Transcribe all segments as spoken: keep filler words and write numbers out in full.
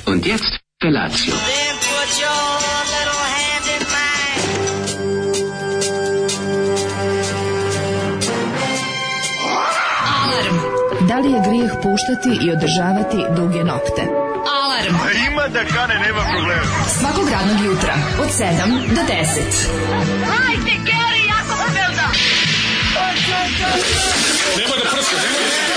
Und jetzt Felatio. Then put your little hand in mine. Alarm. Da li je grijeh puštati i održavati duge nokte? Alarm. A ima da kane, nema problema. Svakog radnog jutra od sedam do deset. Hajde, Geri, jako se velda. Nema da prska, nema da prska.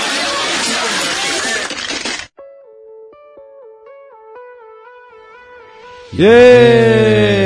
Jeee!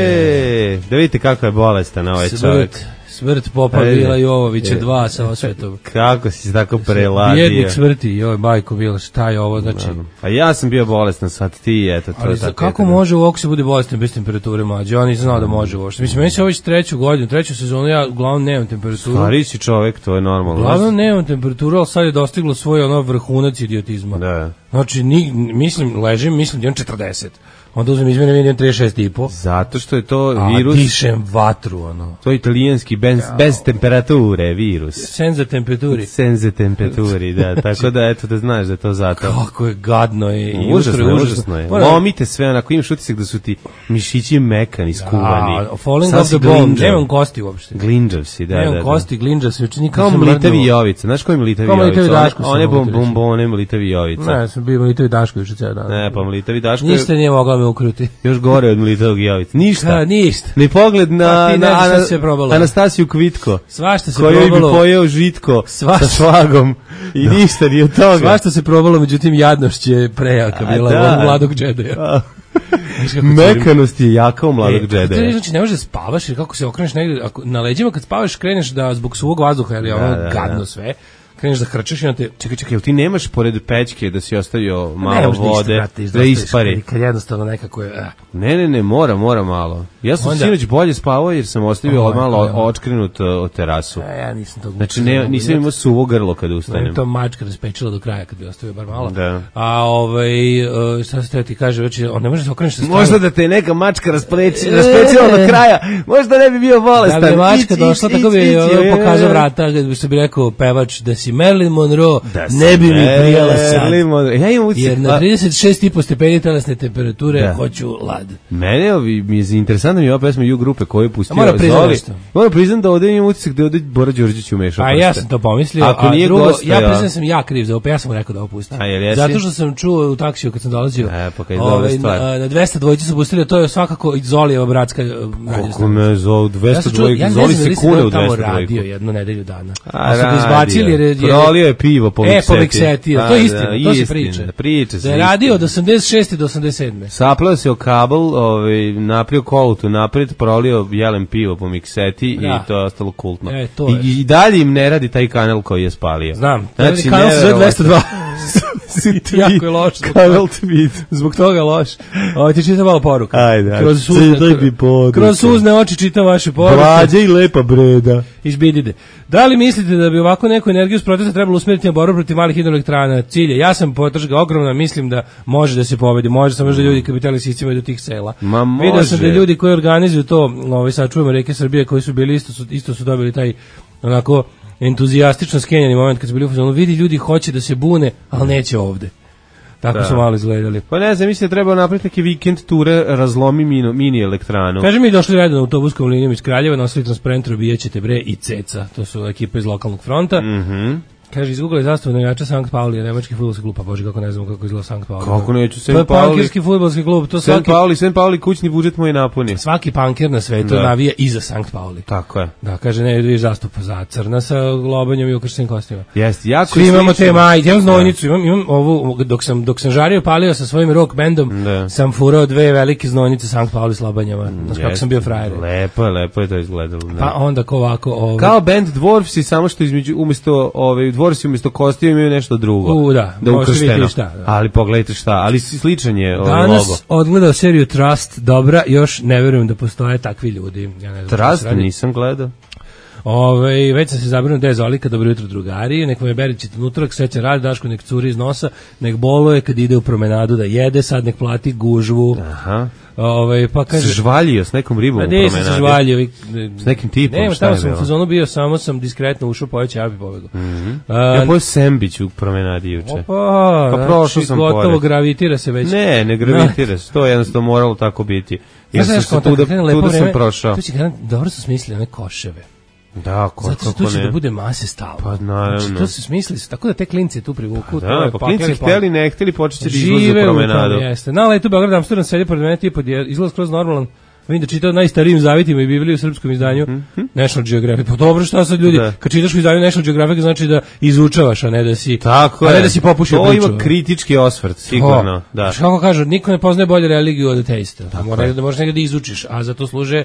Da vidite kako je bolestan ovaj čovjek. Smrt Popa Bila Jovovića dva sa osvetom. Kako si se tako preladio? Bjednik smrti, joj, majko Bila, šta je ovo, znači... A ja sam bio bolestan, sad ti, eto, to ali je tako. Kako eto, može u oku se bude bolestan bez temperature, mlađe? Ja nisam znao da može uopšte. Mislim, meni se ovo već treću godinu, treću sezonu, ja uglavnom nemam temperaturu. Stari si čovjek, to je normalno. Uglavnom nemam temperaturu, ali sad je dostiglo svoj ono vrhunac idiotizma. Da. Znači, ni, mislim, ležim, mislim da imam četrdeset. Onda uzmem izmene, vidim trideset šest i po. Zato što je to a, virus... A dišem vatru, ono. To je italijanski, bez, bez temperature virus. Senza temperaturi. Senza temperaturi, da. Tako da, eto, da znaš da je to zato. Kako je gadno je. I užasno je, užasno. užasno je. Moram... Lomite sve, onako imaš utisak da su ti mišići mekani, skuvani. A, falling off the bone. Nemam kosti uopšte. Glinđav si, da, da. Nemam kosti, glinđav si. Kao Mlitavi Jovica. Znaš koji je Mlitavi Jovica? One bombone Mlitavi Jovica. Ne, sam bio Mlitavi Daško još ceo dan. Ne, pa Mlitavi Daško... Ništa nije mogla me ukruti. Još gore od Mlitavog Jovica. Ništa. Ka, ništa. Ni pogled na, pa na, na na Anastasiju Kvitko. Svašta se probalo. Koju bi pojeo žitko svašta. Sa švagom. I no. Ništa ni od toga. Svašta se probalo, međutim jadnošć je prejaka bila da. U mladog džedeja. Mekanost je jaka u mladog e, džedeja. Znači, ne možeš da spavaš, jer kako se okreneš negdje, ako na leđima kad spavaš kreneš da zbog suvog vazduha, jer je ono da, gadno da. Sve, kreneš da hrčeš i na te... Čekaj, čekaj, ti nemaš pored pećke da si ostavio malo vode, ništa, brate, da ispari? Kad jednostavno nekako je... Eh. Ne, ne, ne, mora, mora malo. Ja sam Onda, sinoć bolje spavao jer sam ostavio oh, malo očkrenut od terasu. Ja, ja nisam to... Znači, ne, nisam imao suvo grlo kad ustanem. Ne, to mačka raspečila do kraja kad bi ostavio bar malo. Da. A ovaj, šta se ti kaže, već, on ne može se okrenuti sa strane. Možda da te je neka mačka raspečila do kraja, možda ne bi bio bolestan. Da bi mačka došla, tako bi pokazao vrata, što bi rekao pevač, da si Marilyn Monroe, ne bi mi prijela sad. Ja imam utisak, jer na trideset šest i po stepeni telesne temperature hoću lad. Mene mi je interesantno mi je ova pesma U grupe koju je pustio Zoli. Moram priznam da ovdje imam utisak da je ovdje Bora Đorđević umešao. A ja sam to pomislio, ako a nije drugo, gosta, ja priznam sam ja kriv za ovo, pa ja sam mu rekao da ovo pusti. Zato što sam čuo u taksiju kad sam dolazio, e, pa ovaj, na, na dvesta dvojice su pustili, to je svakako Zolijeva bratska radio. Kako ne, Zoli, dvesta dvojka, Zoli se kune u dvesta dvojka. Radio jednu nedelju dana. A, su ga izbacili jer je... Prolio je pivo po Mikseti. E, po Mikseti, to je istina, to se priča. Priča se. Da je radio od osamdeset šeste do osamdeset sedme Saplao se o kabel, ovaj, naprio kolutu napred, prolio jelen pivo po Mikseti da. I to je ostalo kultno. E, to I, I dalje im ne radi taj kanal koji je spalio. Znam, znači, kanal se zove dvesta dva jako je loš. Kanal tweet. Zbog toga loš. Ovo ti čita malo poruka. Ajde, kroz suzne, kroz suzne oči čita vaše poruke. Blađa i lepa breda. Izbidide. Da li mislite da bi ovako neku energiju s protesta trebalo usmjeriti na borbu protiv malih hidroelektrana? Cilje. Ja sam podržga ogromna, mislim da može da se pobedi. Može samo da ljudi kapitali sistemaju do tih sela. Ma može. Vidio sam da ljudi koji organizuju to, ovaj, sad čujemo Reke Srbije, koji su bili isto su, isto su dobili taj onako entuzijastično skenjani moment kad su bili u fazonu, vidi ljudi hoće da se bune, ali neće ovde. Tako da. Su malo izgledali. Pa ne znam, mislim da treba napraviti neke vikend ture, razlomi mini, mini elektranu. Kaže mi došli redom na autobuskom linijom iz Kraljeva, nosili transparent robijećete bre i ceca. To su ekipe iz lokalnog fronta. Mhm. Kaže, izgooglali zastavu navijača Sankt Pauli, nemački fudbalski klub, pa bože, kako ne znamo kako izgleda Sankt Pauli. Kako neću, Sankt Pauli. To je pankirski fudbalski klub. To Sankt Pauli, Sankt Pauli, kućni budžet moj napuni. Svaki pankir na svetu navija i za Sankt Pauli. Tako je. Da, kaže, ne, vidiš zastupa za crna sa globanjom i ukrštenim kostima. Jeste, jako svi imamo te majice, imam znojnicu, imam, imam ovu, dok sam, dok sam žario palio sa svojim rock bandom, da. Sam furao dve velike znojnice Sankt Pauli s lobanjama. Znaš kako sam bio frajer. Lepo je, lepo je to izgledalo. Da. Pa onda ko ovako... Ovaj... Kao band Dwarfsi, samo što između, umjesto, ovaj, Dwarfsi umjesto kosti imaju nešto drugo. U, da, da ukršteno. Šta, da. Ali pogledajte šta, ali sličan je ovaj logo. Danas odgledao seriju Trust, dobra, još ne verujem da postoje takvi ljudi. Ja ne znam Trust nisam gledao. Ove, već sam se zabrinuo da je Zolika, dobro jutro drugari, nek me Berićete unutra, srećan rad, Daško nek curi iz nosa, nek boluje kad ide u promenadu da jede, sad nek plati gužvu. Aha. Ove, pa kaže, se žvaljio s nekom ribom u promenadi. promenadi. Se žvaljio. S nekim tipom, nema, šta je bilo? Nema, sam u fazonu bio, samo sam diskretno ušao, pojeće, ja bi pobegao. Mm -hmm. A, ja pojeo sembić u promenadi juče. Opa, pa prošao znači, sam gotovo pored. Gravitira se već. Ne, ne gravitira se, to je jednostavno moralo tako biti. Ja sam se tu da, tu da sam prošao. To će kada, dobro su smislili one koševe. Da, ko, zato što će da bude mase stalno. Pa naravno. Znači, to su smislili, tako da te klinci tu privuku. Pa da, pa klinci hteli, ne hteli, počet će da izlaze u promenadu. Jeste. Na letu Beograd Amsterdam sedi pored mene, tipa izlaz kroz normalan. Vidim da čitao najstarijim zavitima i Bibliju u srpskom izdanju mm-hmm. National Geographic. Pa dobro, šta sad ljudi, da. Kad čitaš u izdanju National Geographic znači da izučavaš, a ne da si, tako a ne da si popušio to priču. To ima kritički osvrt, sigurno. Da. Znači, kako kažu, niko ne poznaje bolje religiju od ateista. Mora da možeš negdje da izučiš, a za to služe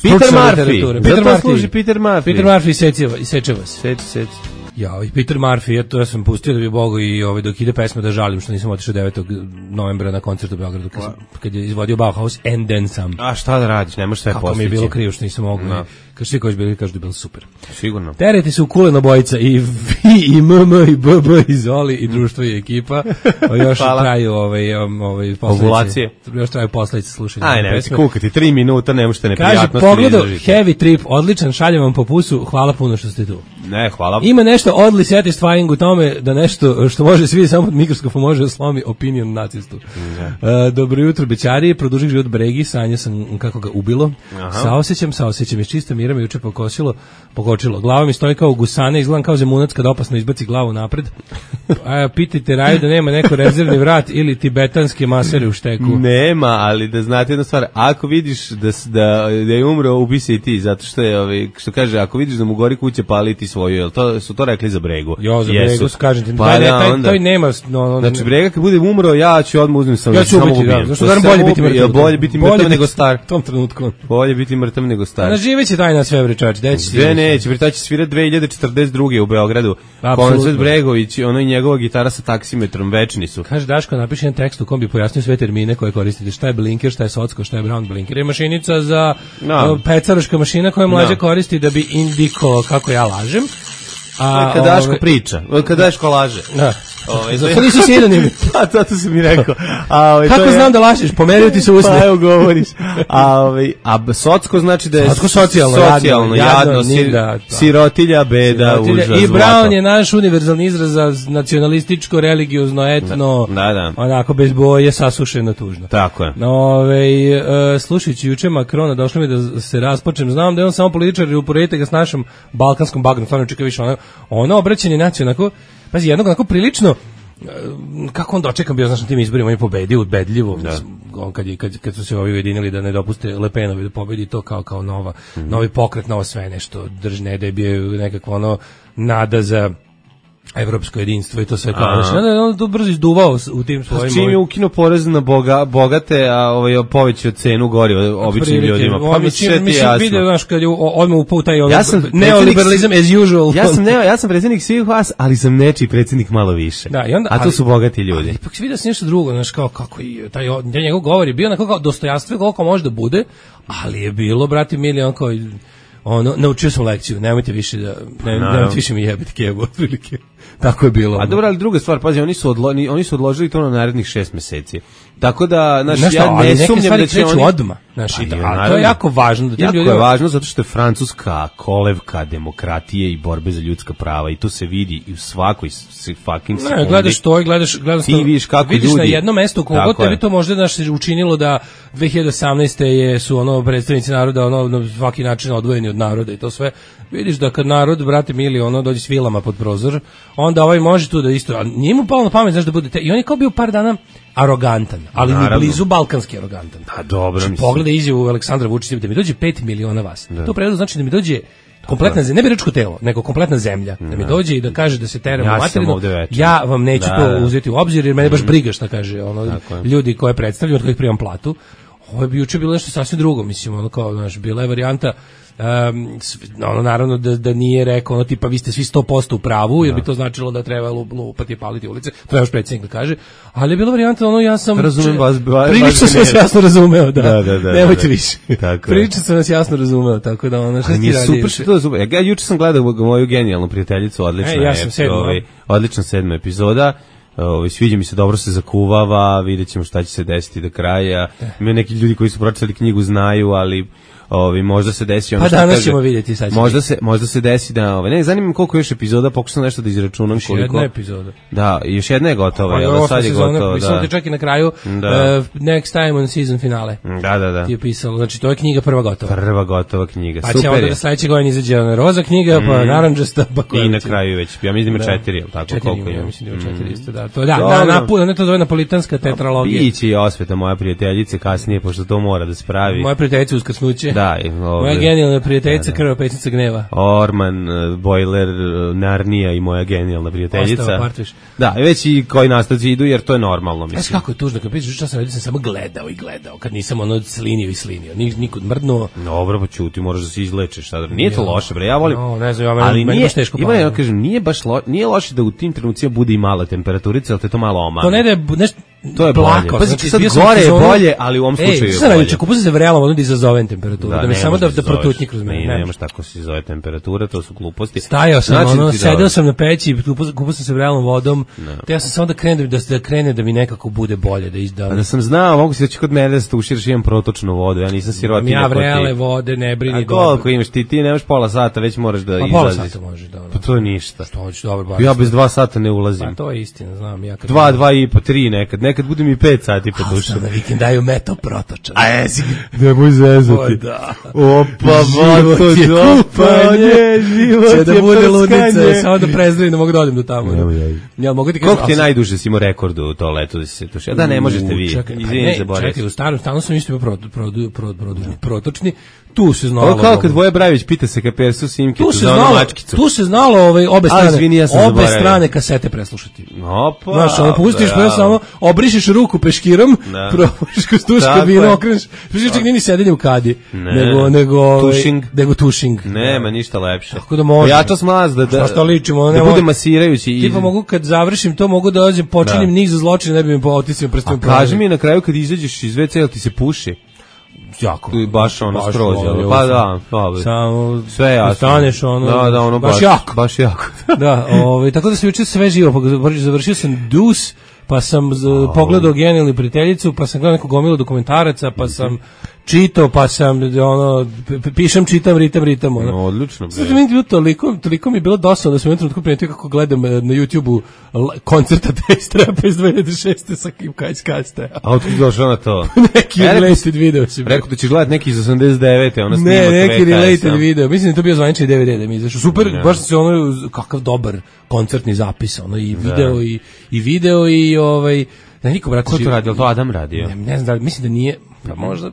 Peter Murphy. Peter Murphy služi Peter Murphy. Peter Murphy isečeva, isečeva se. Seć, seć. Ja, i Peter Murphy, ja to ja sam pustio da bi Bogu i ovaj, dok ide pesma da žalim što nisam otišao devetog novembra na koncert u Beogradu kad, kad je izvodio Bauhaus and then some. A šta da radiš, ne možeš sve postići. Kako mi je bilo krivo što nisam mogao. No. Kad svi koji su bili kažu da je bilo super. Sigurno. Tereti su kuleno bojica i Vi i M M i B B i Zoli i društvo i ekipa. O, još traju ovaj, ovaj, ovulacije. Još traju posledice slušanja. Aj, ne, kukati, tri minuta, ne možete neprijatnosti. Kaže, pogledao Heavy Trip, odličan, šaljem vam po pusu, hvala puno što ste tu. Ne, hvala. Ima nešto oddly satisfying u tome da nešto što može svi samo pod mikroskopom može da slomi opinion nacistu. Uh, dobro jutro, bećari, produžih život Bregi, sanja sam kako ga ubilo. Aha. Saosećam, saosećam, iz čista mira me juče pokosilo, pokočilo. Glava mi stoji kao gusane, izgledam kao zemunac kad opasno izbaci glavu napred. A, pitajte Raju da nema neko rezervni vrat ili tibetanske masere u šteku. Nema, ali da znate jednu stvar, ako vidiš da, da, da je umro, ubi se i ti, zato što je, ovaj, što kaže, ako vidiš da mu gori kuće, pali ti svoju, jel to, su to rekli za Bregu? Jo, za Bregu su, kažem ti, pa, taj, da, taj, onda, taj nema... No, no, znači, Brega kad bude umro, ja ću odmah uzmem sam, ja ću samo ubiti, ubijem. Da, zašto da bolje biti mrtav? Bolje biti mrtav nego star. U tom trenutku. Bolje biti mrtav nego star. Na živeće taj na sve vrečač, gde će Sve neće, bre, taj će svirati dve hiljade četrdeset druge u Beogradu. Koncert Bregović, ono i njegova gitara sa taksimetrom, večni su. Kaže Daško, napiši jedan tekst u kom bi pojasnio sve termine koje koristite, šta je blinker, šta je socko, šta je brown blinker. Je mašinica za no. pecaroška mašina koju mlađe no. koristi da bi indiko kako ja lažem. A kad Daško ove... priča, kad Daško laže. Da. Ove, zato nisu sinonimi. Pa, zato sam mi rekao. A, ove, kako to znam je... da lažeš, pomerio ti se usne. Pa, evo govoriš. A, ove, a socko znači da je socko socijalno, socijalno jadno, jadno, jadno sir, da, sirotilja, beda, sirotilja. Užas, I Brown je naš univerzalni izraz za nacionalističko, religiozno, etno, da, da. onako bez boje, sasušeno, tužno. Tako je. Ove, uh, slušajući juče Makrona, došlo mi da se raspočem. Znam da je on samo političar i uporedite ga s našom balkanskom bagnom, stvarno čeka više ono, ono obraćanje naciju, onako, pazi, jednog onako prilično, kako on dočekan bio, znaš, na tim izborima, on je pobedio udbedljivo, da. On kad, je, kad, kad su se ovi ujedinili da ne dopuste Le Penovi da pobedi to kao, kao nova, mm-hmm. novi pokret, novo sve nešto, držne, da je bio nekakvo ono nada za evropsko jedinstvo i to sve kao. Znači, on to brzo izduvao u tim svojim... Čim je ukinuo porez na boga, bogate, a ovaj, povećao cenu gori običnim ljudima. Pa mi sve ti jasno. Vidio, znaš, kad je odmah upao taj ono, ja neoliberalizam as usual. Ja sam, ne, ja sam predsjednik svih vas, ali sam nečiji predsjednik malo više. Da, i onda, a to ali, su bogati ljudi. Ali ipak si vidio sam nešto drugo, znaš, kao kako i taj, taj njegov govor je bio onako kao dostojanstvo koliko može da bude, ali je bilo, brati mili, on kao... Ono, naučio sam lekciju, nemojte više da, ne, no. nemojte više mi jebiti kebu, otprilike. Tako je bilo. A dobro, ali druga stvar, pazi, oni su, odlo, oni su odložili to na narednih šest meseci. Tako da, znaš, znaš ja ne sumnjam da će oni... odmah. Znaš, pa, da, a to je jako važno. Da jako ljudima... je važno zato što je Francuska kolevka demokratije i borbe za ljudska prava i to se vidi i u svakoj fucking sekundi. Ne, gledaš to i gledaš, gledaš ti vidiš kako vidiš ljudi... na jednom mestu kogo tebi to možda naš učinilo da dve hiljade osamnaeste je su ono predstavnici naroda ono na svaki način odvojeni od naroda i to sve. Vidiš da kad narod, brate mili, ono dođe s vilama pod prozor, onda ovaj može tu da isto, a nije mu palo na pamet, znaš da bude te, i on je kao bio par dana arogantan, ali ni blizu balkanski arogantan. Pa dobro, mislim. Pogledaj izjavu Aleksandra Vučića da mi dođe pet miliona vas. Da. To prevedeno znači da mi dođe kompletna zemlja, ne biračko telo, nego kompletna zemlja, da mi dođe i da kaže da se teramo ja materinu. Ja vam neću da, to da. uzeti u obzir jer mene baš briga šta kaže ono ljudi koje predstavljaju, od kojih primam platu. Ovo je bi juče bilo nešto sasvim drugo, mislim, ono kao, znaš, bila je varijanta Um, ono, naravno da, da nije rekao ono tipa vi ste svi sto posto u pravu, jer bi to značilo da treba lupati i paliti ulice, to je još predsjednik da kaže, ali je bilo varijanta ono ja sam razumem vas, ba, prilično sam vas jasno razumeo, da, da, da, da nemojte da, više, tako prilično sam vas jasno razumeo, tako da ono, šta ti radi? Super što to super, ja juče sam gledao moju genijalnu prijateljicu, odlična e, ja sam sedma, ovaj, odlična sedma epizoda. Ovaj sviđa mi se, dobro se zakuvava, videćemo šta će se desiti do kraja. Ima neki ljudi koji su pročitali knjigu znaju, ali Ovi možda se desi ono pa što danas kaže. Ćemo vidjeti sad. Možda se možda se desi da ovaj ne zanima me koliko još epizoda, pokušam nešto da izračunam još koliko. Jedna epizoda. Da, još jedna je gotova, je da sad je gotova, da. Mislim čak i na kraju da. uh, next time on season finale. Da, da, da. Ti je pisalo, znači to je knjiga prva gotova. Prva gotova knjiga. Pa super. će onda da sledeće godine izađe ona roza knjiga, mm. pa narandžasta, pa i na kraju već. Ja mislim da ima četiri, al tako četiri, koliko ima. Ja mislim da ima četiri isto, da. To da, na na ne to zove napolitanska tetralogija. Biće i Osveta moja prijateljica kasnije, pošto to mora da spravi. Moja prijateljica uskrsnuće. Da, moja genijalna prijateljica, krva pesnica gneva. Orman, Bojler, Narnija i moja genijalna prijateljica. Ostao partviš. Da, već i koji nastavci idu, jer to je normalno, mislim. Znaš kako je tužno, kad pričaš šta sam radio, sam samo gledao i gledao, kad nisam ono slinio i slinio, nikud mrdnuo. Dobro, pa čuti, moraš da se izlečeš. Nije to loše, bre, ja volim. No, ne znam, ja ali meni baš teško ima, ja kažem, nije baš lo, nije loše da u tim trenucima bude i mala temperatura, ali te to malo omane. To ne da je nešto to je blako, bolje. Pa znači, sad gore je bolje, ali u ovom slučaju ej, je bolje. bolje. Ej, kupio sam se vrelom, ono da izazovem temperaturu, da, da mi samo da, da protutnji kroz mene. Ne, nemaš tako se zove temperatura, to su gluposti. Stajao sam, znači, ono, sedeo sam na peći, kupio sam se vrelom vodom, te ja sam samo da krene da, da krene da mi nekako bude bolje, da izdam. A da sam znao, mogu se da će kod mene da se tuširaš, imam protočnu vodu, ja nisam sirotinja. Ja vrele vode, ne brini. A koliko imaš ti, ti nemaš pola sata, već moraš da pa izlaziš. Pola sata možeš, da. Pa to je ništa. Što hoćeš, dobro, baš. Ja bez dva sata ne ulazim. Pa to je istina, znam. Ja kad dva, dva i po, tri nekad, nekad budem i pet sati po dušu. Na vikend daju meto protočan. A jesi, nemoj zezati. Da. Opa, vato, dopanje, život je prskanje. Će da bude ludnica, samo da prezdravi, ne mogu da odim do tamo. Ja mogu ti kažem. Koliko ti je najduže si imao rekord u to leto da si se tušio? Da, ne možete vi. Izvini, zaboravim. Čekaj, u starom stanu sam isto imao protočni. Tu se znalo. Ovo kao kad Voja Brajević pita se kapersu Simkicu za onu mačkicu. Tu se znalo ovaj, obe strane, izvini, ja obe strane kasete preslušati. Opa. Znaš, ono pustiš pa samo, obrišeš ruku peškirom, probušiš kroz tuš kabinu, okreneš, pišiš čak nini sedenje u kadi, nego, nego, tušing. nego tušing. Nema ništa lepše. Tako da može. Ja to smlaz da, da, šta ličimo, da bude masirajući. Tipa mogu kad završim to, mogu da dođem, počinim niz za zločine, ne bi mi po otisima prstom. A kaži mi na kraju kad izađeš iz ve ce, jel ti se puši? Jako. Tu baš ono skroz, pa da, pa samo sve jasno. Staneš ono, da, da, ono baš, baš jako. Baš jako. Da, ovaj, tako da se juče sve živo, završio sam Dus, pa sam z, oh. pogledao Genijalnu prijateljicu, pa sam gledao neku gomilu dokumentaraca, pa sam čitao, pa sam ono pišem, čitam, ritam, ritam. Ono. No, odlično. Sad mi je bilo toliko, toliko mi je bilo dosadno da sam jednom trenutku primetio kako gledam na YouTubeu koncerta Taste Rapa iz dve hiljade šeste sa Kim Kajskaste. A otkud došao na to? Neki related video si. Rekao da ćeš gledati neki iz osamdeset devete, ono snimak. Ne, neki related video. Mislim da je to bio zvanični de ve de da mi izašao. Super, ne. Baš se ono kakav dobar koncertni zapis, ono i video i i video i ovaj da niko brate. Ko to radio? To Adam radio. Ne, ne znam da mislim da nije, pa možda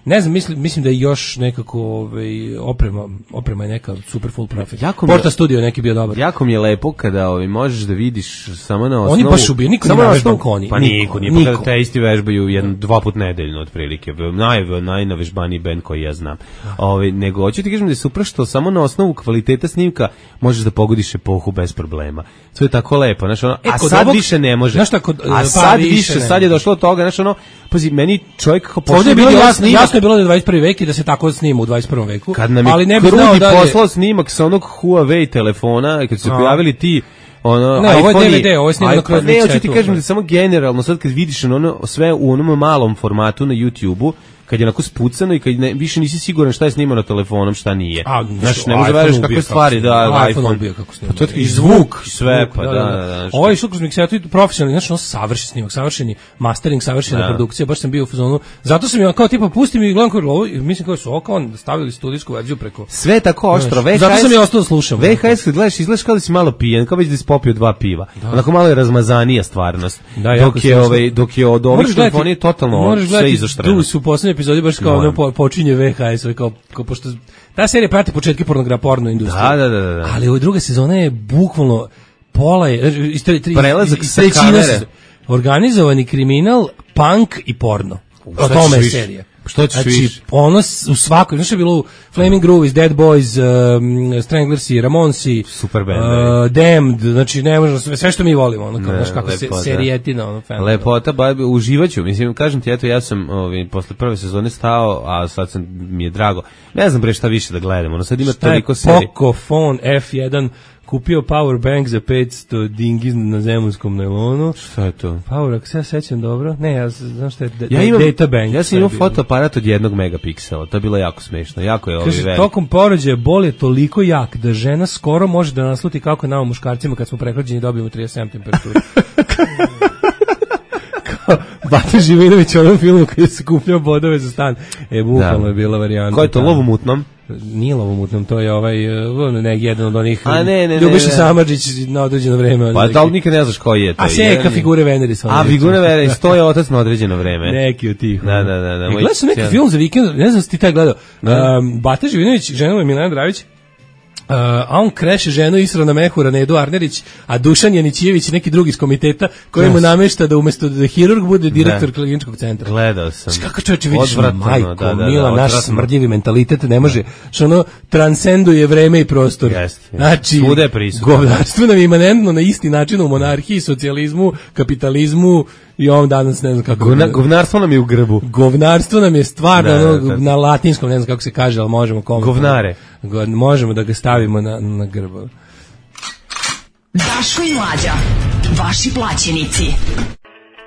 ne znam, mislim, mislim da je još nekako ovaj, oprema, oprema je neka super full profit. Porta Studio neki bio dobar. Jako mi je lepo kada ovaj, možeš da vidiš samo na osnovu... Oni baš ubiju, niko nije vežban koni. Pa niko, niko, niko. Te isti vežbaju jedan, dva put nedeljno otprilike. Naj, najnavežbaniji band koji ja znam. Ovaj, nego, hoću ti kažem da je super što samo na osnovu kvaliteta snimka možeš da pogodiš epohu bez problema. To je tako lepo, znaš, ono, e, a sad ovog, više ne može. Šta, kod, a sad više, više sad je došlo od toga, znaš, ono, pazi, meni čovjek kako pošli bilo jasno, jasno je bilo da je dvadeset prvi vek i da se tako snima u dvadeset prvom veku. Kad nam je ali ne bi Krudi poslao snimak sa onog Huawei telefona, kad su se pojavili ti ono, ne, ovo je de ve de, ovo je snimano kroz ne, hoću ti kažem da samo generalno, sad kad vidiš ono, sve u onom malom formatu na YouTubeu, kad je onako spucano i kad ne, više nisi siguran šta je snimano telefonom, šta nije. A, znaš, ne može veriš kakve stvari, da, iPhone ubio kako snima. Pa to je i zvuk, sve, pa da, da, da. Ovo je što kroz miksetu i profesionalni, znači, ono savršen snimak, savršeni mastering, savršena produkcija, baš sam bio u fazonu. Zato sam ja kao tipa pustim i gledam kao ovo, mislim kao su oko on stavili studijsku verziju preko. Sve tako oštro, ve ha es. Zato sam ja ostao da slušam. ve ha es kad gledaš, izgledaš kao da si malo pijen, kao već da si popio dva piva. Onako malo je razmazanija stvarnost. Dok je ovaj, dok je od ovih telefonije totalno sve izoštreno. Tu su u poslednjoj epizodi baš kao po, počinje ve ha es, kao, kao pošto ta serija prati početke pornogra porno industrije. Da, da, da, da. Ali ova druga sezona je bukvalno pola je istri, tri, prelazak sa kamere. Organizovani kriminal, punk i porno. O tome je serija. Što ćeš znači, više? Ono u svakoj, znaš je bilo u Flaming Groovies, Dead Boys, um, Stranglersi, Ramonsi, super band, uh, Damned, znači ne možemo, sve, sve što mi volimo, ono, kao, znaš kako se, serijetina, ono, fan. Lepota, ba, uživaću, mislim, kažem ti, eto, ja sam ovi, posle prve sezone stao, a sad sam, mi je drago, ne znam bre šta više da gledam, ono, sad ima šta toliko serija. Pocophone F jedan kupio power bank za petsto dingi na zemunskom nailonu. Šta je to? Power, ako se ja sećam dobro. Ne, ja znam šta je da, ja imam, data bank. Ja sam imao fotoaparat od jednog megapiksela. To je bilo jako smešno. Jako je ovaj Kaže, tokom porođaja bol je toliko jak da žena skoro može da nasluti kako nama muškarcima kad smo prehlađeni dobijemo trideset sedam temperaturu. Bata Živinović u onom filmu koji se kupljao bodove za stan. E, bukvalno je bila varijanta. Ko je to, Lov u mutnom? Nije Lov u mutnom, to je ovaj, ne, jedan od onih, a, ne, ne, Ljubiša Samardžić na određeno vreme. Pa da li nikad ne znaš koji je to? A Seka Figure Veneris. A Figure Veneris, to je otac na određeno vreme. Neki od tih. Da, da, da. da gledao sam neki film za vikend, ne znam si ti taj gledao. Um, Bata Živinović, žena mu je Milena Dravić, Uh, a on kreše ženu Isra na Mehura, Nedu Arnerić, a Dušan Janićijević i neki drugi iz komiteta koji mu namešta da umesto da hirurg bude direktor kliničkog centra. Gledao sam. Kako čovječe vidiš, majko, da, da, mila, da, naš smrdljivi mentalitet ne može, što ono transcenduje vreme i prostor. Jest, jest. Znači, govnarstvo nam je imanentno na isti način u monarhiji, socijalizmu, kapitalizmu i ovom danas ne znam kako. Govna, govnarstvo nam je u grbu. Govnarstvo nam je stvarno da, ono, da, da. Na latinskom, ne znam kako se kaže, ali možemo komentarno. Govnare. Možemo da ga stavimo na, na grbu. Daško i Mlađa, vaši plaćenici.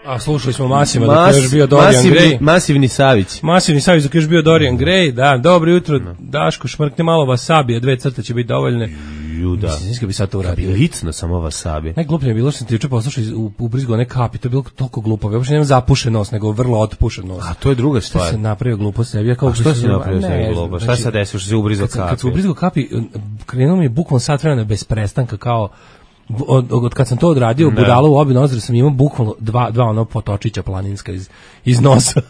A slušali smo Masima Mas, dok je još bio Dorian masivni, Gray. Masivni Savić. Masivni Savić dok je još bio Dorian Gray, da, dobro jutro, no. Daško, šmrkne malo wasabija, dve crte će biti dovoljne. Juda. Mislim, nisam bi sad to uradio. Kad bi licno samo wasabi. Najgluplje je bilo što sam ti juče poslušao u, u brizgu one kapi, to je bilo toliko glupo. Ja uopšte nemam zapušen nos, nego vrlo otpušen nos. A to je druga stvar. Što se napravio glupo sebi? Ja kao A što si napravio sebi glupo? Šta se desilo što se ubrizao kapi? Kad se ubrizao kapi, krenuo mi je bukvalno sat vremena bez prestanka kao Od, od kad sam to odradio u budalo u obi nozdre sam imao bukvalno dva, dva ono potočića planinska iz, iz nosa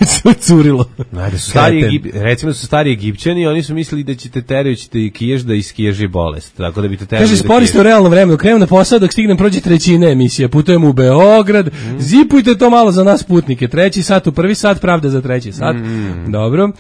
sve curilo. Najde su stari Egip, recimo su stari Egipćani, oni su mislili da ćete terajući te kiješ da iskiježi bolest, tako da bi te terali. Kaže, spori ste u realno vremenu, krenem na posao dok stignem prođe trećine emisije, putujem u Beograd, mm. zipujte to malo za nas putnike, treći sat u prvi sat, pravda za treći sat. Mm. Dobro.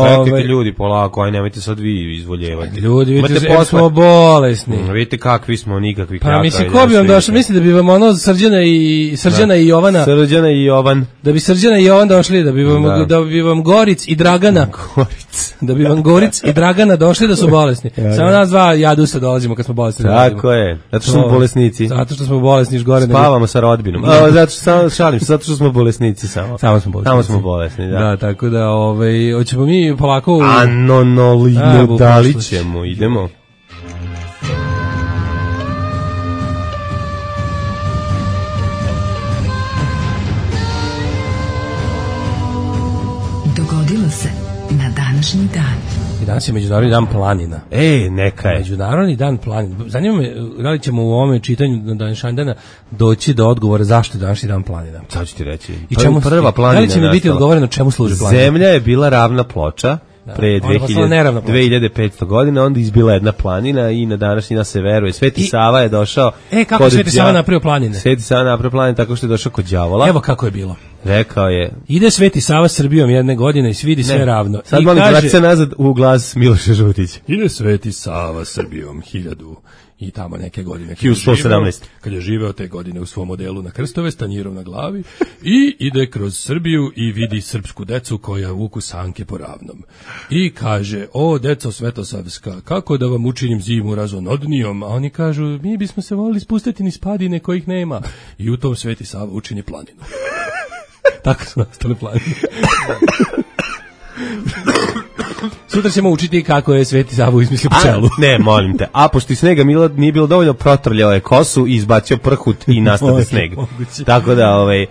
Čekajte Ove... ljudi, polako, aj nemojte sad vi izvoljevati. Ljudi, vidite, posle... smo bolesni. Mm, vidite kakvi smo, nikakvi. Pa mislim, ko bi vam došao, mislim da bi vam ono Srđana i Srđana i Jovana. Srđana i Jovan. Da bi Srđana i Jovan došli, da bi vam, da. Da bi vam Goric i Dragana. Goric. Da bi vam Goric i Dragana došli da su bolesni. Ja, Samo ja. nas dva jadusa dolazimo kad smo bolesni. Tako je, zato što smo bolesnici. Zato što smo bolesni još gore. Spavamo sa rodbinom. A, zato što, samo, šalim se, zato što smo bolesnici samo. Samo smo bolesni. Samo smo bolesni, da. Da, tako da, ovaj, hoćemo mi polako... U... Anonolino, da li ćemo, idemo. Dogodilo se na današnji dan. I danas je Međunarodni dan planina. Ej, neka je. Međunarodni dan planina. Zanima me, da li ćemo u ovome čitanju na današnji dana doći do odgovora zašto je današnji dan planina. Sad ću ti reći. I čemu prva planina? Da li će mi biti odgovoreno čemu služi planina? Zemlja je bila ravna ploča. Da, pre dve hiljade petsto godina, onda izbila jedna planina i na današnji dan se veruje. Sveti I, Sava je došao. E, kako je Sveti Sava napravio planine? Sveti Sava napravio planine tako što je došao kod đavola. Evo kako je bilo. Rekao je. Ide Sveti Sava Srbijom jedne godine i svidi sve ravno. Sad molim kaže, se nazad u glas Miloša Žutića. Ide Sveti Sava Srbijom hiljadu i tamo neke godine. hiljadu sto sedamnaest. Kad je živeo te godine u svom modelu na krstove, stanjirom na glavi i ide kroz Srbiju i vidi srpsku decu koja vuku sanke po ravnom. I kaže, o deco svetosavska, kako da vam učinim zimu razonodnijom? A oni kažu, mi bismo se volili spustiti niz padine kojih nema. I u tom Sveti Sava učini planinu. Tako su nastale planine. Sutra ćemo učiti kako je Sveti Sava izmislio pčelu. Ne, molim te. A pošto i snega Milo nije bilo dovoljno, protrljao je kosu i izbacio prhut i nastade sneg. Tako da, ovaj...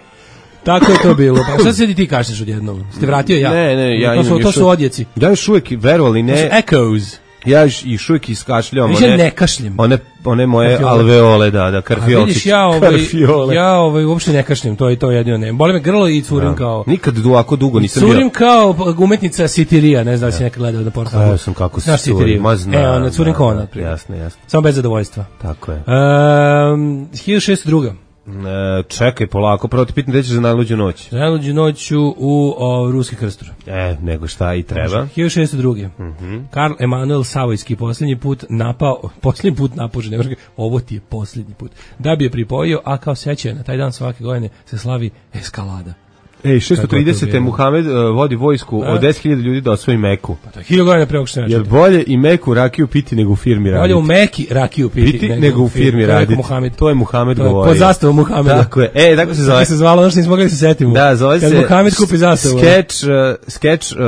Tako je to bilo. Pa šta se ti kažeš odjednom? Ste vratio ja? Ne, ne, ja to su, to su odjeci. Ja još uvijek, verovali ne... To su echoes. Ja još uvijek iskašljam one, ne kašljem. one, one moje karfiole. Alveole, da, da, karfiolčić. A vidiš, ja, ovaj, ja ovaj, uopšte ne kašljem, to je to jedino ne. Boli me grlo i curim da. Kao... Nikad ovako dugo nisam bio. Curim kao umetnica Sitirija, ne znam da si nekad gledao da portalu. Ja sam kako se curim, ma znam. E, ona curim kao ona. Jasno, jasno. Samo bez zadovoljstva. Tako je. Um, hiljadu šeststo dva. E, čekaj, polako, prvo ti pitam gde ćeš za najluđu noć. Za najluđu noć u, u Ruski Krstur. E, nego šta i treba. hiljadu šeststo druge. Mm-hmm. Karl Emanuel Savojski posljednji put napao, posljednji put napao Ženevačke, ovo ti je posljednji put, da bi je pripojio, a kao sećanje na taj dan svake godine se slavi eskalada. Ej, šesto trideset. Muhamed uh, vodi vojsku a? Od deset hiljada ljudi da osvoji Meku. Pa to je hiljadu godina pre ovog što jer bolje i Meku rakiju piti nego u firmi raditi. Bolje u Meki rakiju piti, piti nego, nego u firmi raditi. To je Muhamed govorio. Pod zastavom Muhameda. Tako je. E, tako se zove. Tako se zvalo, ono što nismo mogli da se setimo. Da, zove kad se Muhamed kupi zastavu. Skeč, uh, skeč uh,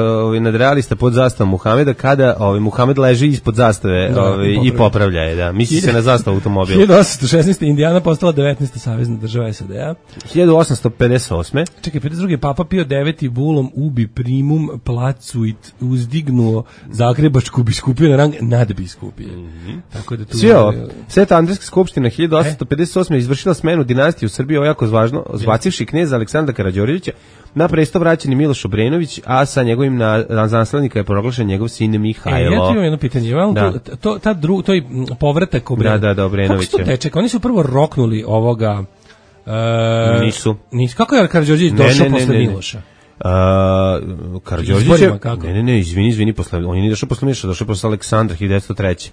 nadrealista pod zastavom Muhameda kada ovaj, Muhamed leži ispod zastave da, ovaj, i popravlja je. Da. Misli se na zastavu automobila. hiljadu osamsto šesnaeste. Indijana postala devetnaesta savezna država S A D-a. hiljadu osamsto pedeset osme. Čekaj, pedeset druge. Papa Pio deveti bulom ubi primum placuit uzdignuo Zagrebačku biskupiju na rang nadbiskupije. Mm-hmm. Tako da tu Sio, Sveta Andrijska skupština hiljadu osamsto pedeset osme. izvršila smenu dinastije u Srbiji, ovo jako važno, zbacivši kneza Aleksandra Karađorđevića na presto vraćeni Miloš Obrenović, a sa njegovim na, na naslednika je proglašen njegov sin Mihajlo. E, ja ti imam jedno pitanje, da. to, to, ta dru, to je povratak Obrenovića. Da, da, da, Obrenovića. Kako se to teče? Oni su prvo roknuli ovoga... E, nisu. nisu. Kako je Karađorđević došao posle Miloša? Uh, Karađorđević je... Ne, ne, ne, izvini, izvini, posle, on je nije došao posle Miloša, došao posle Aleksandra hiljadu devetsto treće.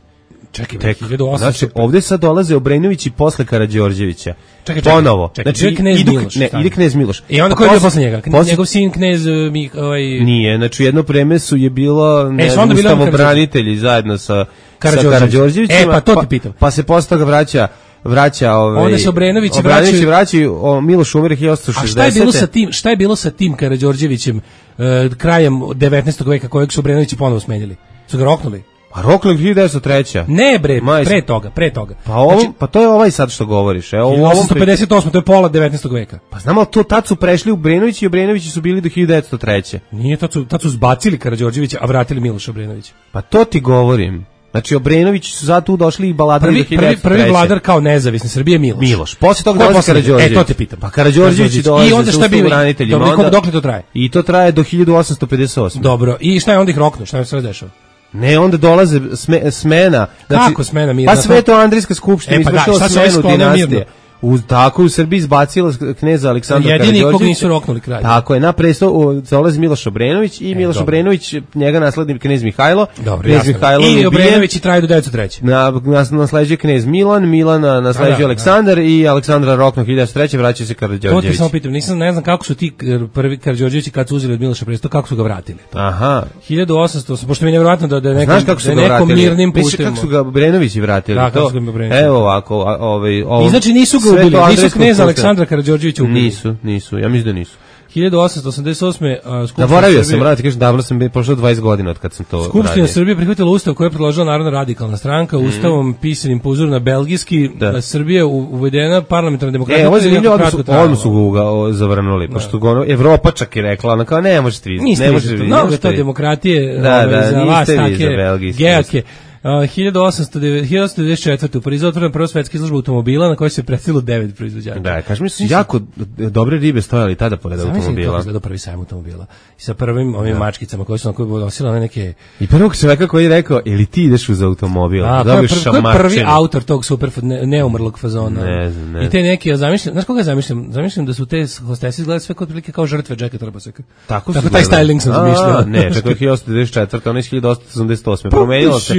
Čekaj, Tek, hiljadu osamsto. znači, ovde sad dolaze Obrenović i posle Karađorđevića. Čekaj, čekaj. Ponovo. Čekaj, znači, knez idu, Miloš. Ne, ide knez Miloš. I onda ko je bio posle njega? Posle... Njegov sin knez mi, ovaj... Nije, znači jedno vreme su je bilo ne, e, ustavobranitelji zajedno sa Karađorđevićem. E, pa to ti pitam. Pa, pa se posle toga vraća vraća ovaj onda se Obrenović vraća vraćaju o Miloš umire hiljadu osamsto šezdesete. A šta je bilo sa tim, šta je bilo sa tim Karađorđevićem uh, krajem devetnaestog veka kojeg su Obrenovići ponovo smenili? Su ga roknuli? Pa roknuli hiljadu devetsto treće. Ne bre, Majs... pre toga, pre toga. Pa ovo, znači, pa to je ovaj sad što govoriš, evo hiljadu osamsto pedeset osme, to je pola devetnaestog veka. Pa znamo to tad su prešli Obrenović i Obrenovići su bili do hiljadu devetsto treće. Nije, tad su tad su zbacili Karađorđevića, a vratili Miloša Obrenovića. Pa to ti govorim. Znači Obrenović su zato tu došli i baladari do hiljadu devetsto treće. Prvi, prvi vladar kao nezavisne Srbije Miloš. Miloš. Posle toga dolazi Karađorđević. E to te pitam. Pa Karađorđević dolazi. I onda šta bi braniteljima? Dobro, dokle to traje? I to traje do hiljadu osamsto pedeset osme. Dobro. I šta je onda ih roknuo? Šta je sve dešava? Ne, onda dolaze sme, smena. Znači, kako smena mirna? Pa Sveto Andrijska skupština e, pa izvršila da, smenu dinastije. U, tako u Srbiji izbacila kneza Aleksandra Karađorđevića. Jedini kog nisu roknuli kralj. Tako je, na presto dolazi Miloš Obrenović i e, Miloš dobro. Obrenović, njega naslednik knez Mihajlo. Dobro, knez Mihajlo i Obrenović i traje do devetsto treće. Na, nas, nasleđuje knez Milan, Milana nasleđuje da, Aleksandar da. I Aleksandra rokno hiljadu devetsto treće vraća se Karađorđević. To ti samo pitam, nisam, ne znam kako su ti prvi Karađorđevići kad su uzeli od Miloša presto, kako su ga vratili. Aha. hiljadu osamsto, pošto mi je nevjerojatno da da nekom, da nekom mirnim putem. Kako su ga Obrenovići vratili? Da, kako su ga Obrenovići. Evo ovako, ovaj, ovaj. I znači nisu ga ubili, nisu kneza Aleksandra Karađorđevića ubili. Nisu, nisu, ja mislim da nisu. hiljadu osamsto osamdeset osme. Uh, Zaboravio sam, raditi, kažem, davno sam prošlo dvadeset godina od kad sam to Skupština radio. Srbije prihvatila ustav koji je predložila Narodna radikalna stranka, mm. ustavom pisanim po uzoru na belgijski, da Srbija uvedena parlamentarna demokratija. E, ovo je zanimljivo, odmah su, odmah su ga zavrnuli, da. Pošto ga ono, Evropa čak je rekla, ona kao, ne možete vi, ne možete vi. No, što demokratije, da, ove, da, za vas take, gejake. Uh, hiljadu osamsto devedeset četvrte. u Parizu otvorena prva svetska izložba automobila na kojoj se predstavilo devet proizvođača. Da, kažem mi su jako dobre ribe stojali tada pored automobila. Kako izgleda prvi sajam automobila. I sa prvim ovim da. Mačkicama koje su na koje nosile one neke... I prvog čoveka koji je rekao, ili ti ideš uz automobil? A, ko je, pr ko je prvi autor tog super ne, neumrlog fazona? Ne znam, ne. I te neke, ja zamišljam, znaš koga zamišljam? Zamišljam da su te hostese izgledali sve kod prilike kao žrtve Jacka Trabaseka. Tako, Tako taj styling sam zamišljao. Ne, čekaj, hiljadu osamsto devedeset četvrte. ono je hiljadu osamsto osamdeset osme. Promenilo se.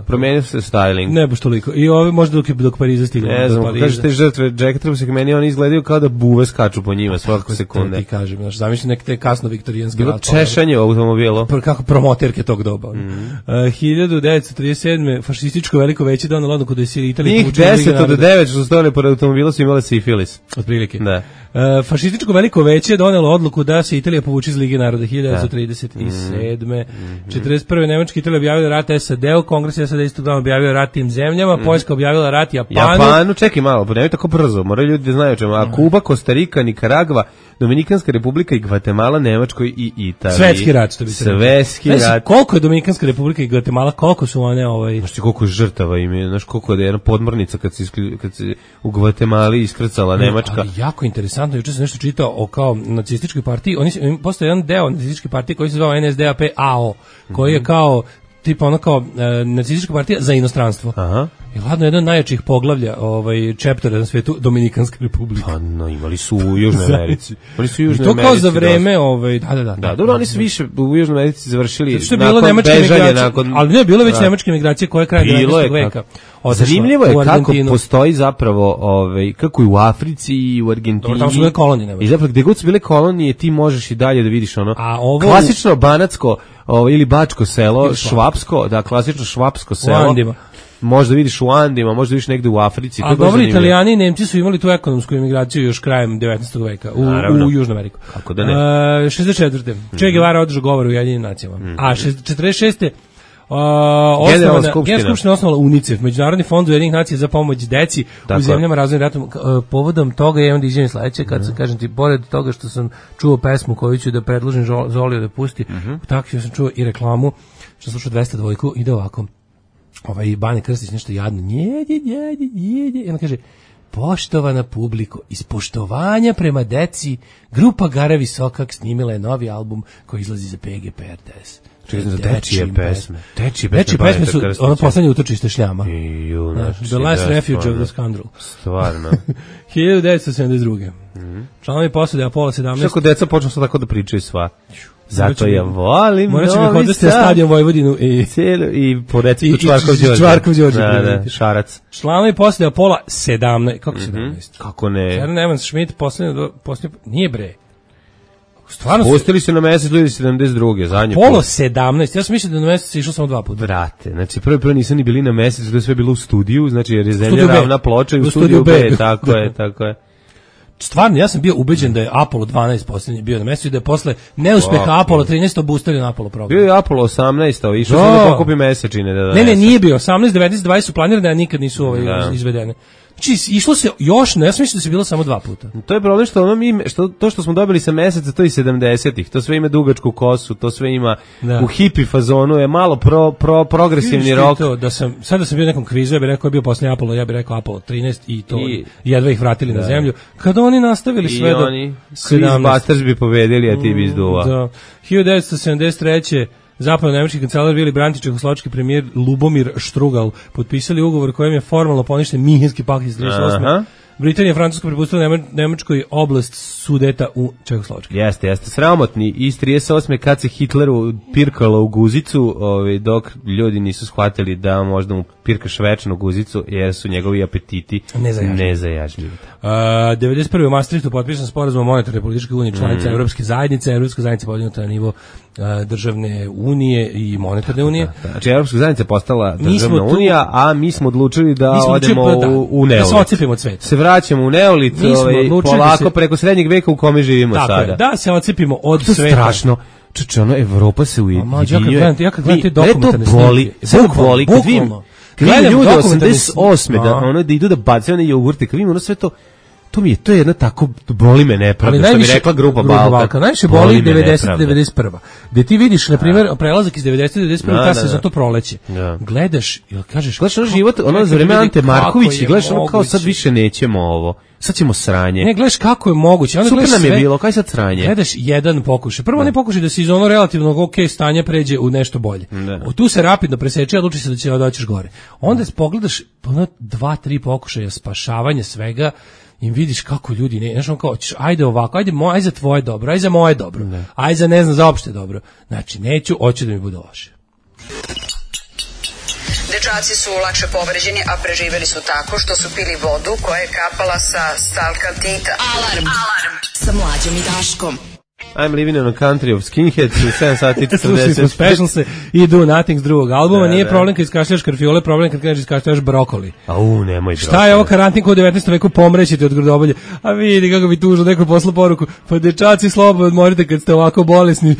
Promenilo se styling. Ne baš toliko. I ovi možda dok je dok Pariza stiglo. Ne znam, kako kažeš te žrtve Jacka Trabaseka, meni oni izgledaju kao da buve skaču po njima svake sekunde. Ti kažem, znači zamišljam neke te kasno viktorijanske bilo češanje automobila. Kako promoterke tog doba. Mm. Uh, hiljadu devetsto trideset sedme. fašističko veliko veće donelo odluku da se Italija povuče iz Lige naroda. Njih deset od devet što su stojali pored automobila su imali sifilis. Otprilike. Da. Uh, fašističko veliko veće donelo odluku da se Italija povuče iz Lige naroda hiljadu devetsto trideset sedme. Mm. četrdeset prve. Nemačka Italija objavila rat S A D-u, Kongres S A D istog dana objavio rat tim zemljama, mm. Poljska objavila rat Japanu. Japanu, čekaj malo, nemoj tako brzo, moraju ljudi da znaju čemu. A Kuba, Kostarika, Nikaragva, Dominikanska republika i Gvatemala, Nemačkoj i Italiji. Svetski rat, što bi se rekao. Svetski rat. Znaš, koliko je Dominikanska republika i Gvatemala, koliko su one ovaj... Znaš ti koliko je žrtava ime, znaš koliko je jedna podmornica kad se, iskli, kad se u Gvatemali iskrcala Nemačka. Ali jako interesantno, juče sam nešto čitao o kao nacističkoj partiji, oni postoje jedan deo nacističke partije koji se zvao N S D A P A O, koji je kao tipa ono kao e, nacistička partija za inostranstvo. Aha. I ladno jedan od najjačih poglavlja ovaj, chaptera na svetu, Dominikanska republika. Pa no, imali su u Južnoj Americi. Oni su u Južnoj to Americi. To kao za vreme, ovaj, da, da, da. Da, dobro, oni su više u Južnoj Americi završili što je bilo nakon bežanja, nakon... Ali ne, bilo već nemačke migracije koje je kraj devetnaestog veka. Zanimljivo je kako postoji zapravo, ovaj, kako i u Africi i u Argentini. Dobro, tamo su bile kolonije. I zapravo, gde god su bile kolonije, ti možeš i dalje da vidiš ono, a ovo... klasično banatsko ovo, ili bačko selo, ili švapsko, da, klasično švapsko selo. U Andima. Možda vidiš u Andima, možda vidiš negde u Africi. A dobro, Italijani i Nemci su imali tu ekonomsku emigraciju još krajem devetnaestog veka u, u Južnu Ameriku. Kako da ne? Uh, šezdeset četvrte Mm-hmm. Che Guevara održao govor u Ujedinjenim nacijama. Mm-hmm. A četrdeset šeste Uh, Generalna skupština osnovala UNICEF, Međunarodni fond Ujedinjenih nacija za pomoć deci Tako. u zemljama razvojnim ratom. Uh, povodom toga je onda izjavim sledeće, kad mm-hmm. se kažem ti, pored toga što sam čuo pesmu koju ću da predložim Zoliju da pusti, mm-hmm. u takvim sam čuo i reklamu, što sam slušao dvesta dvojku, ide ovako. Ovaj Bane Krstić nešto jadno, njedi, njedi, njedi, i on kaže, poštovana publiko, iz poštovanja prema deci, grupa Gara Visokak snimila je novi album koji izlazi za P G P R T S. Čekaj, za dečije pesme. Dečije pesme, pesme su ono poslednje utočište šljama. I, junači, the last refuge of the scoundrel. Stvarno. hiljadu devetsto sedamdeset druge Mm-hmm. Članovi posade Apollo sedamnaest. Što deca počnu sad tako da pričaju sva. Zato ja volim Novi Sad. Morat ću mi hodati na stadion Vojvodinu i, cijelu, i po receptu Čvarkov Đorđe. Čvarkov Đorđe. Da, da, Šarac. Članovi posade Apollo sedamnaest. Kako sedamnaest? Mm-hmm. Kako ne? Karen Evans Schmidt, poslednje, poslednje, nije bre. Stvarno pustili su na mesec ljudi sedamdeset druge zadnje. Apollo sedamnaest Ja sam mislio da na mesec išao samo dva puta. Brate, znači prvi prvo nisu ni bili na mesecu, da je sve bilo u studiju, znači jer je zemlja ravna ploča i u studiju B, B. tako je, tako je. Stvarno, ja sam bio ubeđen da je Apollo dvanaest poslednji bio na mesecu i da je posle neuspeha oh, Apollo trinaest obustavljen Apollo program. Bio je Apollo osamnaest a išao sam da pokupi mesečine. Da ne, ne, nije bio. osamnaest, devetnaest, dvadeset su planirane, a nikad nisu ovaj da. izvedene. Znači, išlo se još, ne, ja sam mislio da se bilo samo dva puta. To je problem što ono mi, što, to što smo dobili sa meseca, to i sedamdesetih to sve ima dugačku kosu, to sve ima da. u hipi fazonu, je malo pro, pro, progresivni rock. To, da sam, sad da sam bio u nekom kvizu, ja bih rekao je bio posljednji Apollo, ja bih rekao Apollo trinaest i to I, jedva ih vratili da. na zemlju. Kada oni nastavili sve do sedamnaest Busters bi pobedili, a ti bi izduva. Da. hiljadu devetsto sedamdeset treće Zapadno-nemački kancelar Vili Brandt i čehoslovački premijer Lubomir Štrugal potpisali ugovor kojim je formalno poništen Minhenski pakt iz trideset osme Aha. Britanija i Francuska prepustila Nemačkoj oblast Sudeta u Čehoslovačkoj. Jeste, jeste. Sramotni. Iz trideset osme kad se Hitleru pirkalo u guzicu, ovaj, dok ljudi nisu shvatili da možda mu pirkaš večnu guzicu, jer su njegovi apetiti nezajažljivi. Uh, devedeset prve u Maastrichtu potpisan sporazum o monetarnoj političkoj uniji članica mm. Evropske zajednice. Evropska zajednica podignuta na nivo uh, državne unije i monetarne unije. Da, da. Znači, Evropska zajednica je postala državna tu, unija, a mi smo odlučili da smo odemo odlučili, da, u, u neolit. Da se ocepimo od sveta. Se vraćamo u neolit, ovaj, polako da se, preko srednjeg veka u kome živimo tako sada. Je, da se ocepimo od to sveta. Strašno. Čuče, ono, Evropa se ujedinjuje. Ja kad gledam, ja kad gledam te dokumentarne snimke. Sve boli, kad vidim, kad vidim ljude osamdeset osme da, ono, da idu da bacaju na jogurte, kad vidim ono sve to, to mi je, to je jedna tako, boli me nepravda, što mi rekla grupa Balkan. Balkan. Najviše boli devedeset devedeset prva Gde ti vidiš, na primjer, prelazak iz devedeset devedeset prve ta se za to proleće. Ja. Gledaš, ili kažeš... Gledaš ono život, ono za vreme Ante Marković, i gledaš ono kao sad više nećemo ovo. Sad ćemo sranje. Ne, gledaš kako je moguće. Onda super nam je sve, bilo, kaj sad sranje? Gledaš jedan pokušaj. Prvo ne pokušaj da se iz ono relativnog ok stanja pređe u nešto bolje. O, tu se rapidno preseče, odluči se da će doćeš gore. Onda pogledaš ono dva, tri pokušaja spašavanja svega i vidiš kako ljudi ne, znaš on kao, ajde ovako, ajde, moj, ajde za tvoje dobro, ajde za moje dobro, ne. ajde za ne znam, za opšte dobro. Znači, neću, hoću da mi bude loše. Dečaci su lakše povređeni, a preživeli su tako što su pili vodu koja je kapala sa stalkaltita. Alarm, alarm, sa Mlađom i Daškom. I'm living in a country of skinheads u sedam sati četrdeset Slušaj, special se i do nothing s drugog albuma. Da, nije da. problem kad iskašljaš karfiole, problem kad kreneš iskašljaš brokoli. Au, nemoj brokoli. Šta je ovo karantinko u devetnaestom veku, pomrećete od grudobolje. A vidi kako bi tužno neko poslao poruku. Pa dečaci, slobodno odmorite kad ste ovako bolesni,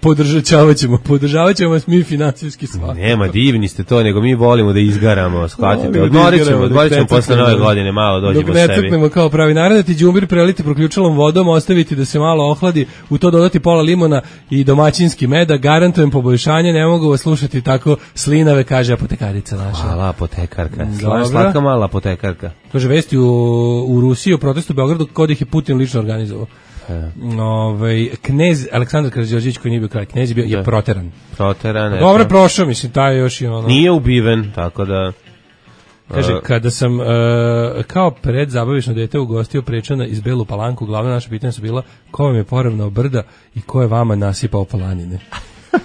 podržavat ćemo, podržavat ćemo vas mi finansijski svakako. Nema, divni ste to, nego mi volimo da izgaramo, shvatite. Odmorit ćemo, odmorit ćemo posle nove godine, malo dođemo sebi. Dok ne crknemo kao pravi narod, ti đumbir preliti proključalom vodom, ostaviti da se malo ohladi, u to dodati pola limuna i domaćinski meda, garantujem poboljšanje, ne mogu vas slušati tako slinave, kaže apotekarica naša. Hvala, apotekarka. Slatka mala apotekarka. Kaže, vesti u, u Rusiji o protestu u Beogradu kod ih je Putin lično organizovao. Ovaj knez Aleksandar Karađorđević koji nije bio kralj, knez je bio je proteran. Proteran. Pa dobro prošao, mislim, taj još i ono. Nije ubiven, tako da kaže, kada sam uh, kao pred zabavišno dete ugostio Prečana iz Belu Palanku, glavna naša pitanja su bila ko vam je poravnao brda i ko je vama nasipao palanine.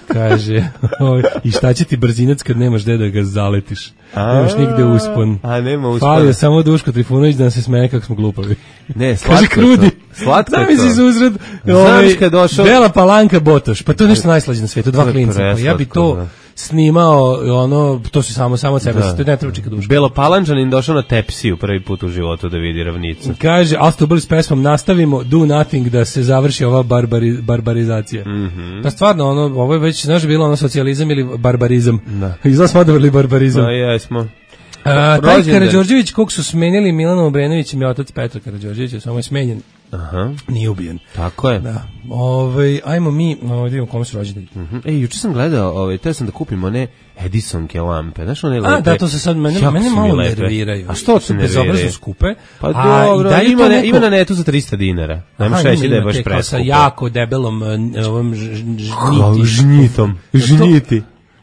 Kaže, oj, i šta će ti brzinac kad nemaš gde da ga zaletiš? A, nemaš nigde uspon. A nema uspon. Falio samo Duško Trifunović da nam se smeje kako smo glupavi. Ne, slatko krudi. Slatko je to. Zamisli se uzred, ovaj, došao... Bela Palanka Botoš, pa to je nešto najslađe na svetu, dva klinca. Pa ja bi to... Da. Snimao, ono, to se samo samo od sebe, da. To ne treba čika duška. Belopalančanin došao na Tepsiju prvi put u životu da vidi ravnicu. Kaže, Astro s pesmom nastavimo Do Nothing da se završi ova barbari, barbarizacija. Mm -hmm. Pa stvarno, ono, ovo je već, znaš, bilo ono socijalizam ili barbarizam. Da. Izgleda smo odabrali barbarizam. Da, jesmo. A, taj Karađorđević, kog su smenili Milana Obrenovićem i otac Petra Karađorđevića, samo je smenjen. Aha. Nije ubijen. Tako je. Da. Ovaj ajmo mi, ovaj vidimo kome su rođendan. Mhm. Mm Ej, juče sam gledao, ovaj teo sam da kupim one Edisonke lampe. Znaš one lepe? A da, to se sad mene mene malo nerviraju. A što se nerviraju? Bezobrazno skupe. Pa dobro, da ima ne, neko... ima na netu za trista dinara. Nemaš reći da je baš preskupo. Sa jako debelom ovom žnjitom. Žnjiti.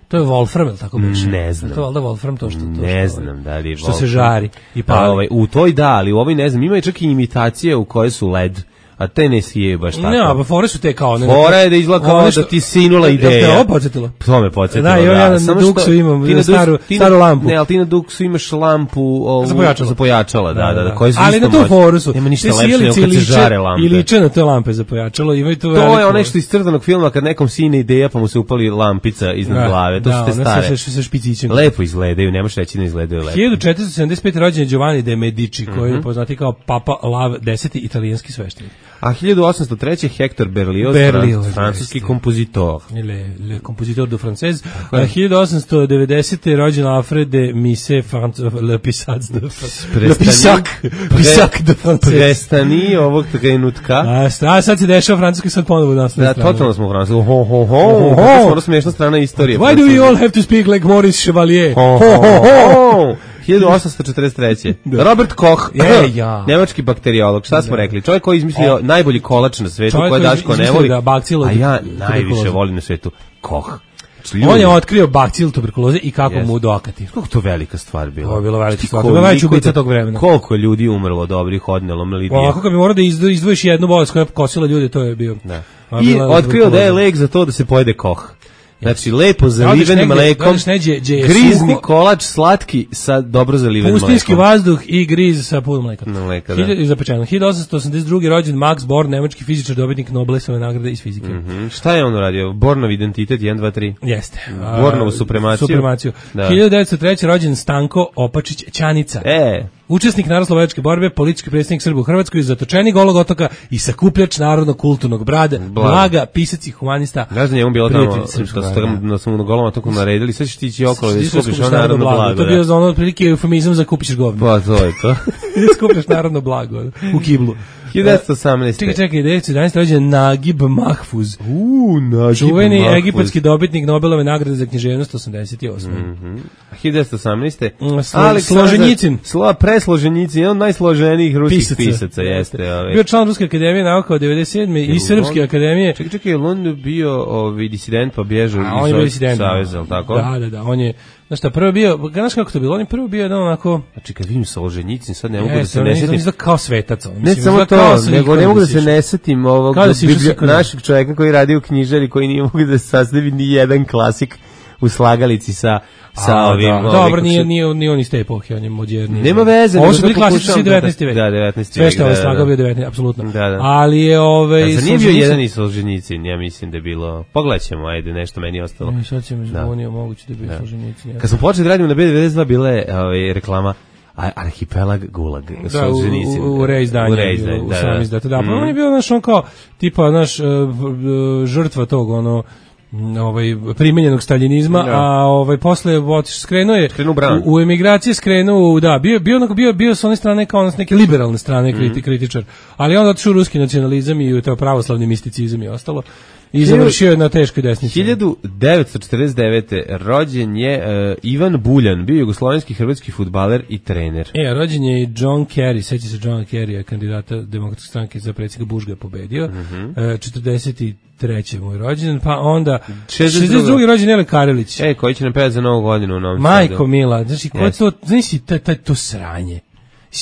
To je Wolfram, ili tako biš? Ne znam. To je valjda Wolfram to što... To ne što, znam da li je Wolfram. Što se žari i pali. Pa, ovaj, u toj da, ali u ovoj ne znam. Ima i čak i imitacije u koje su led. A te ne sije baš tako. Ne, a fore su te kao... Ne, fora je da izgleda kao nešto, da ti sinula ideja. Jel te ovo podsjetilo? To me podsjetilo, da. Da, ja na Duksu imam staru, staru lampu. Ne, ali ti na Duksu imaš lampu ovu, za pojačala. Za pojačala, da, da, da. Koje su ali na tu foru su. Nema ništa lepše nego kad se žare lampe. I liče na te lampe za pojačalo. Imaju tu to je ono što iz crtanog filma kad nekom sine ideja pa mu se upali lampica iznad glave. To su te stare. Sa špicićem. Lepo izgledaju, nemaš reći da izgledaju lepo. hiljadu četiristo sedamdeset pete rođen je Giovanni de Medici, koji je poznati kao Papa Lav deseti italijanski sveštenik. A hiljadu osamsto treće Hector Berlioz, Berlioz francuski kompozitor. Le, le compositeur de française. A hiljadu osamsto devedesete rođen Alfred de Musset, le pisac de le pisac, pisac de français. Prestani ovog trenutka. A, a sad se dešava francuski sad ponovo nas. Da, totalno smo u Francusku. Ho, ho, ho. Kako smo ono smiješna strana istorije. Why do we all have to speak like Maurice Chevalier? Ho, ho, ho. hiljadu osamsto četrdeset treće Robert Koch, je, ja. nemački bakteriolog, šta smo da. rekli? Čovjek koji je izmislio o, najbolji kolač na svetu, koji Daško ne voli, da, a ja najviše volim na svetu, Koch. Ljudi. On je otkrio bakcil tuberkuloze i kako yes. mu dokati. Kako to velika stvar bila? To je bilo velika stvar. To je najveća ubica tog vremena. Koliko je ljudi umrlo dobrih, odnelo, melidije. Ovako kad bi morao da izdvojiš jednu bolest koja je kosila ljude, to je bio. Da. I otkrio da je lek za to da se pojede Koch. Znači, lepo zaliven mlekom, grizni kolač, slatki, sa dobro zaliven mlekom. Pustinski vazduh i griz sa puno mleka. mleka da. Zapečeno. hiljadu osamsto osamdeset druge rođen Max Born, nemački fizičar, dobitnik Nobelove nagrade iz fizike. Mm -hmm. Šta je on uradio? Bornov identitet jedan dva tri Jeste. Bornovu supremaciju. Supremaciju. Da. hiljadu devetsto treće rođen Stanko Opačić Ćanica. E. Učesnik narodnooslobodilačke borbe, politički predstavnik Srba u Hrvatskoj, zatočenik Golog otoka i sakupljač narodnog kulturnog brada, blaga, blaga pisac i humanista. Znaš da njemu bilo tamo, da smo na Golom otoku naredili, sad ćeš ti ići okolo da skupiš narodno blago. To je bio za ono otprilike eufemizam za kupiš govno. Pa to je to. Skupiš narodno blago u kiblu. hiljadu devetsto osamnaeste Čekaj, čekaj, devetsto jedanaeste rođen Nagib Mahfuz. Uuu, Nagib čuveni Mahfuz. Egipatski dobitnik Nobelove nagrade za književnost osamdeset osme Mm-hmm. hiljadu devetsto osamnaeste Slo, Složenjicin. Slo, presloženjicin, jedan od najsloženijih ruskih pisaca, pisaca jeste. Ovaj. Bio član Ruske akademije nauka od devedeset sedme i Srpske akademije. Čekaj, čekaj, je on bio ovaj, disident pa bježao iz Saveza, tako? Da, da, da, on je... Znaš šta, prvo bio, znaš kako to bilo, on je prvo bio jedan onako... Znači kad vidim Solženjicin, sad ne mogu da se ne setim. On izgleda kao svetac. On, ne samo to, nego ne mogu da se ne setim ovog našeg čovjeka koji radi u knjižari, koji nije mogu da se sastavi ni jedan klasik u slagalici sa sa A, ovim. Da. Dobro, nije nije ni on iz te epohe, on je moderni. Nema veze, ovo su bili klasični devetnaesti vek. Da, devetnaesti vek. Sve što je slagao bio devetnaesti, apsolutno. Da, da. Ali je ovaj a nije bio jedan iz Solženjicin, ja mislim da je bilo. Pogledaćemo, ajde, nešto meni ostalo. Ne, sad ćemo zvonio, moguće da je bio Solženjicin. Kad smo počeli da radimo na B devedeset dva bile ovaj reklama Arhipelag Gulag, da, u, u, u reizdanju, u sam izdatu, da, pa on je bio, znaš, on kao, tipa, naš, žrtva tog, ono, ovaj primenjenog staljinizma, da. A ovaj posle otiš skrenuo je u, u emigraciji skrenuo, da, bio bio onako bio bio sa one strane kao neke liberalne strane kriti, mm. kritičar, ali onda otišao u ruski nacionalizam i u to pravoslavni misticizam i ostalo. i završio je na teškoj desnici. hiljadu devetsto četrdeset devete. rođen je uh, Ivan Buljan, bio jugoslovenski hrvatski fudbaler i trener. E, rođen je i John Kerry, seća se John Kerry, kandidata Demokratske stranke za predsjednika, Bush ga je pobedio. Mm-hmm. uh, četrdeset treći mu je rođen, pa onda šezdeset drugi rođen Ele Karelić. E, koji će nam pevati za Novu godinu u Novom Majko Sadu. Mila, znači, ko je to, znači, taj, taj, to sranje.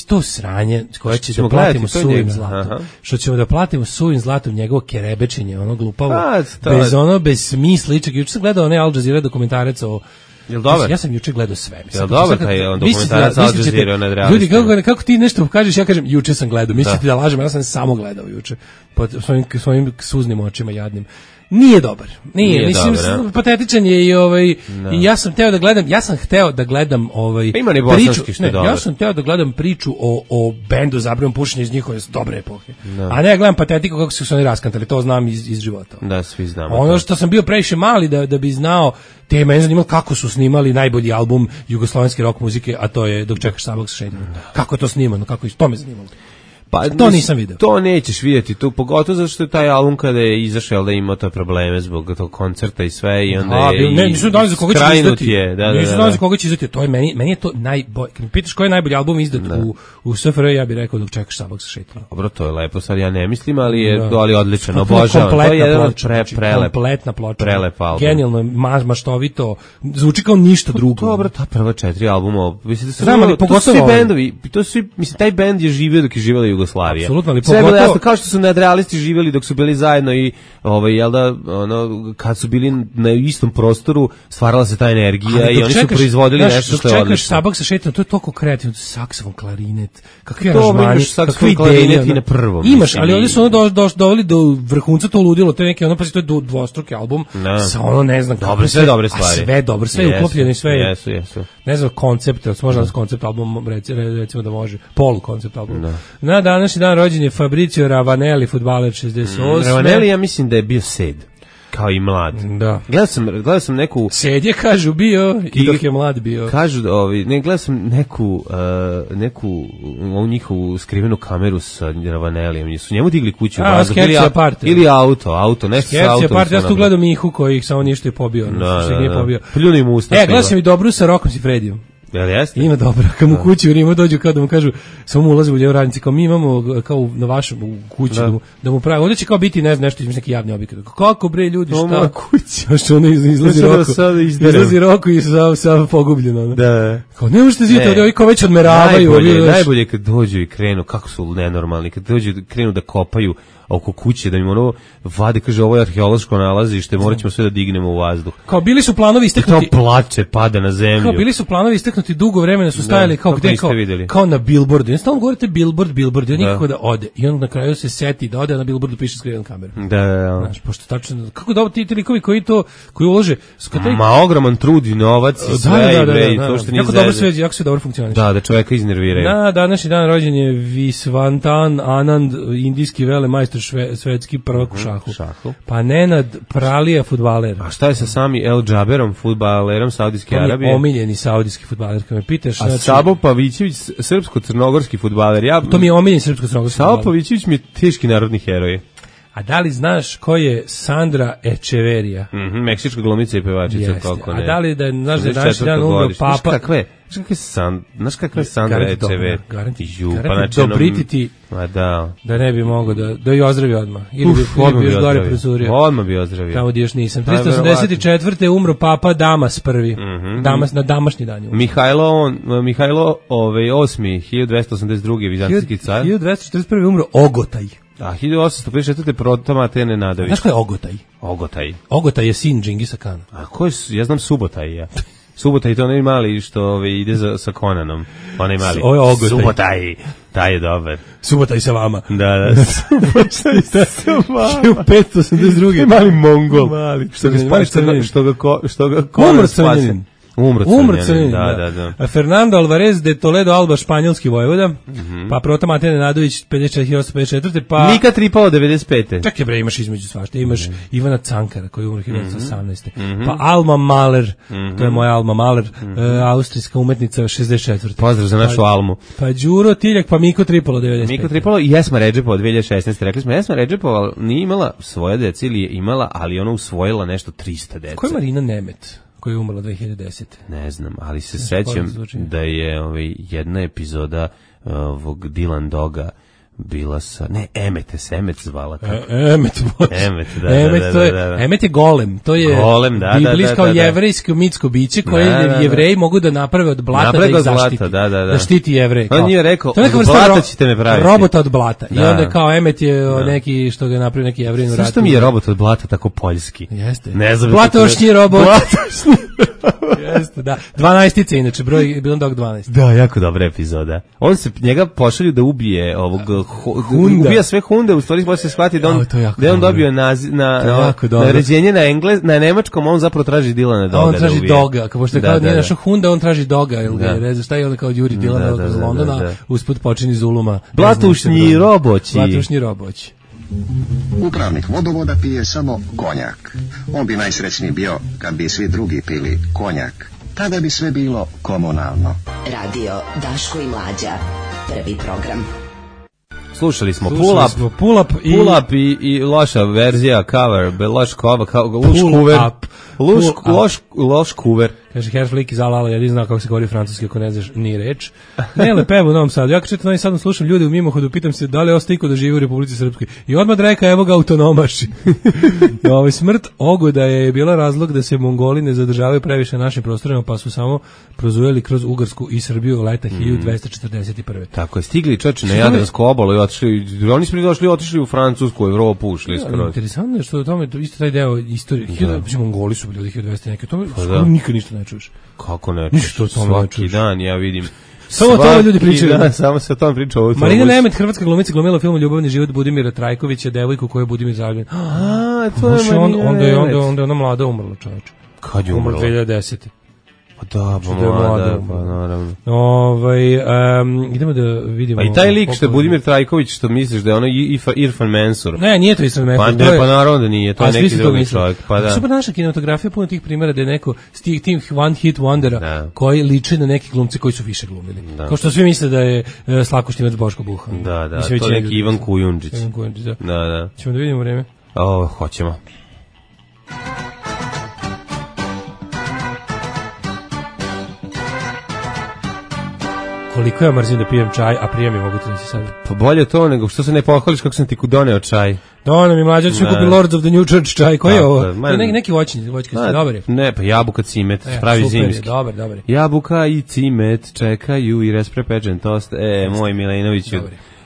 To sranje koje će da platimo suvim zlatom. Što ćemo da platimo suvim zlatom njegovo kerebečenje, ono glupavo, A, bez ono, bez smisla. Juče sam gledao onaj Al Jazeera dokumentarac o... Jel dobar? Ja sam juče gledao sve. Mislim, Jel dobar taj on dokumentarac Al Jazeera nad realistima? Ljudi, kako, kako ti nešto kažeš, ja kažem, juče sam gledao. Mislite da, da lažem, ja sam samo gledao juče. Pod svojim, svojim suznim očima jadnim. Nije dobar. Nije, Nije mislim dobar, patetičan je i ovaj no. i ja sam hteo da gledam, ja sam hteo da gledam ovaj Ima ni priču, što ne, dobar. Ja sam hteo da gledam priču o o bendu Zabranom pušenje iz njihove dobre epohe. No. A ne ja gledam patetiku kako su se oni raskantali, to znam iz iz života. Da, svi znamo. Ono što sam bio previše mali da da bi znao, te mene zanimalo kako su snimali najbolji album jugoslovenske rock muzike, a to je Dok čekaš sabak sa šećerom. Kako je to snimano, kako je to me zanimalo. Pa to nisam video. To nećeš vidjeti, tu pogotovo zato što je taj album kada je izašao da ima to probleme zbog tog koncerta i sve i onda A, je ne, nisu dali za koga će izdati. Je, da, nisu da, dali za koga će izdati. To je meni, meni je to najbolji. Kad me pitaš koji je najbolji album izdat da. u u S F R J, ja bih rekao Dok čekaš sabak sa šećerom. Dobro, to je lepo, sad ja ne mislim, ali je da. ali odlično, obožavam. To je jedan pre prelep, kompletna ploča. Prelep album. Genijalno, maštovito, zvuči kao ništa drugo. Dobro, ta prva četiri albuma, mislim da su znamo, pogotovo svi bendovi, to svi, mislim taj bend je živio dok je živela Jugoslavija. Apsolutno. Sve bilo jasno, kao što su nadrealisti živjeli dok su bili zajedno i ovaj jel da ono kad su bili na istom prostoru stvarala se ta energija i oni su proizvodili daš, nešto što je odlično. Dok čekaš sabak sa šećerom, to je toliko kreativno, saksofon, klarinet, kakvi aranžmani, kakvi klarinet i na prvom. Imaš, ali ovdje su ono do, do, doveli do vrhunca to ludilo, to je neki ono pa to je dvostruki album no. sa ono ne znam dobre sve dobre stvari. Sve dobro, sve je uklopljeno i sve je. Jesu, jesu. Ne znam koncept, možda no. koncept album recimo da može, polu koncept album. No. Na današnji dan rođen je Fabrizio Ravanelli, fudbaler šezdeset osme. Mm, Ravanelli ja mislim da je bio sed, kao i mlad. Da. Gledao sam, gledao sam neku... Sed je, kažu, bio i dok je mlad bio. Kažu, ovi, ne, gledao sam neku, uh, neku ovu njihovu skrivenu kameru sa Ravanellijem. Su njemu digli kuću u vazduh ili, ili auto, auto, nešto sa autom. Skepsi ja sam tu gledao Mihu koji ih samo ništa je pobio. Da, da, da. Pljuni mu usta. E, gledao sam i dobru sa Rokom Sifredijom. Jel jeste? Ima dobro. Kad mu kući u Rimu dođu, kao da mu kažu, samo mu ulaze u ljeo radnici, kao mi imamo kao na vašem u kući, da, da mu, da mu pravi. Ovdje će kao biti, ne znam, nešto između neki javni objekat. Kako bre ljudi, šta? Oma kuća. Što ono izlazi Roko. Izlazi Roko i sa, sa pogubljeno. Da. Kao ne možete zidjeti, ovdje ovi kao već odmeravaju. Najbolje, najbolje kad dođu i krenu, kako su nenormalni, kad dođu krenu da kopaju oko kuće, da mi ono vade, kaže, ovo je arheološko nalazište, morat ćemo sve da dignemo u vazduh. Kao bili su planovi isteknuti... Kao plače, pada na zemlju. Kao bili su planovi isteknuti, dugo vremena su stajali, kao gde, kao, kao na billboardu. I stalno govorite billboard, billboard, i nikako da ode. I onda na kraju se seti da ode, a na billboardu piše skriven kameru. Da, da, da. Znaš, pošto tačno, kako da ti likovi koji to, koji ulože... Taj... Ma ogroman trud i novac i sve, da, da, da, da, i to što nije jako dobro sve, jako sve dobro funkcioniše. Da, da čoveka iznerviraju. Na današnji dan rođen je Viswanathan Anand, indijski velemajstor svetski prvak u šahu. šahu. Pa Nenad Pralija, fudbaler. A šta je sa sami El Džaberom, fudbalerom Saudijske Arabije? Omiljeni saudijski fudbaler, kad me pitaš. A znači... Sabo Pavićević, srpsko-crnogorski fudbaler. Ja... To mi je omiljeni srpsko-crnogorski fudbaler. Sabo Pavićević mi je teški narodni heroj. A da li znaš ko je Sandra Echeverija? Mhm, meksička glumica i pevačica, koliko ne. A da li da znaš da je naš dan umro papa? Znaš kakve? Znaš kakve San, znaš kakve Sandra Echeverija? Garanti, Ju, garanti pa znači dobrititi, ma da. Da ne bi mogao da, da je ozdravi odmah. Ili Uf, bi, ili bi još gore prezurio. Odmah bi ozdravio. Tamo gdje još nisam. trista osamdeset četvrte umro papa Damas prvi. Mm -hmm. Damas na damašnji dan. Mihajlo, on, Mihajlo ovaj, osmi, hiljadu dvesta osamdeset drugi vizantijski car. hiljadu dvesta četrdeset prvi umro Ogotaj. A hiljadu osamsto pedeset četvrte Proto Matene Nadović. Znaš ko je Ogotaj? Ogotaj. Ogotaj je sin Džingisa Kana. A ko je, ja znam Subotaj, ja. Subotaj to onaj mali što ove, ide za, sa Konanom. Onaj mali. Ovo je Ogotaj. Subotaj, taj je dobar. Subotaj sa vama. Da, da. Subotaj sa vama. hiljadu petsto osamdeset drugi Mali Mongol. Mali. Što ga, spa, što ga, što ga, ko, što ga Konan spasio. Umro Crnjanin, da, da, da. Fernando Alvarez de Toledo Alba, španjolski vojvoda, mm-hmm. pa Proto Matej Nenadović, pedeset četiri hiljade osamsto pedeset četvrte pa... Mika Tripalo, devedeset pete Čekaj bre, imaš između svašta, imaš mm-hmm. Ivana Cankara, koji je umro hiljadu devetsto osamnaeste Mm-hmm. Pa Alma Mahler, mm-hmm. to je moja Alma Mahler, mm-hmm. uh, austrijska umetnica, šezdeset četvrte Pozdrav za našu pa, Almu. Pa Đuro Tiljak, pa Miko Tripalo, devedeset pete Miko Tripalo i Esma Redžepova, dve hiljade šesnaeste Rekli smo, Esma Redžepova nije imala svoje dece ili je imala, ali ona usvojila nešto trista dece. Ko je Marina Nemet? Koja je umrla dve hiljade desete Ne znam, ali se sećam da je ovaj, jedna epizoda ovog Dylan Doga bila sa... Ne, Emete se Emet zvala. E, Emet, Emet, da, Emet, da, to je, da, da. Emet je golem. To je golem, da, biblijsko da, da, da, jevrejsko mitsko biće koje da, da, da. Jevreji mogu da naprave od blata naprave da ih blata, zaštiti. Da, da, da. Da štiti Jevreje. On nije rekao, to je od blata ro- ćete me praviti. Robota od blata. Da. I onda kao Emet je da. neki što ga napravio neki Jevrej u ratu. Zašto mi je robot od blata tako poljski? Jeste. Ne znam. Blatošnji robot. Jeste, da. dvanaestice inače, broj Dylan Dog dvanaest Da, jako dobra epizoda. On se njega pošalju da ubije ovog Hunda. Ubija sve Hunde, u stvari može se shvatiti da on, oh, da on dobio nazi, na, na naređenje na englez, na nemačkom, on zapravo traži Dylana Doga. On traži da Doga, kao što je da, kao da, nije da. našao Hunda, on traži Doga, ili ga je reza, šta je onda kao Juri Dylana Doga iz Londona, da, da, da. usput počini Zuluma. Blatušnji roboći. Blatušnji roboći. Upravnik vodovoda pije samo konjak. On bi najsrećniji bio kad bi svi drugi pili konjak. Tada bi sve bilo komunalno. Radio Daško i Mlađa. Prvi program. Slušali smo Slušali Pull Up, smo Pull Up i, pull up i, i loša verzija cover, loš cover, loš cover, loš, loš, loš cover. Kaže Herr Flick iz Alala, ja ne znam kako se govori francuski, ako ne znaš ni reč. Ne, lepevo u Novom Sadu. Ja kad četam Novi Sadom slušam ljude u mimohodu, pitam se da li je ostao iko da živi u Republici Srpskoj. I odmah reka, evo ga autonomaši. Ovaj smrt Ogoda je bila razlog da se Mongoli ne zadržavaju previše na našim prostorima, pa su samo prozujeli kroz Ugarsku i Srbiju leta hiljadu dvesta četrdeset prve Tako je, stigli čoče na Jadransku obalu i otišli, oni su došli, otišli u Francusku, Evropu, ušli skroz. Interesantno je što o tome, isto taj deo istorije, hiljadu, Mongoli su bili od hiljadu dvesta neke, to nikad ništa ne čuješ. Kako ne čuješ? Svaki dan ja vidim. Samo o tome ljudi pričaju. Da, samo se o tome priča. Marina Nemet, hrvatska glumica, glumila u filmu Ljubavni život Budimira Trajkovića, devojku koju je Budimir zaljubljen. A, to je Marina Nemet. Onda je onda, onda ona mlada umrla, čoveče. Kad je umrla? dve hiljade desete Pa da, pa mlada, pa naravno. Ovaj, um, idemo da vidimo. Pa i taj lik što je Budimir Trajković, što misliš da je ono Irfan Mensur. Ne, nije to Irfan Mensur. Pa ne, pa naravno da nije, to je neki drugi čovjek. Pa da. Super naša kinematografija, puno tih primjera da je neko s tih tih one hit wondera da. koji liče na neki glumci koji su više glumili. Da. Kao što svi misle da je uh, Slavko Štimac Boško Buha. Da, da, Mislim, to je neki Ivan Kujundžić. Ivan Kujundžić, da. Da, da. Ćemo da vidimo vreme. O, hoćemo. Koliko ja mrzim da pijem čaj, a prije mi mogu ti nisi sad. Pa bolje to nego što se ne pohvališ kako sam ti doneo čaj. Doneo mi mlađa, ću kupi Lords of the New Church čaj. Koji je ovo? To je neki, neki voćni, voćka su dobri. Ne, pa jabuka, cimet, e, pravi super zimski. Je, dobar, dobar. Jabuka i cimet čekaju i resprepečen tost. E, moj Milenoviću.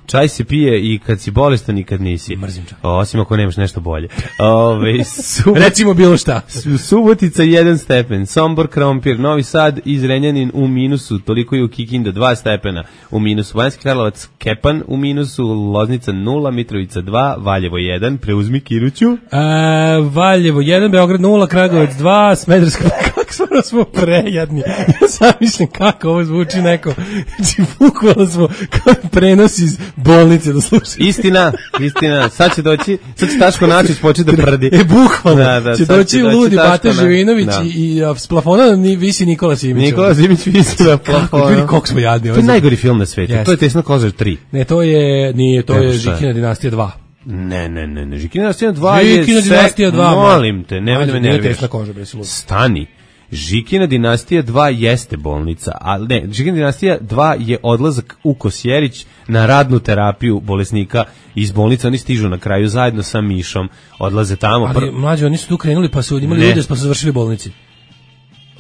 Čaj se pije i kad si bolestan i kad nisi. Mrzim čaj. Osim ako nemaš nešto bolje. Ove, subot... Recimo bilo šta. Subotica jedan stepen, Sombor, Krompir, Novi Sad i Zrenjanin u minusu, toliko i u Kikinda dva stepena u minusu, Banjski Karlovac, Kepan u minusu, Loznica nula, Mitrovica dva, Valjevo jedan, preuzmi Kiruću. A, Valjevo jedan, Beograd nula, Kragujevac dva, Smederska, kako smo, smo prejadni. Ja sam mislim kako ovo zvuči neko. Znači, bukvalno smo kao prenos iz bolnice da slušaju. Istina, istina. Sad će doći, sad će Taško Načić početi da prdi. E, bukvalno. Da, da, će doći će ludi Bata Živinović na... i, i a, s plafona ni, visi Nikola Simić. Nikola Simić visi na plafonu. Ljudi, koliko smo jadni. To je najgori film na svetu. Yes. To je Tesna Kozar tri. Ne, to je, nije, to ne, je Žikina dinastija dva. Ne, ne, ne, ne. Žikina dinastija dva je... Žikina dinastija dva. Molim te, nemoj da me nerviraš. Tesna Kozar, bre, si ludi. Stani. Žikina dinastija dva jeste bolnica, a ne, Žikina dinastija dva je odlazak u Kosjerić na radnu terapiju bolesnika iz bolnice, oni stižu na kraju zajedno sa Mišom, odlaze tamo. Ali pr... mlađi, oni su tu krenuli pa su imali ljude pa su završili u bolnici.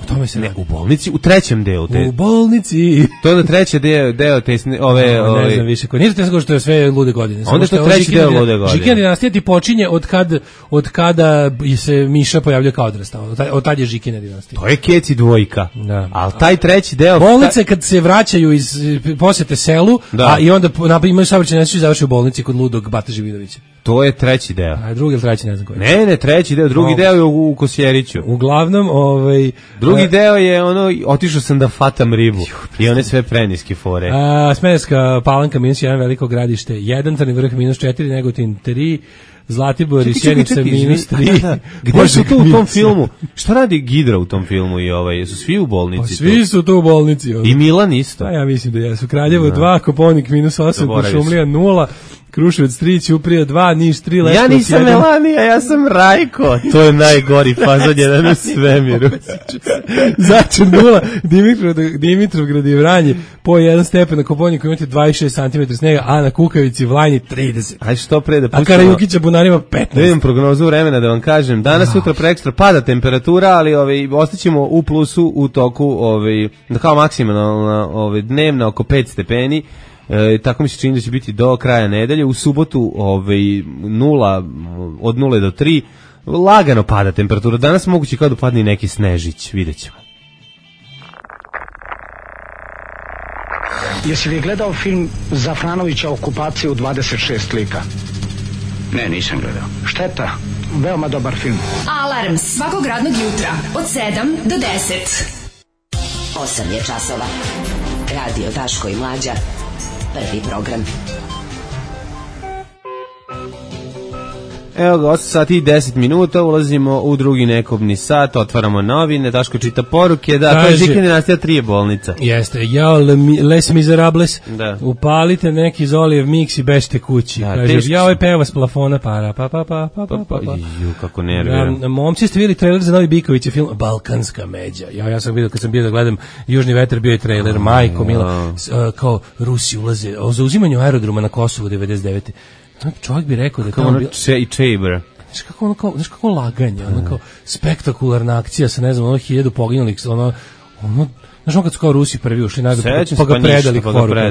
O tome se ne, radi. U bolnici, u trećem delu. Te, u bolnici. To je treći deo, deo te, ove... No, ove ne znam više, nije to te što je sve lude godine. Onda što je treći deo lude godine. Žikina dinastija ti počinje od, kad, od kada se Miša pojavljuje kao odrastao. Od, od tad je Žikina dinastija. To je Keci dvojka. Da. Ali taj treći deo... Bolnice kad se vraćaju iz posjete selu, da. a i onda imaju saobraćajnu nesreću i završaju u bolnici kod ludog Bata Živinovića. To je treći deo. A drugi ili treći, ne znam koji. Ne, ne, treći deo, drugi no. deo je u, u Kosjeriću. Uglavnom, ovaj... Drugi uh, deo je ono, otišao sam da fatam ribu. I one sve preniske fore. Uh, Smederevska Palanka minus jedan, Veliko Gradište jedan, Crni Vrh minus četiri, Negotin tri, Zlatibor i Sjenica minus tri. Da, da. Gde su tu u tom filmu? Šta radi Gidra u tom filmu i ovaj, su svi u bolnici? Pa svi tu? Su tu u bolnici. Ovaj. I Milan isto. Pa ja mislim da jesu. Kraljevo dva, Koponik minus osam, Košumlija nula, Kruševac tri, Ćuprija dva, Niš tri, Leskovac jedan. Ja nisam jedan. Melanija, ja sam Rajko. To je najgori fazon jedan u svemiru. Začin nula, Dimitrov, Dimitrovgrad i Vranje po jedan stepen, na Koponiku imate dvadeset šest centimetara snega, a na Kukavici Vlajni trideset. Aj što pre da pustimo. A Karajukića Bunarima petnaest. Da idem prognozu vremena da vam kažem. Danas, oh. sutra, prekstra pada temperatura, ali ovaj, ostaćemo u plusu u toku, ovaj, kao maksimalna ovaj, dnevna oko pet stepeni. E, tako mi se čini da će biti do kraja nedelje. U subotu ovaj, nula, od nule do tri lagano pada temperatura. Danas moguće kao da padne neki snežić, vidjet ćemo. Jesi li gledao film Zafranovića Okupacija u dvadeset šest lika? Ne, nisam gledao. Šteta, veoma dobar film. Alarm svakog radnog jutra od sedam do deset. osam je časova. Radio Daško i Mlađa. Prvi program. Evo ga, osam sati i deset minuta, ulazimo u drugi nekobni sat, otvaramo novine, Daško čita poruke, da, to je Žika dinastija tri je bolnica. Jeste, jao, les miserables, da. Upalite neki Zolijev miks i bežite kući. Da, kaže, jao, je peva s plafona, para, pa, pa, pa, pa, pa, pa, pa. Ju, kako nerviram. Da, momci ste vidjeli trailer za novi Biković film Balkanska međa. Ja, ja sam vidio, kad sam bio da gledam Južni vetar, bio je trailer, oh, majko, mila, uh, kao Rusi ulaze, o zauzimanju aerodroma na Kosovu devedeset devete Čovjek bi rekao da je tamo bilo... i Čejber. Znaš kako ono kao, znaš kako laganje, ono kao spektakularna akcija sa, ne znam, ono hiljadu poginulih, ono, ono, znaš ono kad su kao Rusi prvi ušli najbolj, pa, pa ga predali kvoru. Da,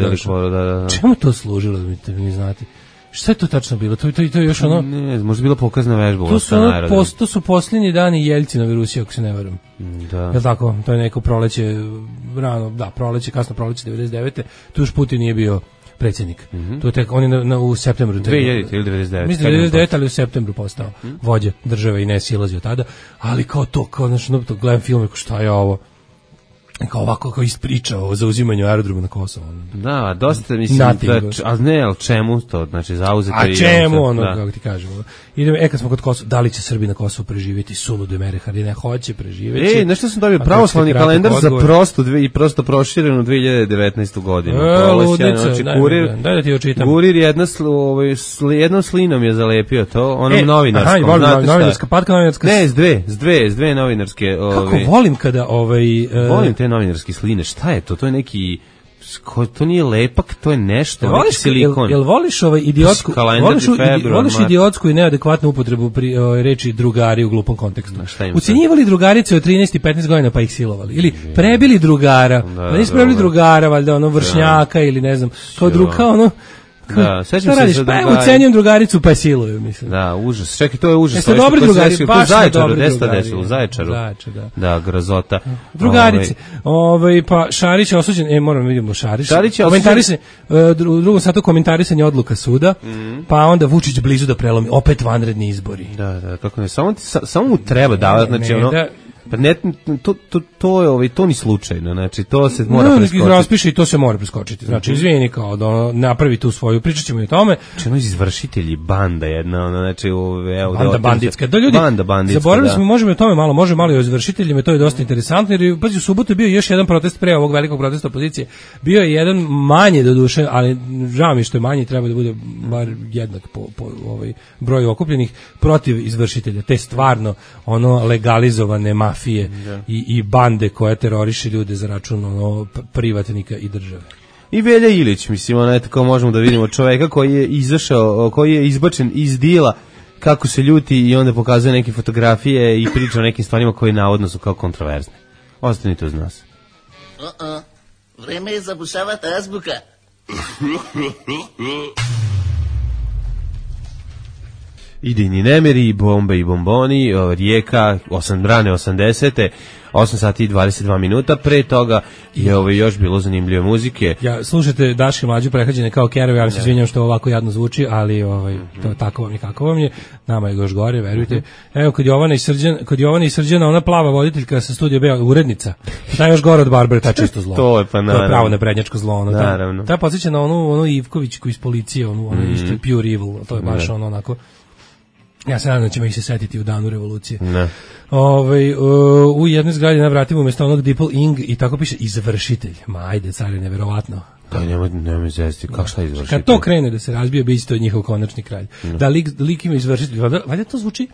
da, da. Čemu to služilo, da mi, da mi znate? Šta je to tačno bilo? To, to, to je još ono... Ne, možda bila pokazna vežba. To su, ono, pos, to su posljednji dani Jeljcinove Rusije, ako se ne varam. Da. Jel tako? To je neko proleće, rano, da, proleće, kasno proleće devedeset devete Tu još Putin nije bio predsjednik. Mm -hmm. To je tek, on je na, na, u septembru. dve hiljadite ili devedeset devete Mislim devedeset devete ali u septembru postao mm -hmm. vođa države i ne silazio tada. Ali kao to, kao, znači, no, to gledam film, kao šta je ovo? Kao ovako, kao ispričao o zauzimanju aerodroma na Kosovo. Da, dosta, mislim, da, ali ne, ali čemu to, znači, zauzeti... A čemu, ono, da. Kako ti kažemo. Idemo, e, kad smo kod Kosova, da li će Srbi na Kosovu preživjeti sulude mere, ali ne hoće preživjeti. E, nešto sam dobio, pravoslavni kalendar za prostu dve, i prosto proširenu dve hiljade devetnaestu godinu. E, ludica, znači, daj, kurir, daj da ti očitam. Kurir jedna, ovaj, jednom slinom je zalepio to, onom e, novinarskom. Aha, volim, novinarska, patka novinarska. Ne, s dve, s dve, s dve novinarske. Kako ovaj, volim kada, ovaj... Uh, volim te novinarske sline, šta je to? To je neki, to nije lepak, to je nešto, jel voliš, silikon. Jel, jel voliš ovaj idiotsku, voliš, februar, voliš idiotsku i neadekvatnu upotrebu pri, o, reči drugari u glupom kontekstu? Ucenjivali drugarice od trinaest i petnaest godina pa ih silovali. Ili prebili drugara, da, nisu prebili drugara, valjda ono vršnjaka da. Ili ne znam, kao druga, ono, da, sećam se za drugari. Pa ucenjujem drugaricu pa siluju, mislim. Da, užas. Čekaj, to je užas. Jeste dobri drugari, baš Zaječaru, gde se to desilo? U Zaječaru. Zaječar, da. Da, grozota. Drugarice. Ovaj pa Šarić je osuđen, e moramo vidimo Šarić. Šarić je komentarisanje, u drugom satu komentarisanje odluka suda, mm. pa onda Vučić blizu da prelomi, opet vanredni izbori. Da, da, kako ne, samo samo mu treba davati, znači ono da, pa ne, to, to, to je ovaj, to ni slučajno, znači to se mora no, preskočiti. Raspiše i to se mora preskočiti, znači izvini kao da napravi tu svoju, pričat ćemo i o tome. Znači ono izvršitelji, banda jedna, ono, znači evo, banda banditska, da ljudi, banda banditska, zaboravili da. smo, možemo o tome malo, može malo i o izvršiteljima, to je dosta interesantno, jer pazi, u subotu je bio još jedan protest pre ovog velikog protesta opozicije, bio je jedan manje do duše, ali žao mi što je manji, treba da bude bar jednak po, po ovaj broju okupljenih protiv izvršitelja, te stvarno ono legalizovane mafije Da. I, i bande koje teroriše ljude za račun ono, privatnika i države. I Velja Ilić, mislim, ono, tako možemo da vidimo čoveka koji je izašao, koji je izbačen iz dila, kako se ljuti i onda pokazuje neke fotografije i priča o nekim stvarima koje navodno su kao kontroverzne. Ostanite uz nas. Uh-uh. Vreme je zabušavati azbuka. idejni nemiri, i bombe i bomboni, Rijeka, osam rane osamdesete, osam sati i dvadeset dva minuta, pre toga je ovo još bilo zanimljive muzike. Ja, slušajte Daške Mlađu prehađene kao kerove, ja se izvinjam što ovako jadno zvuči, ali ovaj, to, tako vam je kako vam je, nama je još gore, verujte. Evo, kod Jovana i Srđan, kod Jovana i Srđana, ona plava voditeljka sa Studija B, urednica, ta je još gore od Barbara, ta čisto zlo. To je pa naravno. To je pravo neprednjačko zlo. Ono, naravno. Ta, ta podsjeća na onu, onu Ivkovićku iz policije, onu, onu mm. isto pure evil, to je baš ne. ono onako. Ja se nadam da ćemo ih se setiti u danu revolucije. Ne. Ove, uh, u jednoj zgradi na vratima umjesto onog Dipl Ing i tako piše izvršitelj. Ma ajde, car je neverovatno. Da, nemoj, nemoj zesti, kako šta izvršitelj? Kad to krene da se razbije, biće to njihov konačni kralj. Ne. Da lik, lik ima izvršitelj, valjda to zvuči,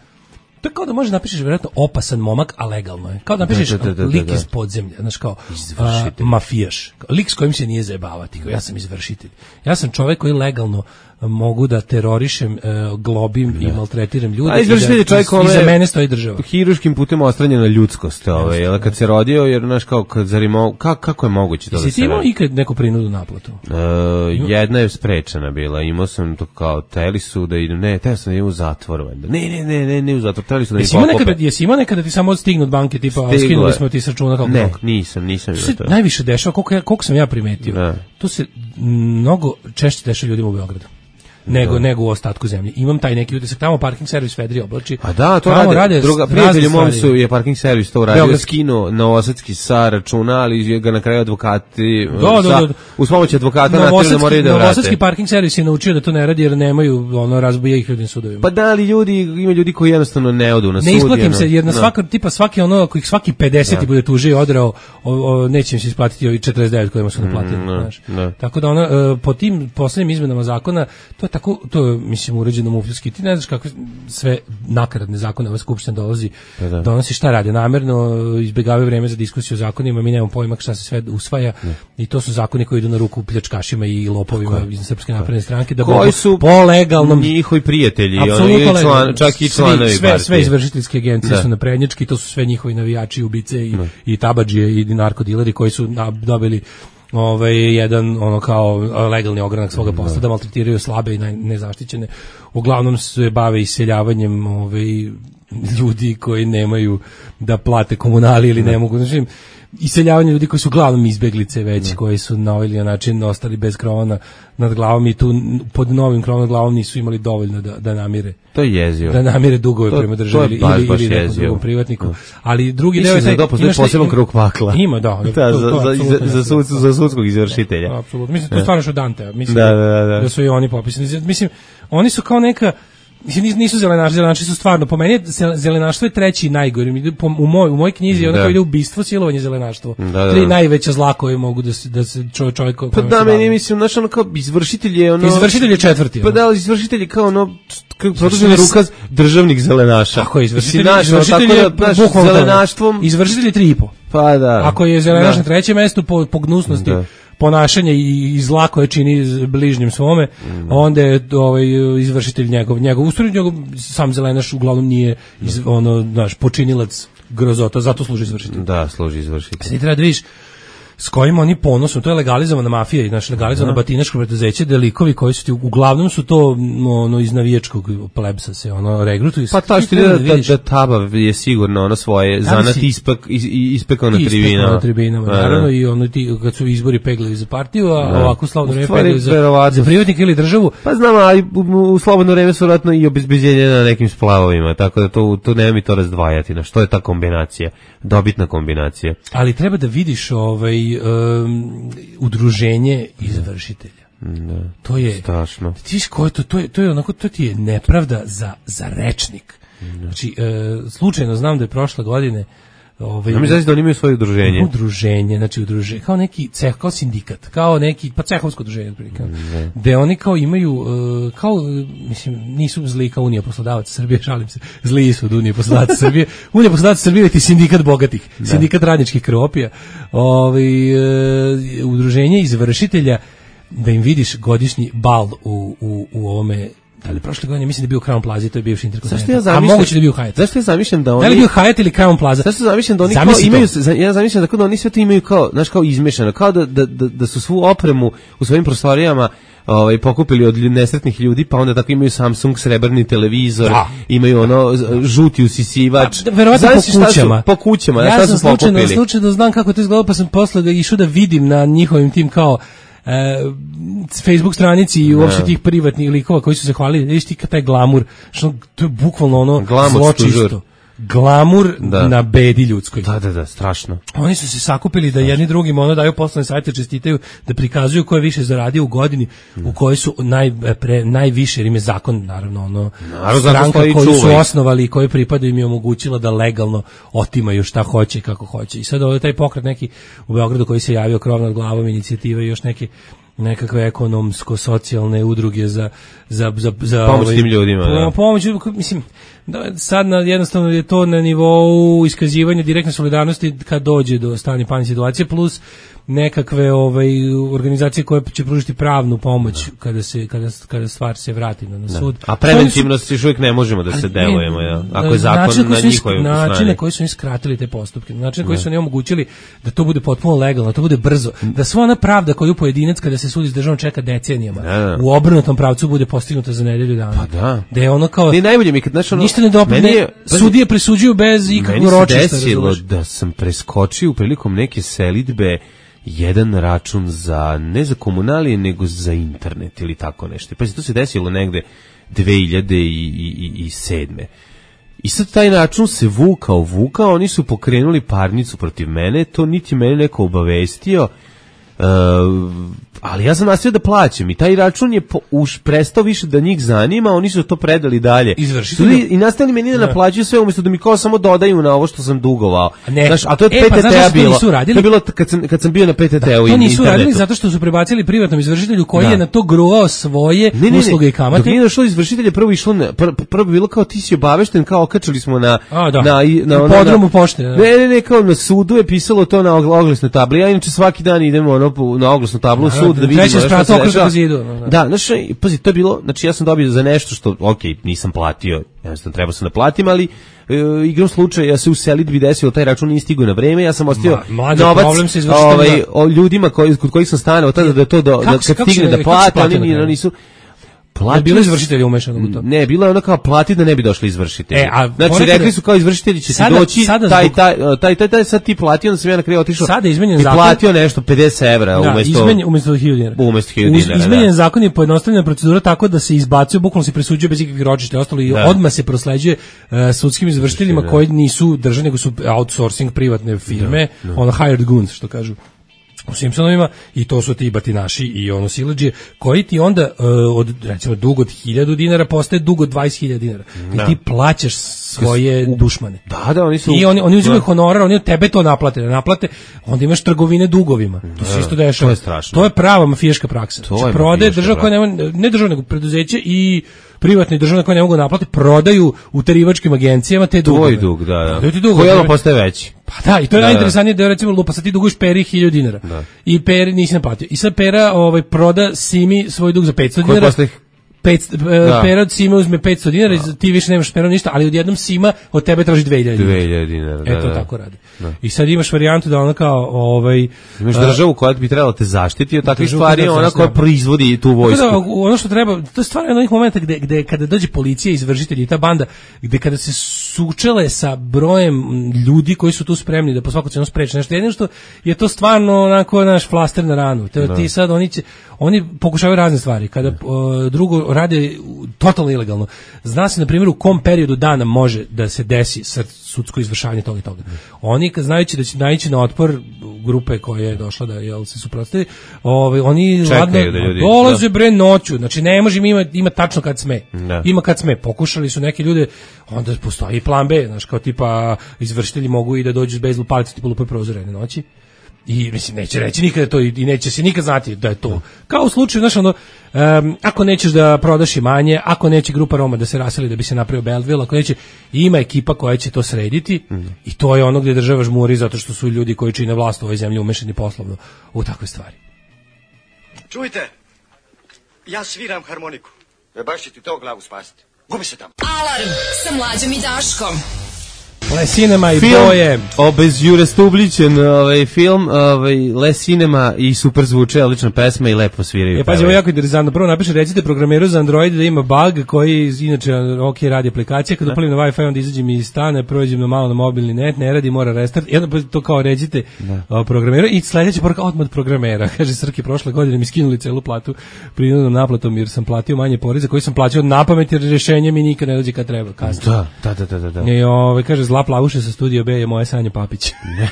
to je kao da možeš napišeš vjerojatno opasan momak, a legalno je. Kao da napišeš da, da, da, lik da, da. iz podzemlja, znaš kao a, mafijaš. Lik s kojim se nije zajebavati, kao ja sam izvršitelj. Ja sam čovjek koji legalno mogu da terorišem, uh, globim ne. i maltretiram ljude. A izvršitelj je čovjek kome iza mene stoji država. Hiruškim putem ostranjena ljudskost, ovaj, jel kad se rodio, jer znaš kao kad zarimo, kako, kako je moguće to da se. Jesi ti imao ikad neku prinudu naplatu? Uh, jedna je sprečena bila, imao sam to kao teli su da idem, ne, teo sam da idem u zatvor, valjda. Ne, ne, ne, ne, ne u zatvor, teli su da jesi mi pokope. Nekada, jesi imao nekada ti samo stignu od banke, tipa, skinuli smo ti s računa kao ne, krok? Ne, nisam, nisam to. Se najviše dešava, koliko, ja, koliko sam ja primetio, ne. to se mnogo češće dešava ljudima u Beogradu. nego da. nego u ostatku zemlje. Imam taj neki utisak, tamo parking servis Fedri oblači. A da, to rade. rade druga prijatelji mom su je parking servis to uradio, skinuo novosadski sa računa, ali ga na kraju advokati do, do, do, do. uz pomoć advokata naterali da moraju da vrate. Novosadski parking servis je naučio da to ne radi jer nemaju ono razbija ih ljudi sudovima. Pa da, ali ljudi, ima ljudi koji jednostavno ne odu na sud. Ne isplatim se jer na svaka tipa svaki ono ako ih svaki pedeset bude tužio i odrao, o, o, neće im se isplatiti ovi četrdeset devet kojima su naplatili, mm, znaš. Ne. Tako da ona uh, po tim poslednjim izmenama zakona to je tako to je, mislim, uređeno mufljski. Ti ne znaš kako sve nakaradne zakone ova skupština dolazi, pa da. donosi šta radi. Namerno izbegavaju vreme za diskusiju o zakonima, mi nemamo pojma šta se sve usvaja ne. I to su zakoni koji idu na ruku pljačkašima i lopovima iz Srpske napredne stranke. Da koji su po legalnom njihovi prijatelji, oni član, čak i članovi sve, sve, sve izvršiteljske agencije da. Su naprednjački, to su sve njihovi navijači, ubice i, i tabadžije i narkodileri koji su dobili ovaj jedan ono kao legalni ogranak svoga posla da maltretiraju slabe i nezaštićene. Uglavnom se bave iseljavanjem ovaj ljudi koji nemaju da plate komunali ili ne mogu, znači iseljavanje ljudi koji su uglavnom izbeglice već, ne. Koji su na ovaj način ostali bez krova nad glavom i tu pod novim krovom nad glavom nisu imali dovoljno da, da namire. To je jezivo. Da namire dugove to, prema državi ili, baš, baš ili nekom drugom privatniku. Ali drugi deo je taj, da postoji poseban krug pakla. Ima, da. da to, za, to, za, za, sud, za sudskog izvršitelja. Apsolutno. Mislim, to stvarno što Dante. Mislim da, da, da. da su i oni popisani. Mislim, oni su kao neka nisu zelenaši, zelenaši su stvarno, po meni zelenaštvo je treći najgori, u moj, u mojoj knjizi je ono kao ide ubistvo, silovanje, zelenaštvo, da, da, tri da. Najveća zla koje mogu da se, da se čovjek, čovjek pa da, meni mislim, znaš, ono kao izvršitelj je ono... Izvršitelj je četvrti. Pa da, izvršitelj je kao ono, kako produžena ruka državnih zelenaša. Tako je, izvršitelj, naš, izvršitelj je, da, zelenaštvom... Izvršitelj je tri i po. Pa da. Ako je zelenaš na trećem mestu po, po gnusnosti, da. Ponašanje i, i zla koje čini bližnjim svome, mm. onda je ovaj izvršitelj njegov, njegov ustroj, njegov sam zelenaš uglavnom nije iz, ono, znaš, počinilac grozota, zato služi izvršitelj. Da, služi izvršitelj. Sad treba da vidiš s kojim oni ponosom, to je legalizovana mafija, znači legalizovano uh-huh. batinaško preduzeće, delikovi koji su ti, uglavnom su to ono iz navijačkog plebsa se ono regrutuju. Pa to što da, da, da, da taba je sigurno ono svoje zanat ispek ispekao na tribinama. Na tribinama, naravno, i ono ti kad su izbori peglali za partiju, a da. Ovako slobodno vreme peglali za, za privatnik ili državu. Pa znam, ali u, u slobodno vreme su vratno i obezbeđenje na nekim splavovima, tako da to, to nema mi to razdvajati. Na što je ta kombinacija? Dobitna kombinacija. Ali treba da vidiš ovaj Um, udruženje izvršitelja. Da, to je strašno. Ti ko je to, to je to je onako to ti je nepravda za za rečnik. Da. Znači e, slučajno znam da je prošle godine ovaj ja mi znači da oni imaju svoje udruženje. Udruženje, znači udruženje kao neki ceh, kao sindikat, kao neki pa cehovsko udruženje otprilike. Da oni kao imaju uh, kao mislim nisu zli kao Unija poslodavaca Srbije, šalim se. Zli su od Unije poslodavaca Srbije. Unija poslodavaca Srbije je ti sindikat bogatih, da. Sindikat radničkih kropija. Ovaj uh, udruženje izvršitelja da im vidiš godišnji bal u u u ovome Da li prošle godine, mislim da je bio Crown Plaza, to je bivši Intercontinental. Ja zamišljam, a moguće da je bio Hyatt. Zašto ja zamišljam da oni... Da li je bio Hyatt ili Crown Plaza? Zašto zamišljam da oni kao imaju... Ja zamišljam da, kao da oni sve to imaju kao, znaš, kao izmešano, kao da, da, da, da su svu opremu u svojim prostorijama ovaj, pokupili od nesretnih ljudi, pa onda tako imaju Samsung srebrni televizor, da. Imaju ono žuti usisivač. Da, verovatno po kućama. Po kućama, ja šta sam su slučajno, pokupili. Slučajno znam kako to izgleda, pa sam posle da išao da vidim na njihovim tim kao Uh, Facebook stranici i uopšte tih privatnih likova koji su se hvalili, vidiš ti taj glamur, što to je bukvalno ono zločisto. Glamur da. Na bedi ljudskoj. Da, da, da, strašno. Oni su se sakupili da jedni drugima ono daju poslovne sajte, čestitaju, da prikazuju ko je više zaradio u godini, mm. u kojoj su naj, pre, najviše, jer im je zakon, naravno, ono, naravno, stranka koju su osnovali i koju pripadaju im je omogućila da legalno otimaju šta hoće i kako hoće. I sad ovdje taj pokret neki u Beogradu koji se javio krov nad glavom inicijative i još neke nekakve ekonomsko-socijalne udruge za, za, za, za pomoć ovaj, tim ljudima. Da. Pomoć, mislim, da, sad na, jednostavno je to na nivou iskazivanja direktne solidarnosti kad dođe do stanje panik situacije, plus nekakve ovaj organizacije koje će pružiti pravnu pomoć da. kada se kada kada stvar se vrati na, na sud. A preventivno se još uvijek ne možemo da se delujemo, ja. Ako je zakon na njihovoj strani. Način na koji su im skratili te postupke, način na koji su oni omogućili da to bude potpuno legalno, da to bude brzo, da sva ona pravda koju pojedinac kada se sudi s državom čeka decenijama, da. U obrnutom pravcu bude postignuta za nedelju dana. Pa da. Da je ono kao ne najbolje mi kad znaš ono ništa ne dopadne, sudije presuđuju bez ikakvog ročišta. Meni se desilo da sam preskočio prilikom neke selidbe jedan račun za, ne za komunalije, nego za internet ili tako nešto. Pa to se desilo negde dve hiljade sedme. I sad taj račun se vukao, vukao, oni su pokrenuli parnicu protiv mene, to niti mene neko obavestio, uh, ali ja sam nastavio da plaćam i taj račun je po, už prestao više da njih zanima, oni su to predali dalje. Izvršitelji. I nastavili meni da naplaćuju sve umjesto da mi kao samo dodaju na ovo što sam dugovao. Ne. Znaš, a to je od e, P T T-a pa, bilo. To je bilo kad sam, kad sam bio na P T T-u i to nisu radili zato što su prebacili privatnom izvršitelju koji da. Je na to gruvao svoje ne, ne, usluge i kamate. Dok nije došlo izvršitelje, prvo išlo na, pr, prvo bilo kao ti si obavešten, kao okačili smo na a, da. na, na, na podrumu pošte. Da. Ne, ne, ne, kao na sudu je pisalo to na oglasnoj tabli. Ja inače svaki dan idemo ono na oglasnu tablu u sud da vidimo šta se zidu, no, no. Da, znači, pazi, to je bilo, znači ja sam dobio za nešto što, ok, nisam platio, jednostavno treba sam da platim, ali e, igrom slučaja, ja se u selidbi desilo, taj račun nije stigao na vreme, ja sam ostio Ma, novac ovaj, o ljudima koji, kod kojih sam stanao, tada da to do, da, kad stigne da plate, oni nisu... Platili, bilo izvršitelji umešano u to. Ne, bilo je ono kao plati da ne bi došli izvršitelji. E, a znači rekli su kao izvršitelji će sada, doći, sada taj, zbog... taj, taj, taj, taj, sad ti platio, onda sam ja na kraju otišao sada izmenjen i zakon, platio nešto pedeset evra da, umjesto, izmenjen, umjesto hiljadu dinara. Umjesto hiljadu dinara, izmenjen da. Zakon je pojednostavljena procedura tako da se izbacuje, bukvalno se presuđuje bez ikakvih ročišta, ostalo i da. Odmah se prosleđuje uh, sudskim izvršiteljima da. Koji nisu državni, nego su outsourcing privatne firme, da, da. Ono hired guns, što kažu u Simpsonovima, i to su ti batinaši i ono siledžije, koji ti onda uh, od, recimo, dug od hiljadu dinara postaje dug od dvadeset hiljada dinara. Da. I ti plaćaš svoje dušmane. Da, da, oni su... I oni, oni uzimaju honorar, oni od tebe to naplate, da naplate, onda imaš trgovine dugovima. To da, se isto dešava. To je strašno. To je prava mafijaška praksa. To znači, prodaje država koja nema, ne država, nego preduzeće i privatni državne koje ne mogu naplati, prodaju utarivačkim agencijama te dugove. Tvoj dug, da, da. Ti dug, koji ono postaje veći. Pa da, i to je da, najinteresantnije da je recimo lupa, sad ti duguješ Peri hiljadu dinara. Da. I Peri nisi naplatio. I sad Pera ovaj, proda Simi svoj dug za petsto dinara. Koji Pet, da. Pera od Sima uzme petsto dinara, da. Ti više nemaš Pera ništa, ali odjednom Sima od tebe traži dve hiljade dinara. Da, eto da. Tako radi. Da. I sad imaš varijantu da ona kao ovaj imaš državu koja bi trebala te zaštiti od takvih stvari, ona koja proizvodi tu vojsku. Da, ono što treba, to je stvarno jedan od onih momenta gde, gde kada dođe policija, izvršitelji i ta banda, gde kada se sučele sa brojem ljudi koji su tu spremni da po svaku cenu spreče nešto, jedino što je to stvarno onako naš flaster na ranu. Te, ti sad oni će, oni pokušavaju razne stvari. Kada uh, drugo rade totalno ilegalno. Zna se, na primjer, u kom periodu dana može da se desi sad sudsko izvršavanje toga i toga. Oni, kad znajući da će naići na otpor grupe koja je došla da jel, se suprotstavi, ovaj, oni ladno da ljudi, dolaze bre noću. Znači, ne može im ima, ima tačno kad sme. Da. Ima kad sme. Pokušali su neki ljude, onda postoji plan B. Znaš, kao tipa, izvršitelji mogu i da dođu s bejzbol palicom, tipa lupaju prozore jedne noći. I mislim neće reći nikada to i neće se nikad znati da je to. Kao u slučaju, znaš, ono, um, ako nećeš da prodaš imanje, ako neće grupa Roma da se raseli da bi se napravio Belleville, ako neće, ima ekipa koja će to srediti mm. i to je ono gdje država žmuri zato što su ljudi koji čine vlast u ovoj zemlji umešani poslovno u takve stvari. Čujte, ja sviram harmoniku. E baš će ti to glavu spasiti. Gubi se tamo. Alarm sa Mlađom i Daškom. Le Cinema i film, boje. Obezjurestubličen ovaj film, ovaj Le Cinema i super zvuče, odlična pesma i lepo sviraju. Je pazi, ovo jako interesantno. Prvo napiše, recite programeru za Android da ima bug koji inače ok radi aplikacija, kad upalim na Wi-Fi onda izađem iz stana, prođem na malo na mobilni net, ne radi, mora restart. I onda to kao recite programeru i sledeća poruka odmah od programera. Kaže Srki, prošle godine mi skinuli celu platu prinudnom naplatom jer sam platio manje poreza koji sam plaćao napamet jer rješenje mi nikad ne dođe kad treba. Kasno. Da, da, da, da, da. I ovaj kaže Zla plavuša sa Studio B je moja Sanja Papić. Ne.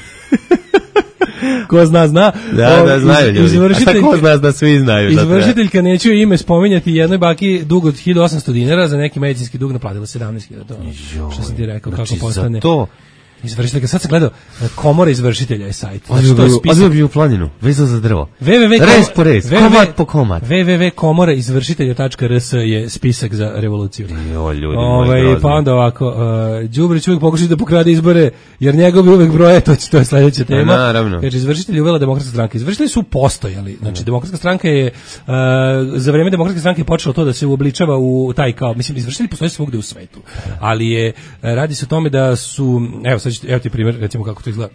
Ko zna, zna. Da, o, da, znaju ljudi. A tako zna, da svi znaju. Izvršiteljka, neću ime spominjati, jednoj baki dug od hiljadu osamsto dinara, za neki medicinski dug naplatila sedamnaest hiljada. Što sam ti rekao, znači, kako postane. To izvršiteljka, sad sam gledao, Komora izvršitelja je sajt. Odbio bi u planinu, vezao za drvo. Rez po rez, komad po komad. w w w tačka komora izvršitelja tačka r s je spisak za revoluciju. Jo, ljudi, Ove, moj pa onda ovako, uh, Đubrić uvijek pokušati da pokrade izbore, jer njegov uvijek broje, to, to je sljedeća tema. Naravno. Kaže, izvršitelj je uvela demokratska stranka. Izvršitelji su postojali. Znači, ne. Demokratska stranka je, uh, za vreme demokratske stranke je počelo to da se uobličava u taj kao, mislim, izvršitelji postoje svugde u svetu. Ali je, radi se o tome da su, evo, sad ću, evo ti primjer, recimo kako to izgleda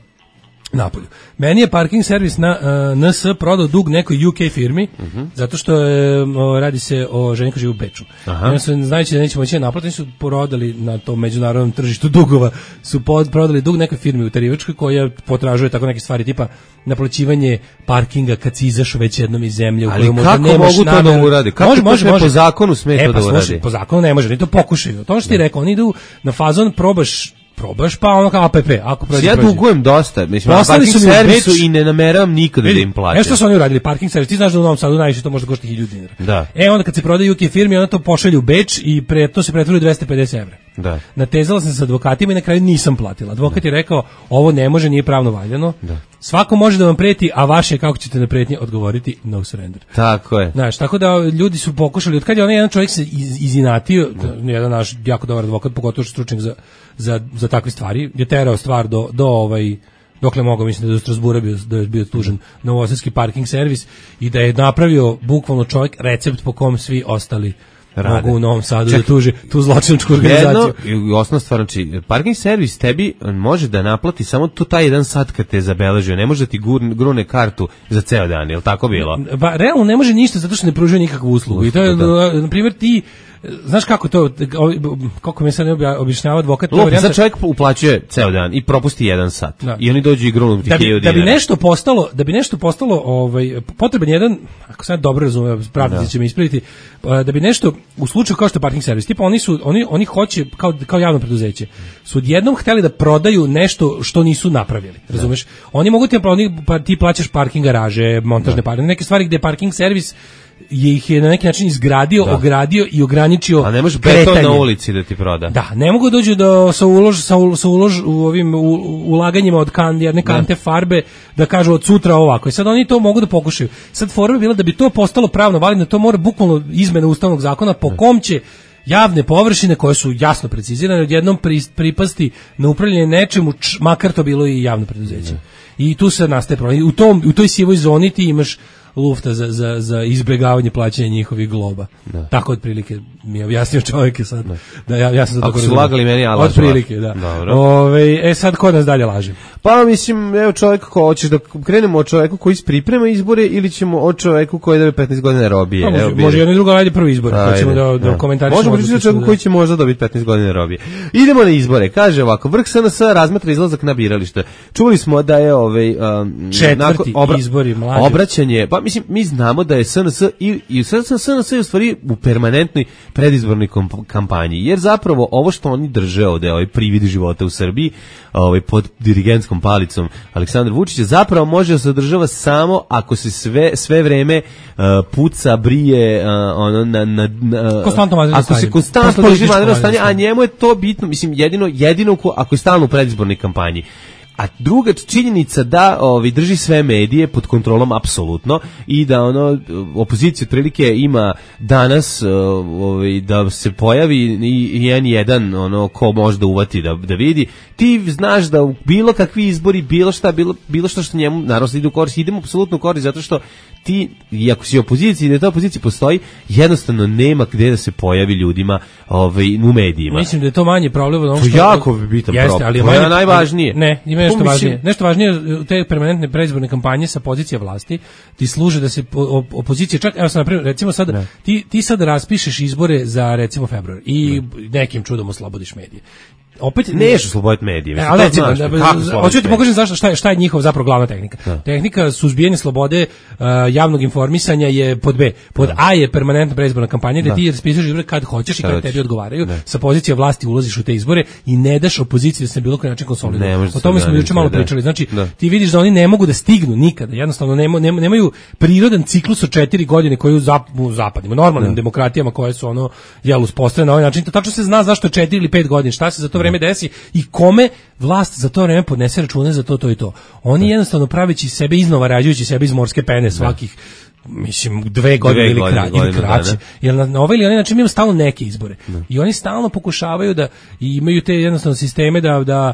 napolju. Meni je parking servis na uh, N S prodao dug nekoj U K firmi, uh-huh. zato što je, o, radi se o ženi koja živi u Beču. Oni su, znajući da neće moći naplatiti, su prodali na tom međunarodnom tržištu dugova, su pod, prodali dug nekoj firmi u Tarivačkoj koja potražuje tako neke stvari tipa naplaćivanje parkinga kad si izašao već jednom iz zemlje. U ali kako mogu to da uradi? Kako može, može, može. Po zakonu sme e, to pa, da uradi? Sluši, po zakonu ne može, ni to pokušaju. To što ti rekao, oni idu na fazon, probaš probaš pa ono kao A P P, ako prođe. Ja dugujem dosta, mislim, na parking servisu i ne nameravam nikada da im plaćam. Nešto su oni uradili, parking servis, ti znaš da u Novom Sadu najviše to može da košta hiljadu dinara. Da. E onda kad se prodaje U K firmi, onda to pošalju u Beč i pre, to se pretvori u dvesta pedeset evra. Da. Natezala sam se s advokatima i na kraju nisam platila. Advokat je rekao, ovo ne može, nije pravno valjano. Da. Svako može da vam preti, a vaše kako ćete na pretnje odgovoriti, no surrender. Tako je. Znaš, tako da ljudi su pokušali, od kad je onaj jedan čovjek se iz, izinatio, da. jedan naš jako dobar advokat, pogotovo stručnjak za, za, za takve stvari, je terao stvar do, do ovaj, dokle mogao, mislim da je do Strasbura bio, da je bio tužen novosadski parking servis i da je napravio bukvalno čovjek recept po kom svi ostali rade. Mogu u Novom Sadu čak, da tuži tu zločinačku organizaciju. Jedno, osnovna stvar, znači, parking servis tebi može da naplati samo to taj jedan sat kad te zabeležio, ne može da ti grune kartu za ceo dan, je li tako bilo? Pa, realno ne može ništa zato što ne pružuje nikakvu uslugu. I to je, da. Na primjer, ti znaš kako to, kako mi se ne objašnjava advokat? Lupi, sad čovjek uplaćuje ceo dan i propusti jedan sat. Da. I oni dođu i grunu ti hiljadu dinara. Da bi nešto postalo, da bi nešto postalo, ovaj, potreban jedan, ako sad dobro razumem, pravnici će me ispraviti, da bi nešto, u slučaju kao što je parking servis, tipa oni su, oni, oni hoće, kao, kao javno preduzeće, su odjednom hteli da prodaju nešto što nisu napravili, razumeš? Da. Oni mogu ti, pa ti plaćaš parking garaže, montažne parking, neke stvari gde parking servis je ih je na neki način izgradio, da. ogradio i ograničio. A ne može beton na ulici da ti proda. Da, ne mogu dođu do sa ulož sa, u, sa ulož u ovim u, ulaganjima od kan, jedne kante da. farbe da kažu od sutra ovako. I sad oni to mogu da pokušaju. Sad fora bi bila da bi to postalo pravno validno, to mora bukvalno izmena ustavnog zakona po kom će javne površine koje su jasno precizirane odjednom pri, pripasti na upravljanje nečemu, č, makar to bilo i javno preduzeće. Da. I tu se nastaje problem. U tom u toj sivoj zoni ti imaš lufta za, za, za izbjegavanje plaćanja njihovih globa. Da. Tako otprilike mi je objasnio čovjek sad. Da, da ja, ja sam to tako su lagali meni, ja lažem. Otprilike, da. Ove, e sad ko nas dalje laže? Pa mislim, evo čovjek ko hoćeš da krenemo od čovjeku koji priprema izbore ili ćemo od čovjeku koji da petnaest godina robije. Pa, može, evo, može jedno i drugo radi prvi izbor. Ajde, hoćemo da, da, da komentarišemo. Možemo pričati o čovjeku koji će možda dobiti petnaest godina robije. Idemo na izbore. Kaže ovako, vrh S N S razmatra izlazak na biralište. Čuli smo da je ovaj um, četvrti obra- izbori mlađi. Obraćanje, pa mislim, mi znamo da je S N S i, i S N S je u stvari u permanentnoj predizbornoj kampanji, jer zapravo ovo što oni drže ovde, ovaj privid života u Srbiji, ovaj pod dirigentskom palicom Aleksandra Vučića, zapravo može da se održava samo ako se sve sve vreme uh, puca, brije, uh, ono na na, na ako se konstantno drži vanredno stanje, a njemu je to bitno, mislim jedino jedino ako je stalno u predizbornoj kampanji. A druga činjenica da ovi drži sve medije pod kontrolom apsolutno i da ono opozicija otprilike ima danas ovi da se pojavi i N jedan ono ko može da uvati da da vidi. Ti znaš da u bilo kakvi izbori, bilo šta, bilo bilo što što njemu naravno ide u korist, idemo apsolutno u korist zato što ti, iako si opozicija i da ta opozicija postoji, jednostavno nema gde da se pojavi ljudima ovaj, u medijima. Mislim da je to manje problem od onog što... To je jako bitan problem, to je najvažnije. Ne, ima nešto važnije. Nešto važnije, te permanentne predizborne kampanje sa pozicije vlasti ti služe da se opozicija, čak, evo sam naprimjer, recimo sad, ti, ti sad raspišeš izbore za recimo februar i ne. nekim čudom oslobodiš medije. Opet neš osloboditi medije. Mislim, ali recimo, hoću ti pokažem zašto šta je šta je njihova zapravo glavna tehnika. Da. Tehnika suzbijanja slobode uh, javnog informisanja je pod B. Pod da. A je permanentna predizborna kampanja gde da. ti raspisuješ izbore kad hoćeš i kad tebi odgovaraju. Da. Sa pozicije vlasti ulaziš u te izbore i ne daš opoziciji da se na bilo koji način konsoliduje. O tome smo juče malo pričali. Znači, da. ti vidiš da oni ne mogu da stignu nikada. Jednostavno nema, nema, nemaju prirodan ciklus od četiri godine koji u, zap, u zapadnim, normalnim da. demokratijama koje su ono jel uspostavljene na ovaj način. To tačno se zna zašto je četiri ili pet godina. Šta se za to vreme desi i kome vlast za to vreme podnese račune za to, to i to. Oni da. jednostavno praveći sebe iznova, rađujući sebe iz morske pene svakih, da. mislim, dve godine dve ili, godine, kra, godine, ili kraće. Da, jer na, na ovaj ili onaj način imamo stalno neke izbore. Da. I oni stalno pokušavaju da imaju te jednostavno sisteme da, da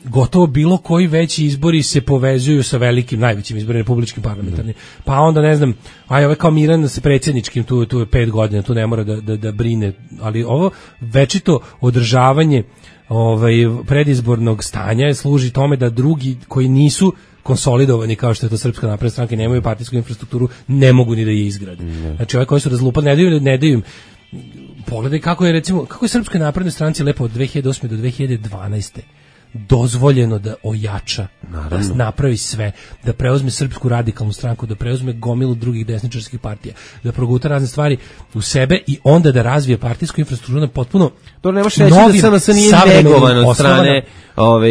gotovo bilo koji veći izbori se povezuju sa velikim, najvećim izborima republičkim parlamentarnim. Pa onda ne znam, aj ovaj kao Miran sa predsjedničkim, tu, tu je pet godina, tu ne mora da, da, da brine, ali ovo večito održavanje ovaj predizbornog stanja služi tome da drugi koji nisu konsolidovani kao što je to Srpska napredna stranka, nemaju partijsku infrastrukturu, ne mogu ni da je izgrade. Mm. Znači ovaj koji su razlupali, ne daju, ne daju im. Pogledaj kako je recimo, kako je Srpska napredna stranci lepo od dve hiljade osme do dve hiljade dvanaeste dozvoljeno da ojača, Naravno. da napravi sve, da preuzme Srpsku radikalnu stranku, da preuzme gomilu drugih desničarskih partija, da proguta razne stvari u sebe i onda da razvije partijsku infrastrukturu na potpuno to nemaš reći da S N S nije negovan od strane ovaj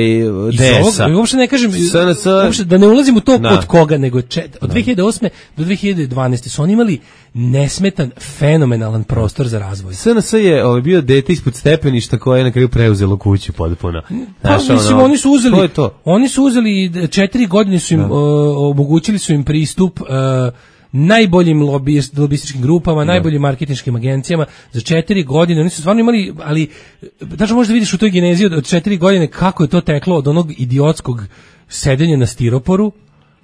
D S-a. Uopšte ne kažem, S N S... uopšte, da ne ulazim u to da. od koga, nego čet, od dve hiljade osme do dve hiljade dvanaeste su oni imali nesmetan, fenomenalan prostor za razvoj. S N S je ovaj, bio dete ispod stepeništa koje je na kraju preuzelo kuću potpuno. Pa, mislim, ono, oni su uzeli, to je to. Oni su uzeli četiri godine su im, uh, omogućili su im pristup uh, najboljim lobist, lobističkim grupama, da. najboljim marketinškim agencijama za četiri godine. Oni su stvarno imali, ali znači možda vidiš u toj genezi od, od četiri godine kako je to teklo od onog idiotskog sedenja na stiroporu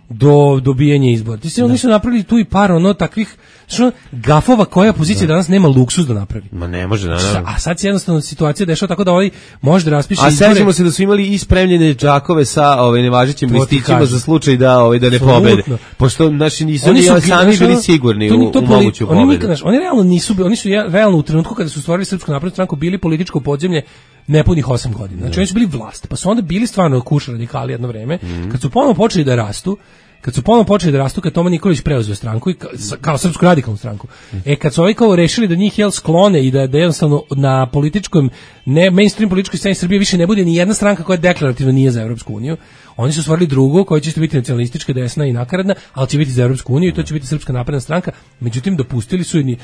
do dobijanja izbora. Ti se oni su napravili tu i par ono takvih što gafova koja pozicija da. danas nema luksus da napravi. Ma ne može, naravno. A sad se jednostavno situacija dešava tako da ovaj može da raspiše izbore. A sećamo se da su imali i spremljene džakove sa ovaj nevažećim listićima za slučaj da ovaj da ne pobede. Pošto naši nisu oni su sami bili sigurni u, u moguću pobedu. Oni, oni, oni realno nisu, oni su realno u trenutku kada su stvorili Srpsku naprednu stranku bili političko podzemlje nepunih osam godina. Znači oni su bili vlast, pa su onda bili stvarno kuš radikali jedno vreme, mm. kad su ponovo počeli da rastu, kad su ponovo počeli da rastu, kad Toma Nikolić preuzeo stranku i kao, kao Srpsku radikalnu stranku. Mm. E kad su ovi kao rešili da njih jel sklone i da, da jednostavno na političkom, ne mainstream političkoj sceni Srbije više ne bude ni jedna stranka koja deklarativno nije za Evropsku uniju, oni su stvorili drugu koja će biti nacionalistička, desna i nakaradna, ali će biti za Evropsku uniju i to će biti Srpska napredna stranka. Međutim, dopustili su i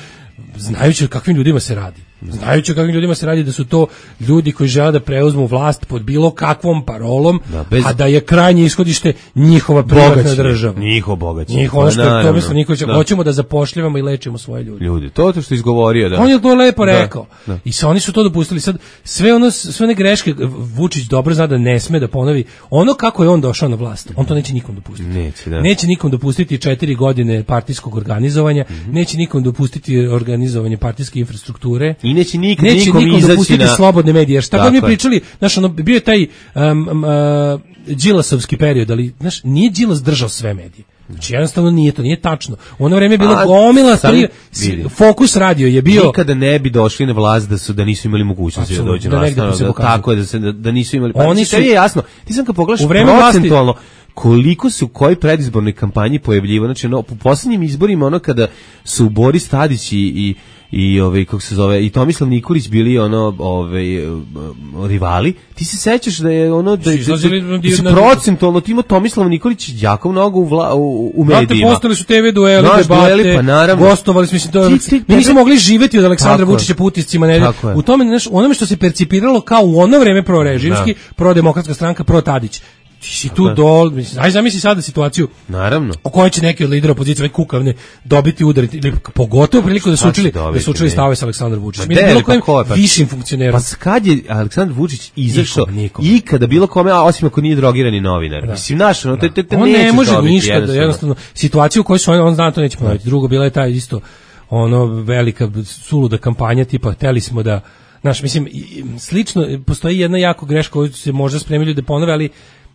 znajući o kakvim ljudima se radi. Znajući o kakvim ljudima se radi da su to ljudi koji žele da preuzmu vlast pod bilo kakvom parolom, da, bez... a da je krajnje ishodište njihova privatna država. Njihovo bogaćenje. Njihovo ono što to misle Nikolić, da. hoćemo da zapošljavamo i lečimo svoje ljude. Ljudi, to je to što izgovorio, da. On je to lepo da, rekao. Da. I sa oni su to dopustili. Sad sve ono sve one greške Vučić dobro zna da ne sme da ponovi. Ono kako je on došao na vlast, on to neće nikom dopustiti. Neće, da. Neće nikom dopustiti četiri godine partijskog organizovanja, mm-hmm. neće nikom dopustiti organizovanje partijske infrastrukture. I neće nik, neće nikom, nikom dopustiti na... slobodne medije. Šta god mi pričali, znaš, ono, bio je taj um, um, uh, Đilasovski period, ali znaš, nije Đilas držao sve medije. Znači jednostavno nije to, nije tačno. U ono vreme je bilo gomila, stvari, Fokus radio je bio... Nikada ne bi došli na vlast da su da nisu imali mogućnosti da dođu na vlast. Da, da, tako je, da, se, da, da nisu imali... Pa, oni su... je jasno, ti sam kad pogledaš procentualno, koliko su u kojoj predizbornoj kampanji pojavljivo, znači no, u posljednjim izborima ono kada su Boris Tadić i, i i ovaj kako se zove i Tomislav Nikolić bili ono ovaj rivali, ti se sećaš da je ono da, da, da, da se procentualno timo Tomislav Nikolić jako mnogo u, vla, u, u medijima. Znate, postali su te ve dueli, debate, pa naravno, gostovali smo, mislim, to, ti, ti, mi nismo mogli živjeti od Aleksandra Vučića po utiscima, ne, u tome, znaš, onome što se percipiralo kao u ono vreme prorežimski, prodemokratska stranka, pro Tadić. ti si tu dol, mislim, aj zamisli sada situaciju. Naravno. U kojoj će neki od lidera opozicije, ovaj kukavne, dobiti udar ili pogotovo priliku da su učili, da su učili stavove sa Aleksandar Vučić. Mi bilo kojim pa višim funkcionerom. Pa kad je Aleksandar Vučić izašao i kada bilo kome, a osim ako nije drogirani novinar. Da. Mislim, naš, no, te, te, te on ne može dobiti, ništa, jednostavno. jednostavno, situaciju u kojoj su on, on zna to neće ponoviti. Drugo, bila je taj isto, ono, velika suluda kampanja, tipa, hteli smo da, znaš, mislim, slično, postoji jedna jako greška koju se možda spremili da ponove, ali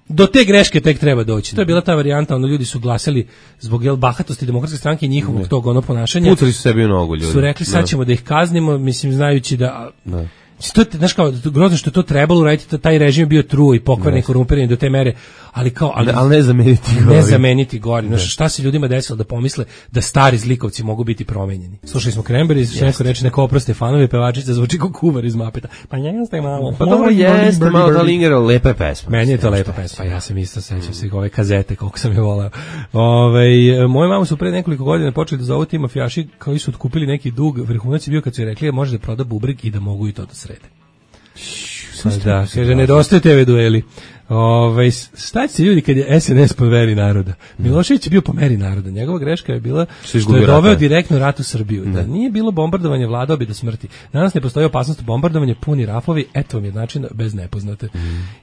do te greške tek treba doći. To je bila ta varijanta, ono, ljudi su glasali zbog jel, bahatosti Demokratske stranke i njihovog ne. tog ono ponašanja. Pucali su sebi u nogu ljudi. Su rekli sad ćemo da ih kaznimo, mislim, znajući da... Ne. To je, znaš kao, grozno što je to trebalo uraditi, taj režim je bio truo i pokvarni i korumpiran do te mere, ali kao... Ali, ali ne zameniti gori. Ne zameniti gori. Znaš, šta se ljudima desilo da pomisle da stari zlikovci mogu biti promenjeni? Slušali smo Cranberries, što neko reče, neko oproste fanovi, pevačica zvuči kao kuvar iz Mapeta. Pa jeste malo. Pa dobro jeste, malo da lingero, lepa pesma. Meni je to lepa pesma, ja sam isto sećam se ove kazete, koliko sam je volao. Ove, moje mamu su pre nekoliko godina počeli da zovu ti mafijaši koji su otkupili neki dug, vrhunac je bio kad su je rekli može da proda bubreg i da mogu i to da srede. Pa da, kaže, nedostaje te ve dueli. Ove, šta će ljudi kad je es en es po meri naroda? Milošević je bio po meri naroda. Njegova greška je bila što, što je doveo direktno rat u Srbiju. Da nije bilo bombardovanje, vladao bi do smrti. Danas ne postoji opasnost bombardovanja, puni rafovi, eto vam je način bez nepoznate. Mm.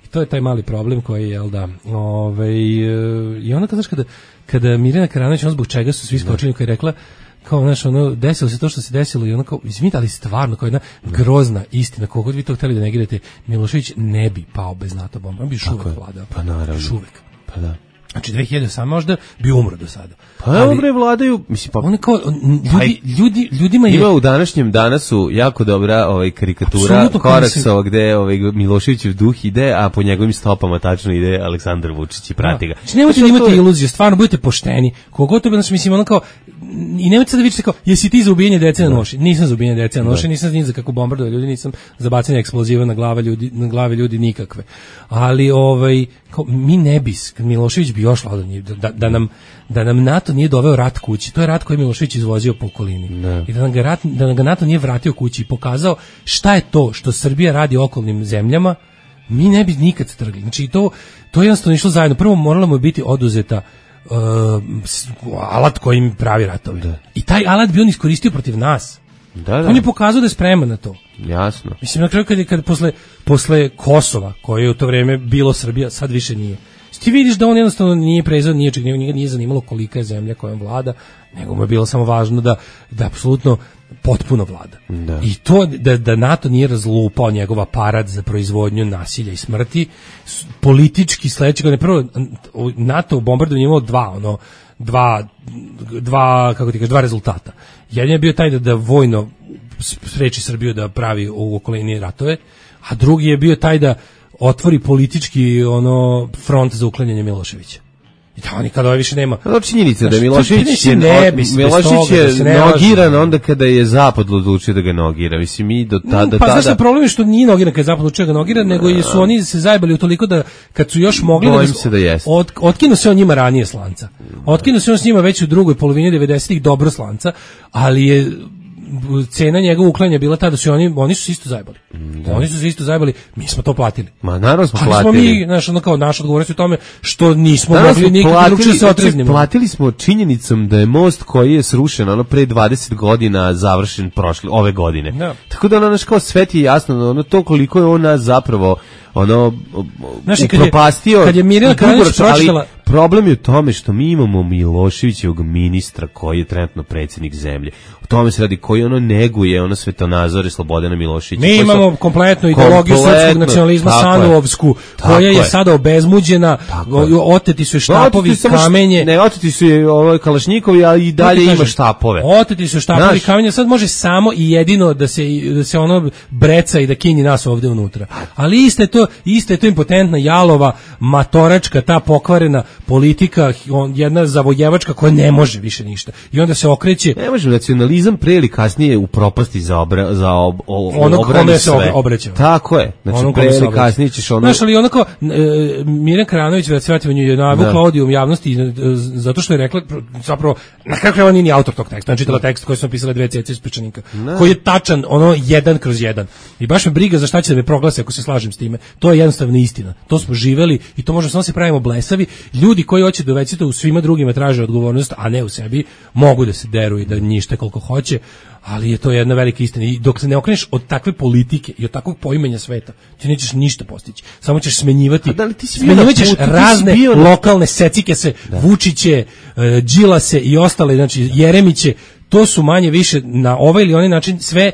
I to je taj mali problem koji je, jel da, ove, i onda, znaš, kada, kada Mirjana Karanović, on zbog čega su svi skočili, koja je rekla, kao, znaš, ono, desilo se to što se desilo i ono kao, izvinite, ali stvarno, kao jedna grozna istina, koliko vi to hteli da negirate, Milošević ne bi pao bez NATO bomba, on bi još uvek vladao. Pa naravno. Još uvek. Pa da. Znači, dve hiljade osam možda bi umro do sada. Pa evo bre, vladaju, mislim, pa... One kao, ljudi, ljudi, ljudima je... Ima u današnjem danasu jako dobra ovaj, karikatura Koraksova gde ovaj, Miloševićev duh ide, a po njegovim stopama tačno ide Aleksandar Vučić i prati ga. Znači, nemojte da imate to... iluzije, stvarno, budite pošteni. Kogod to bi, znači, mislim, ono kao, i nemojte sad da vidite kao, jesi ti za ubijanje dece na noši? Nisam za ubijanje dece na noši, nisam ni za kako bombardove ljudi, nisam za bacanje eksploziva na glave ljudi, na glave ljudi nikakve. Ali, ovaj, kao, mi ne bi, Milošević bi još vladao, da, da, nam, da nam NATO nije doveo rat kući. To je rat koji je Milošević izvozio po okolini. Ne. I da nam, ga rat, da nam ga NATO nije vratio kući i pokazao šta je to što Srbija radi okolnim zemljama, mi ne bi nikad strgli. Znači, to, to je jednostavno išlo zajedno. Prvo moralo mu biti oduzeta uh, alat kojim pravi ratove. Da. I taj alat bi on iskoristio protiv nas. Da, da. On je pokazao da je spreman na to. Jasno. Mislim, na kraju kad je kad posle, posle Kosova, koje je u to vreme bilo Srbija, sad više nije. Ti vidiš da on jednostavno nije prezao ničeg, njega nije zanimalo kolika je zemlja kojom vlada, nego mu je bilo samo važno da, da apsolutno potpuno vlada. Da. I to da, da NATO nije razlupao njegov aparat za proizvodnju nasilja i smrti, politički sledećeg, ne prvo, NATO u bombardovanju imao dva, ono, dva, dva, kako ti kaže, dva rezultata. Jedan je bio taj da, da vojno spreči Srbiju da pravi u okolini ratove, a drugi je bio taj da otvori politički ono front za uklanjanje Miloševića. I da oni kada više nema. No, činjenica da Milošević je, ne, Milošević je da nogiran onda kada je Zapad odlučio da ga nogira. Mislim, mi do tada... Pa tada... znaš, problem je što nije nogiran kada je Zapad odlučio da ga nogira, nego je su oni se zajebali utoliko da kad su još mogli... Bojim da se da jeste. Od, otkinu se on njima ranije slanca. Otkinu se on s njima već u drugoj polovini devedesetih dobro slanca, ali je cena njegovog uklanja bila ta da su oni oni su se isto zajebali. Da. Oni su se isto zajebali, mi smo to platili. Ma naravno smo ali platili. Smo mi, znaš, ono kao naša odgovornost u tome što nismo naravno mogli nikako drugčije se otreznimo. Platili smo činjenicom da je most koji je srušen ono pre dvadeset godina završen prošle ove godine. Da. Tako da ono naš kao svet je jasno, ono to koliko je on nas zapravo ono znači, upropastio. Kad je, kad je Mirjana Karanović pročitala, problem je u tome što mi imamo Miloševićevog ministra koji je trenutno predsjednik zemlje. O tome se radi, koji ono neguje ono svetonazore Slobodana Miloševića. Mi imamo so, kompletnu ideologiju srpskog nacionalizma Sanuovsku, koja je, je sada obezmuđena, oteti su štapovi, oteti kamenje. Ne, oteti su je ovaj Kalašnjikovi, a i dalje ima štapove. Oteti su štapovi, kamenje, sad može samo i jedino da se, da se ono breca i da kinji nas ovde unutra. Ali iste to, iste to impotentna, jalova, matoračka, ta pokvarena politika, on, jedna zavojevačka koja ne može više ništa. I onda se okreće... Ne može, nacionalizam pre ili kasnije u propasti za, obra, za ob, ob, ono obrane se obraćao. Tako je. Znači, pre ili kasnije ćeš ono... Znaš, ali onako, e, Mirjana Kranović, da se vratimo, je navukla odijum javnosti e, zato što je rekla, zapravo, na kakve on nije ni autor tog teksta, on čitala tekst koji su napisale dve cece iz Pečanika, koji je tačan, ono, jedan kroz jedan. I baš me briga za šta će da me proglase ako se slažem s time. To je jednostavno istina. To smo živeli i to možemo samo se pravimo blesavi. Ljudi koji hoće da većete u svima drugima traže odgovornost, a ne u sebi, mogu da se deru i da njište koliko hoće, ali je to jedna velika istina. I dok se ne okreneš od takve politike i od takvog poimanja sveta, ti nećeš ništa postići. Samo ćeš smenjivati, da smenjivaćeš razne lokalne secike se, da. Vučiće, Đilase i ostale, znači Jeremiće, to su manje više na ovaj ili onaj način sve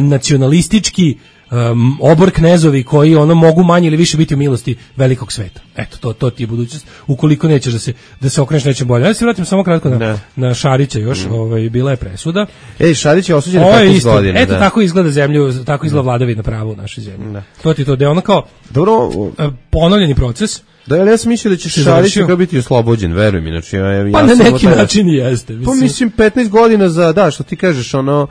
nacionalistički um, obor knezovi koji ono mogu manje ili više biti u milosti velikog sveta. Eto, to to ti je budućnost. Ukoliko nećeš da se da se okreneš nečem bolje. Ja se vratim samo kratko na, na Šarića još, mm. ovaj bila je presuda. Ej, Šarić je osuđen na petnaest godina. Eto, da. Tako izgleda zemlju, tako izgleda vladavina prava u našoj zemlji. Da. To ti to da ono kao dobro ponovljeni proces. Da, ali ja sam mislio da će Šarić kao biti oslobođen, veruj mi, znači ja, ja pa na neki način jeste. Mislim. Pa mislim petnaest godina za, da, što ti kažeš, ono,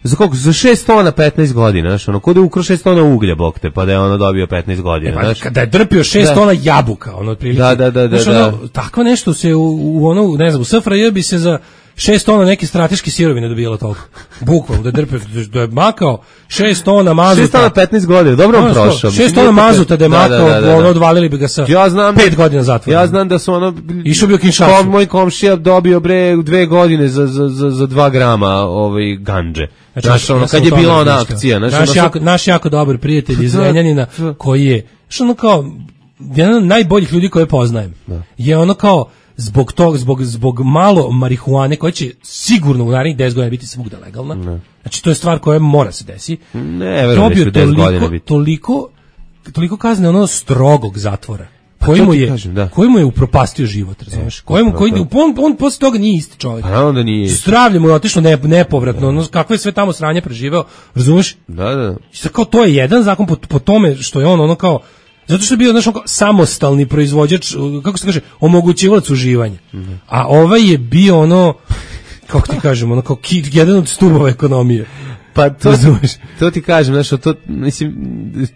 za koliko? Za šest tona petnaest godina, znaš, ono, kod je ukro šest tona uglja, bok te, pa da je ono dobio petnaest godina, e, znaš. Kada je drpio šest tona jabuka, ono, otprilike. Da, da, da, da. Znaš, ono, tako nešto se u, u ono, ne znam, u S F R J bi se za šest tona neke strateške sirovine dobijalo toliko. Bukvalno, da je drpio, da je makao šest tona mazuta. šest tona petnaest godina, dobro on prošao. šest tona mazuta da je makao, da, da, da, da. Ono, odvalili bi ga sa ja znam, pet godina zatvora. Ja znam da su ono... Išao bio Kinshasa. Kom, moj komšija dobio bre dve godine za, za, za, za dva grama ovaj, ganđe. Znači, znaš, ono, kad je bila ona akcija. Naš, naš, jako, naš jako dobar prijatelj iz Zrenjanina, koji je, što ono kao, jedan od najboljih ljudi koje poznajem, da. Je ono kao, zbog tog, zbog, zbog malo marihuane koja će sigurno u narednih deset godina biti svugde legalna. Ne. Znači to je stvar koja mora se desi. Ne, verujem da će deset godina biti. Toliko, toliko kazne ono strogog zatvora. Koji mu, je, kažem, da. koji mu je upropastio život, razumeš? Koji mu, koji, on, on posle toga nije isti čovjek. Pa onda nije. Zdravlje mu je otišlo ne, nepovratno, ono, kakve je sve tamo sranje preživeo, razumeš? Da, da. I kao to je jedan zakon po, po tome što je on ono kao, zato što je bio, znaš, samostalni proizvođač, kako se kaže, omogućivac uživanja. Mm-hmm. A ovaj je bio ono, kako ti kažemo, ono kao ki, jedan od stubova ekonomije. Pa to, to ti kažem, znaš, to, mislim,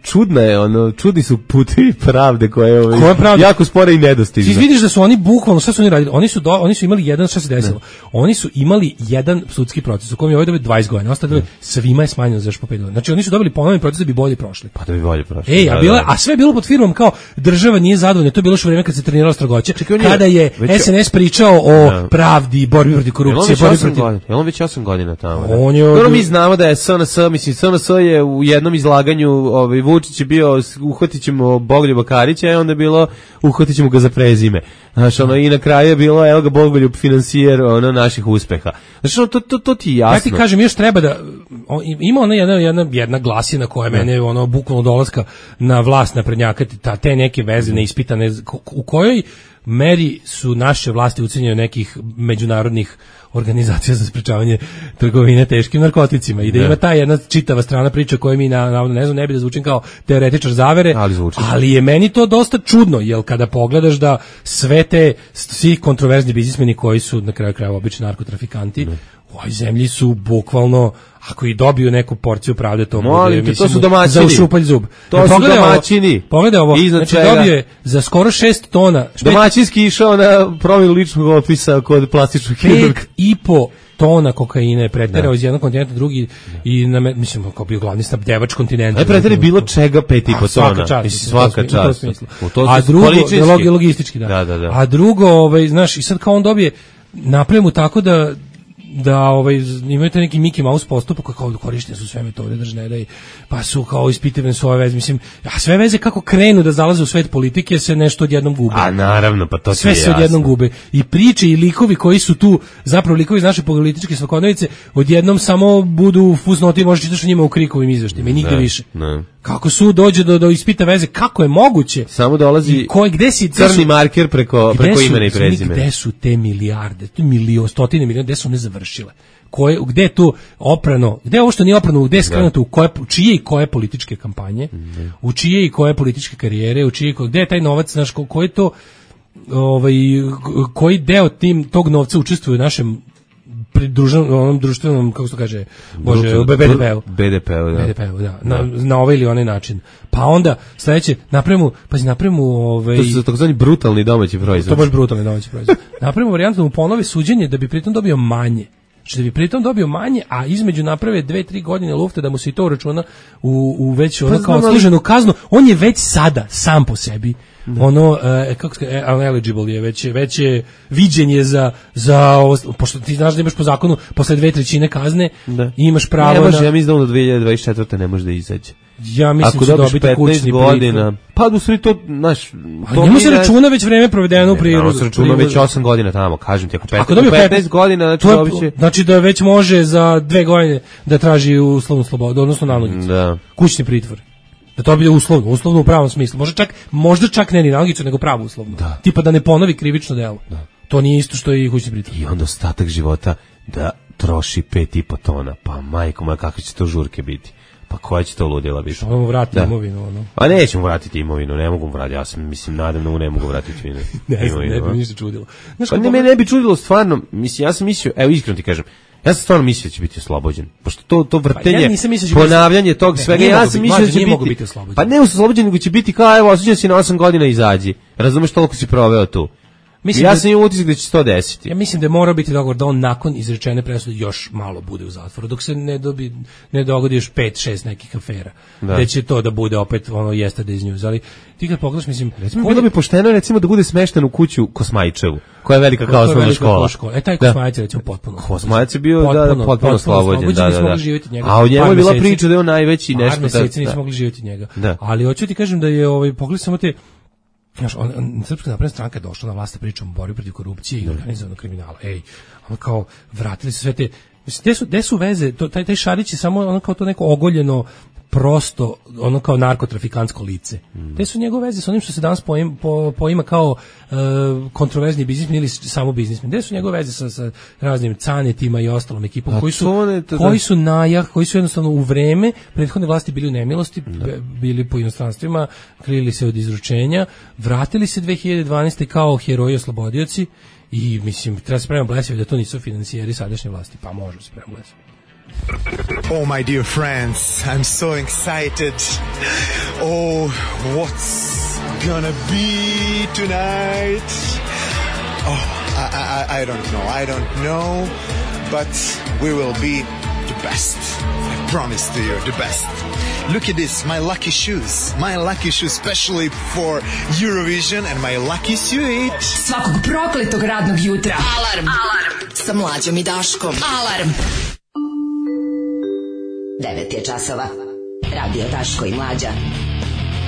čudna je, ono, čudni su putevi pravde koje je ovaj, jako spore i nedostižne. Ti vidiš da su oni bukvalno, šta su oni radili? Oni su, do, oni su imali jedan, šta se desilo? Ne. Oni su imali jedan sudski proces u kojem je ovaj dobio dvadeset godina, ostalo svima je smanjeno za još po pet godina. Znači oni su dobili ponovni proces da bi bolje prošli. Pa da bi bolje prošli. Ej, a, bila, a sve je bilo pod firmom kao država nije zadovoljna, to je bilo što vreme kad se treniralo Strogoće, kada je već, S N S pričao o ne. pravdi, borbi protiv korupcije, borbi protiv... Je on već osam godina tamo, da? On je... Dobro, mi znamo da je S N S, mislim, S N S je u jednom izlaganju, ovaj, Vučić je bio, uhvatit ćemo Bogoljuba Karića, i onda je bilo, uhvatit ćemo ga za prezime. Znaš, ono, i na kraju je bilo, evo ga Bogoljub finansijer, ono, naših uspeha. Znaš, ono, to, to, to ti jasno. Ja ti kažem, još treba da, on, ima ona jedna, jedna, jedna glasina koja ne. Mene, ono, bukvalno dolaska na vlast naprednjakati, ta, te neke veze neispitane, u kojoj meri su naše vlasti ucenjene nekih međunarodnih organizacija za sprečavanje trgovine teškim narkoticima i da ne. Ima ta jedna čitava strana priča koju mi na, na ne znam, ne bi da zvučim kao teoretičar zavere, ali, ali je meni to dosta čudno, jer kada pogledaš da sve te, svi kontroverzni biznismeni koji su na kraju krajeva obični narkotrafikanti, ne. U ovoj zemlji su bukvalno, ako i dobiju neku porciju pravde, to bude, mislim, to su domaćini. Za ušupalj zub. To ja, su domaćini. Ovo, pogledaj ovo, znači dobio je za skoro šest tona. Špet, domaćinski išao na promjenu ličnog opisa kod plastičnog hirurga. Pet i po tona kokaina je preterao iz jednog kontinenta drugi i na mislim kao bio glavni snabdevač kontinenta. Aj preteri bilo čega pet i po tona. Svaka čast, svaka čast. A drugo logistički, da. Da, da, da. A drugo, ovaj, znaš, i sad kao on dobije napravimo tako da da ovaj imaju te neki Mickey Mouse postupak kao korištene su sve metode držne da i pa su kao ispitivane su ove veze, mislim, a sve veze kako krenu da zalaze u svet politike se nešto odjednom gube. A naravno, pa to sve se odjednom gube. I priče i likovi koji su tu, zapravo likovi iz naše političke svakodnevice, odjednom samo budu fusnoti, možeš čitaš o njima u krikovim izveštajima i nigde ne, više. Ne. Kako su dođe do, do ispita veze, kako je moguće? Samo dolazi koje, gde si, crni su, marker preko, preko imena i prezimena. Gde su te milijarde, te milio, stotine miliona, gde su one završile? Koje, gde je to oprano, gde je ovo što nije oprano, gde je skrenuto, u koje, čije i koje političke kampanje, mm. u čije i koje političke karijere, u čije, gde je taj novac, znaš, ko, ko je to, ovaj, koji deo tim tog novca učestvuje u našem pridruženom onom društvenom, kako se to kaže, bože, B D P-u. B D P-u, da. B D P-u, da. Na, na ovaj ili onaj način. Pa onda sledeće napravimo, pazi, napravimo ovaj to su takozvani brutalni domaći proizvod. To baš brutalni domaći proizvod. Napravimo varijantu da mu ponovi suđenje da bi pritom dobio manje. Znači da bi pritom dobio manje, a između naprave dve tri godine lufta da mu se i to računa u, u već ono pa kao odsluženu kaznu. On je već sada sam po sebi da. ono e, kako se e, eligible je već već je viđenje za za pošto ti znaš da imaš po zakonu posle dve trećine kazne da. Imaš pravo ne može, na ja mislim da do dve hiljade dvadeset četvrte ne može da izađe. Ja mislim da će dobiti kućni godina. Pa u stvari to, znaš, to njemu se računa već vreme provedeno u prirodu. Ne, se računa već osam godina tamo, kažem ti, ako petnaest, petnaest godina, znači dobiće. Znači da već može za dve godine da traži uslovnu slobodu, odnosno nalogicu. Da. Kućni pritvor. Da to bude uslovno, uslovno u pravom smislu. Možda čak, možda čak ne ni nalogicu, nego pravo uslovno. Da. Tipa da ne ponovi krivično delo. Da. To nije isto što i kućni pritvor. I onda ostatak života da troši pet i po tona. Pa majko moja, kakve će to žurke biti? Pa koja će to ludila biti? Što mu vratiti da. Imovinu, ono? Pa nećemo vratiti imovinu, ne mogu vratiti, ja sam, mislim, nadam da ne mogu vratiti imovinu. ne znam, ne bi mi ništa čudilo. Znaš, pa ne, me ne bi čudilo, stvarno, mislim, ja sam mislio, evo iskreno ti kažem, ja sam stvarno mislio da će biti oslobođen, pošto to, to vrtenje, pa ja ponavljanje tog ne, svega, ja sam mislio da će biti, biti oslobođen. Pa ne oslobođen, nego će biti kao, evo, osuđen si na osam godina, izađi, razumeš, toliko si proveo tu. Mislim ja sam imao utisak da će se to desiti. Ja mislim da mora biti dogovor da on nakon izrečene presude još malo bude u zatvoru, dok se ne dobi ne dogodi još pet šest nekih afera. Da. Gde će to da bude opet ono yesterday's news, ali ti kad pogledaš, mislim, recimo bilo bi pošteno recimo da bude smešten u kuću Kosmajčevu, koja je velika kao osnovna škola. škola. E taj Kosmajac je recimo potpuno. Kosmajac je bio potpuno, da, potpuno oslobođen, da, da, da. Njega, a od njega je bila priča da je on najveći nešto. Par meseci nismo mogli živjeti njega. Da. Ali hoću ti kažem da je ovaj pogledaj samo te. Znaš, on, on, Srpska napredna stranka je došla na vlast, pričom o borbi protiv korupcije i organizovanog kriminala. Ej, ono kao, vratili se sve te, mislim, gde su, gde su veze, to, taj, taj Šarić je samo ono kao to neko ogoljeno, prosto, ono kao narkotrafikantsko lice. Mm. Te su njegove veze s onim što se danas poima, po, poima kao uh, kontroverzni biznismen ili samo biznismen. Gde su njegove veze sa, sa raznim canetima i ostalom ekipom, koji su, ne, to, koji su najah, koji su jednostavno u vreme prethodne vlasti bili u nemilosti, da. Bili po inostranstvima, krili se od izručenja, vratili se dve hiljade dvanaeste kao heroji oslobodioci i, mislim, treba se spremati blesavi da to nisu financijeri sadašnje vlasti, pa možemo se spremati blesavi. Oh, my dear friends, I'm so excited. Oh, what's gonna be tonight? Oh, I, I, I don't know, I don't know, but we will be the best. I promise to you, the best. Look at this, my lucky shoes. My lucky shoes, especially for Eurovision, and my lucky suit. Svakog prokletog radnog jutra. Alarm. Alarm. Sa Mlađom i Daškom. Alarm. devet je časova. Radio Daško i Mlađa.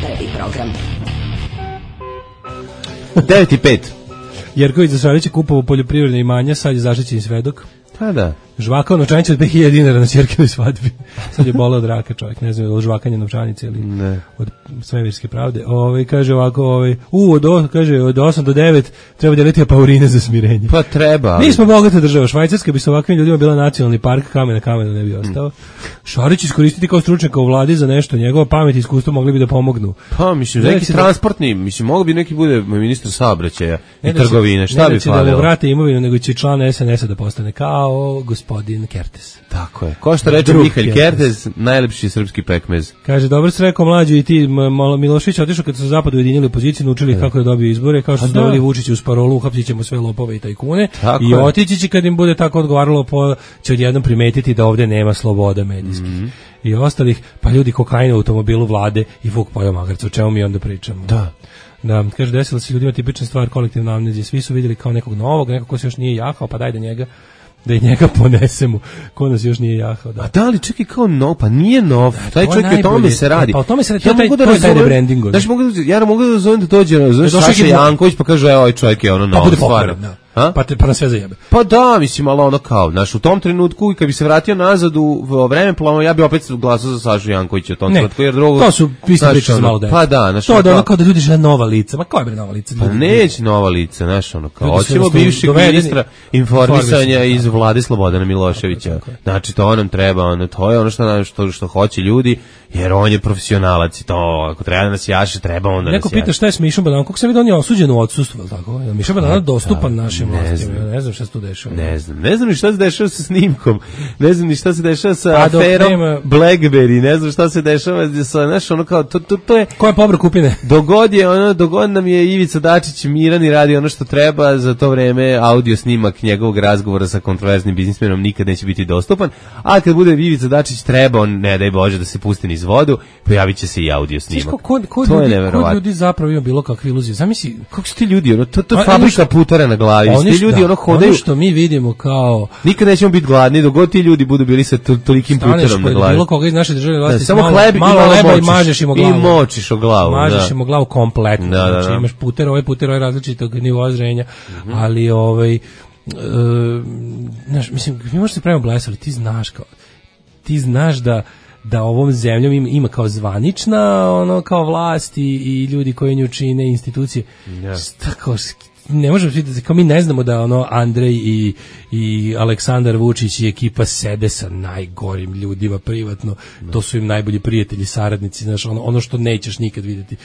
Prvi program. devet i pet. Jerković za Šarić je kupovao poljoprivredne imanja, sad je zaštićeni svedok. Pa da. Žvakao novčanicu od pet hiljada dinara na ćerkinoj svadbi. Sad je boleo od raka čovjek, ne znam, od žvakanja novčanice ili ne. Od svemirske pravde. Ove, kaže ovako, ove, u, od, o, kaže, od osam do devet treba deliti apaurine za smirenje. Pa treba. Ali... Nismo bogata država. Švajcarska bi sa ovakvim ljudima bila nacionalni park, kamen na kamenu ne bi ostao. Šarić iskoristiti kao stručnjaka u vladi za nešto, njegova pamet i iskustvo mogli bi da pomognu. Pa, mislim, neki transportni, da... mislim, mogu bi neki bude ministar saobraćaja i trgovine, šta bi falilo? Ne da vrate imovinu, nego će član es en esa da postane kao gospodin Kertes. Tako je. Ko što reče Mihalj Kertes, najlepši srpski pekmez. Kaže, dobro se rekao Mlađu i ti, Milošević otišao kad su se zapad ujedinili opoziciju, naučili kako da dobiju izbore, kao što su doveli Vučića uz parolu, uhapsit ćemo sve lopove i tajkune. Tako I otići će kad im bude tako odgovaralo, po, će odjednom primetiti da ovde nema sloboda medijskih. Mm-hmm. I ostalih, pa ljudi kokaina u automobilu vlade i Vuk pojao magarca, o čemu mi onda pričamo. Da. Da, kaže, desila se ljudima tipična stvar, kolektivna amnezija. Svi su vidjeli kao nekog novog, nekog ko se još nije jahao, pa daj da njega da i njega ponesemo, ko nas još nije jahao. Da. A da li čekaj kao nov, pa nije nov, da, taj čovjek je o tome se radi. Pa o tome se radi, ja to, taj, mogu da to je taj rebranding. Znači, mogu da, ja mogu da zovem da dođe, znaš, Saša Janković, pa kaže, evo, ovaj čovjek je ono novo, stvarno. A? Pa te pa na sve zajebe. Pa da, mislim, ali ono kao, znaš, u tom trenutku i kad bi se vratio nazad u vreme plano, ja bi opet glasao za Sašu Jankovića u tom ne, trenutku, jer drugo... to su iste priče za malo dete. Pa da, znaš... To da ono kao da ljudi žele nova lica, ma koja je bre nova lica? Pa neće nova lica, znaš, ono kao, hoćemo bivšeg ministra informisanja iz vlade Slobodana Miloševića. Znači, to nam treba, ono, to je ono što, što, što hoće ljudi, jer on je profesionalac i to, ako treba da nas jaše, treba onda neko nas jaše. Neko pita šta je s Mišom Badanom, kako se vidi on je osuđen u odsustvu, je li tako? Je Miša Badan dostupan našim vlastima? Ja ne znam šta se tu dešava. Ne znam, ne znam ni šta se dešava sa snimkom, ne znam ni šta se dešava sa aferom nema... Blackberry, ne znam šta se dešava sa, znaš, ono kao, to, to, to je... Ko je pobro kupine? Dogod je, ono, dogod nam je Ivica Dačić miran i radi ono što treba, za to vreme audio snimak njegovog razgovora sa kontroverznim biznismenom nikad neće biti dostupan, a kad bude Ivica Dačić treba, on, ne daj Bože, da se pusti niz vodu, pojavit će se i audio snimak. Ko, ko, ko, to ljudi, je neverovatno. Ko ljudi zapravo ima bilo kakve iluzije? Zamisli, kako su ti ljudi, ono, to, to je fabrika putara na glavi, ti ljudi ono hodaju. Ono što mi vidimo kao... Nikad nećemo biti gladni, dok ti ljudi budu bili sa to, tolikim puterom na glavi. Bilo koga iz naše države vlasti, da, samo malo, hleb, malo i leba močiš, i mažeš im o glavu. I močiš o glavu, mažeš da. im o glavu kompletno. Da, da, da. Znači imaš puter, ovaj puter, ovaj različitog nivoa zrenja, mm-hmm. ali ovaj... Uh, znaš, mislim, mi možemo se pravimo blesali, ti znaš kao... Ti znaš da da ovom zemljom ima, ima kao zvanična ono kao vlast i, i ljudi koji nju čine institucije. Yeah. Tako, ne možemo vidjeti, kao mi ne znamo da ono Andrej i, i Aleksandar Vučić i ekipa sede sa najgorim ljudima privatno. No. To su im najbolji prijatelji, saradnici, znaš, ono, ono što nećeš nikad vidjeti.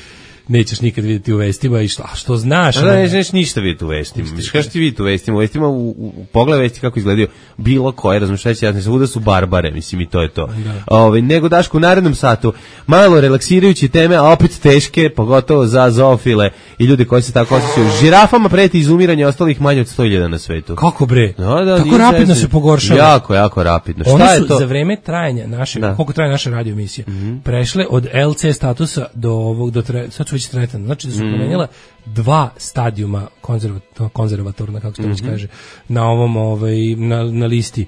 Nećeš nikad vidjeti u vestima i što, a što znaš? Da, ne nećeš ništa vidjeti u vestima. Što ti vidjeti u vestima? U vestima, u, u pogled vesti kako izgledaju bilo koje, razmišljajući, ja ne znam, da su barbare, mislim i to je to. Ove, nego Daško u narednom satu, malo relaksirajući teme, a opet teške, pogotovo za zoofile i ljude koji se tako osjećaju. Žirafama preti izumiranje ostalih manje od sto hiljada na svetu. Kako bre? No, da, tako rapidno se pogoršava. Jako, jako rapidno. One Šta su je to? Za vreme trajanja naše, da. Koliko traje naša radio emisija, mm-hmm. prešle od el ce statusa do ovog, do tre, sad su već tretane. Znači da su mm. promenjala dva stadijuma konzervatorna, konzervatorna kako se to već mm-hmm. kaže, na ovom ovaj, na, na listi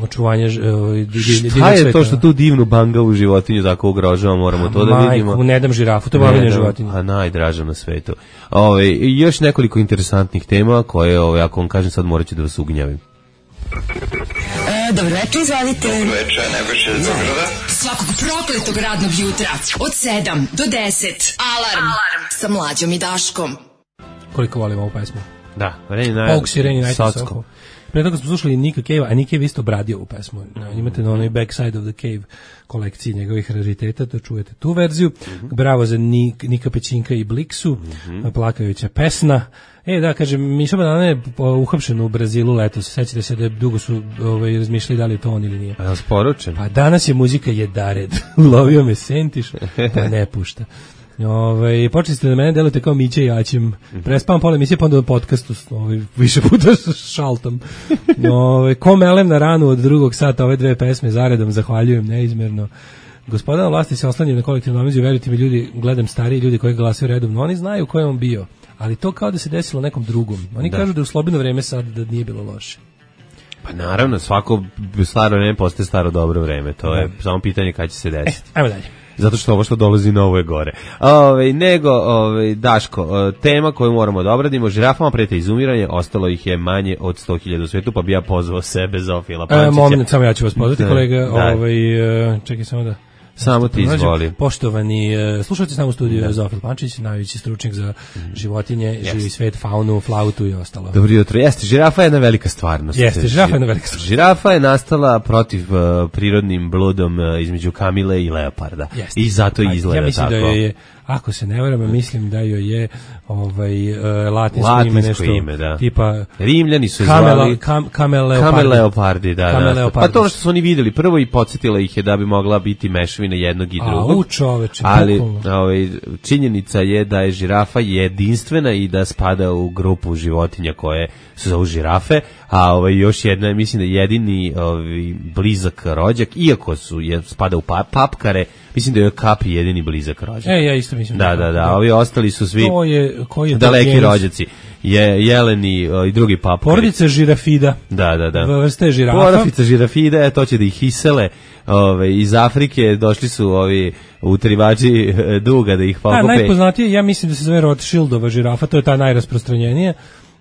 očuvanja ovaj, šta je to što tu divnu bangavu životinju tako ugrožava, moramo a, to da majku, vidimo. Majku, ne dam žirafu, to je bavljenje životinje. A najdraža na svetu. Ove, i još nekoliko interesantnih tema koje, ove, ako vam kažem sad morat ću da vas ugnjavim. E, dobro večer, izvalite. Dobro večer, Nebojša iz Beograda. Svakog prokletog radnog jutra od sedam do deset. Alarm, Alarm. Sa Mlađom i Daškom. Koliko volim ovu pesmu? Da, Reni Najt. Pogues i Reni Najt. Pre toga smo slušali Nika Cave, a Nick Cave isto obradio ovu pesmu. Imate na onoj Backside of the Cave kolekciji njegovih rariteta, to čujete tu verziju. Mm-hmm. Bravo za Nik, Nika Pećinka i Bliksu, mm-hmm. plakajuća pesna. E, da, kažem, Miša Badan je uhapšen u Brazilu letos. Sećate se da dugo su ovaj, razmišljali da li je to on ili nije. A da sporučen? Pa danas je muzika jedared. Ulovio me Sentiš, pa ne pušta. Ove, počeli ste da mene delujete kao Mića i Jaćim. Prespavam pola emisije, pa onda na podcastu ove, više puta šaltam. Ove, ko melem na ranu od drugog sata ove dve pesme zaredom, zahvaljujem neizmerno. Gospodina vlasti se oslanjaju na kolektivnu amneziju, verujte mi ljudi, gledam stariji ljudi koji glasaju redovno, oni znaju ko je on bio, ali to kao da se desilo nekom drugom. Oni da. kažu da je u slobodno vreme sad da nije bilo loše. Pa naravno, svako staro vreme postaje staro dobro vreme, to da. je samo pitanje kada će se desiti. E, ajmo dalje. Zato što ovo što dolazi novo je gore. Ove, nego, ove, Daško, tema koju moramo da obradimo, žirafama prete izumiranje, ostalo ih je manje od sto hiljada u svijetu, pa bi ja pozvao sebe, Zofila Pančića. E, moment, samo ja ću vas pozvati, da, kolega. Da. Ovaj, čekaj samo da... Samo ti izvoli. Poštovani slušalci, s nama u studiju Zofil Pančić, najveći stručnjak za životinje, yes. živi svet, faunu, flautu i ostalo. Dobro jutro. Jeste, žirafa je jedna velika stvarnost. Jeste, žirafa je jedna velika stvarnost. Žirafa je nastala protiv uh, prirodnim bludom uh, između kamile i leoparda. Jeste. I zato i izgleda tako. Ja mislim tako. Da je, ako se ne varam, mislim da joj je ovaj uh, latinsko, latinsko ime nešto ime, da. Tipa Rimljani su kamela, zvali kam, kamel leopardi. Kamel leopardi, da, kamel da. Leopardi. Pa to ono što su oni videli prvo i podsjetila ih je da bi mogla biti mešavina jednog i drugog. A, u čoveče, ali ovaj, činjenica je da je žirafa jedinstvena i da spada u grupu životinja koje su zovu žirafe, a ovaj, još jedna, mislim da jedini ovaj, blizak rođak, iako su je, spada u pap, papkare, mislim da je kapi jedini blizak rođak. E, ja isto mislim. Da, da, da, da, ovi ostali su svi to je, koji je daleki genus? Rođaci. Je jeleni o, i drugi papkari. Porodica žirafida. Da, da, da. Vrste žirafa. Porodica žirafida, to će da ih isele ove, iz Afrike, došli su ovi utrivači duga da ih pokupe. A, najpoznatije, ja mislim da se zove Rothschildova žirafa, to je ta najrasprostranjenija.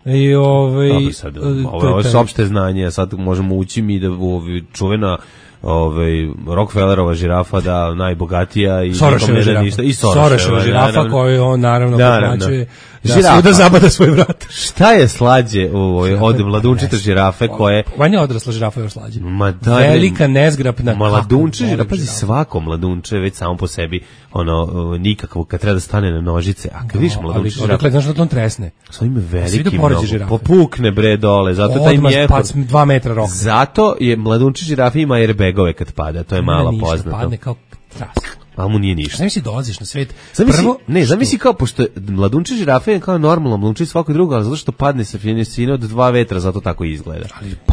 I ovaj Dobro, sad, ovo je opšte znanje, sad možemo ući mi da ovi čuvena ovaj Rockefellerova žirafa da najbogatija i Soroseva žirafa. Ništa, i Soroseva žirafa koju on naravno plaćuje da svuda zabada svoj vrat. Šta je slađe ovaj od mladunčite žirafe koje Vanja odrasla žirafa je još slađe. Ma da, velika nezgrapna mladunče žirafa, pazi svako mladunče već samo po sebi ono nikakvo kad treba da stane na nožice, a kad vidiš mladunče žirafa, dakle znaš da on tresne. Sa ime veliki popukne bre dole, zato taj mjehur dva metra rok. Zato je mladunče žirafa ima airbagove kad pada, to je malo poznato. Padne kao tras. A mu nije ništa. Zamisli dolaziš na svet. Zamisli, prvo, ne, zamisli kao, pošto je mladunče žirafe je kao normalno, mladunče svako drugo, ali zato što padne sa finesine od dva vetra, zato tako izgleda.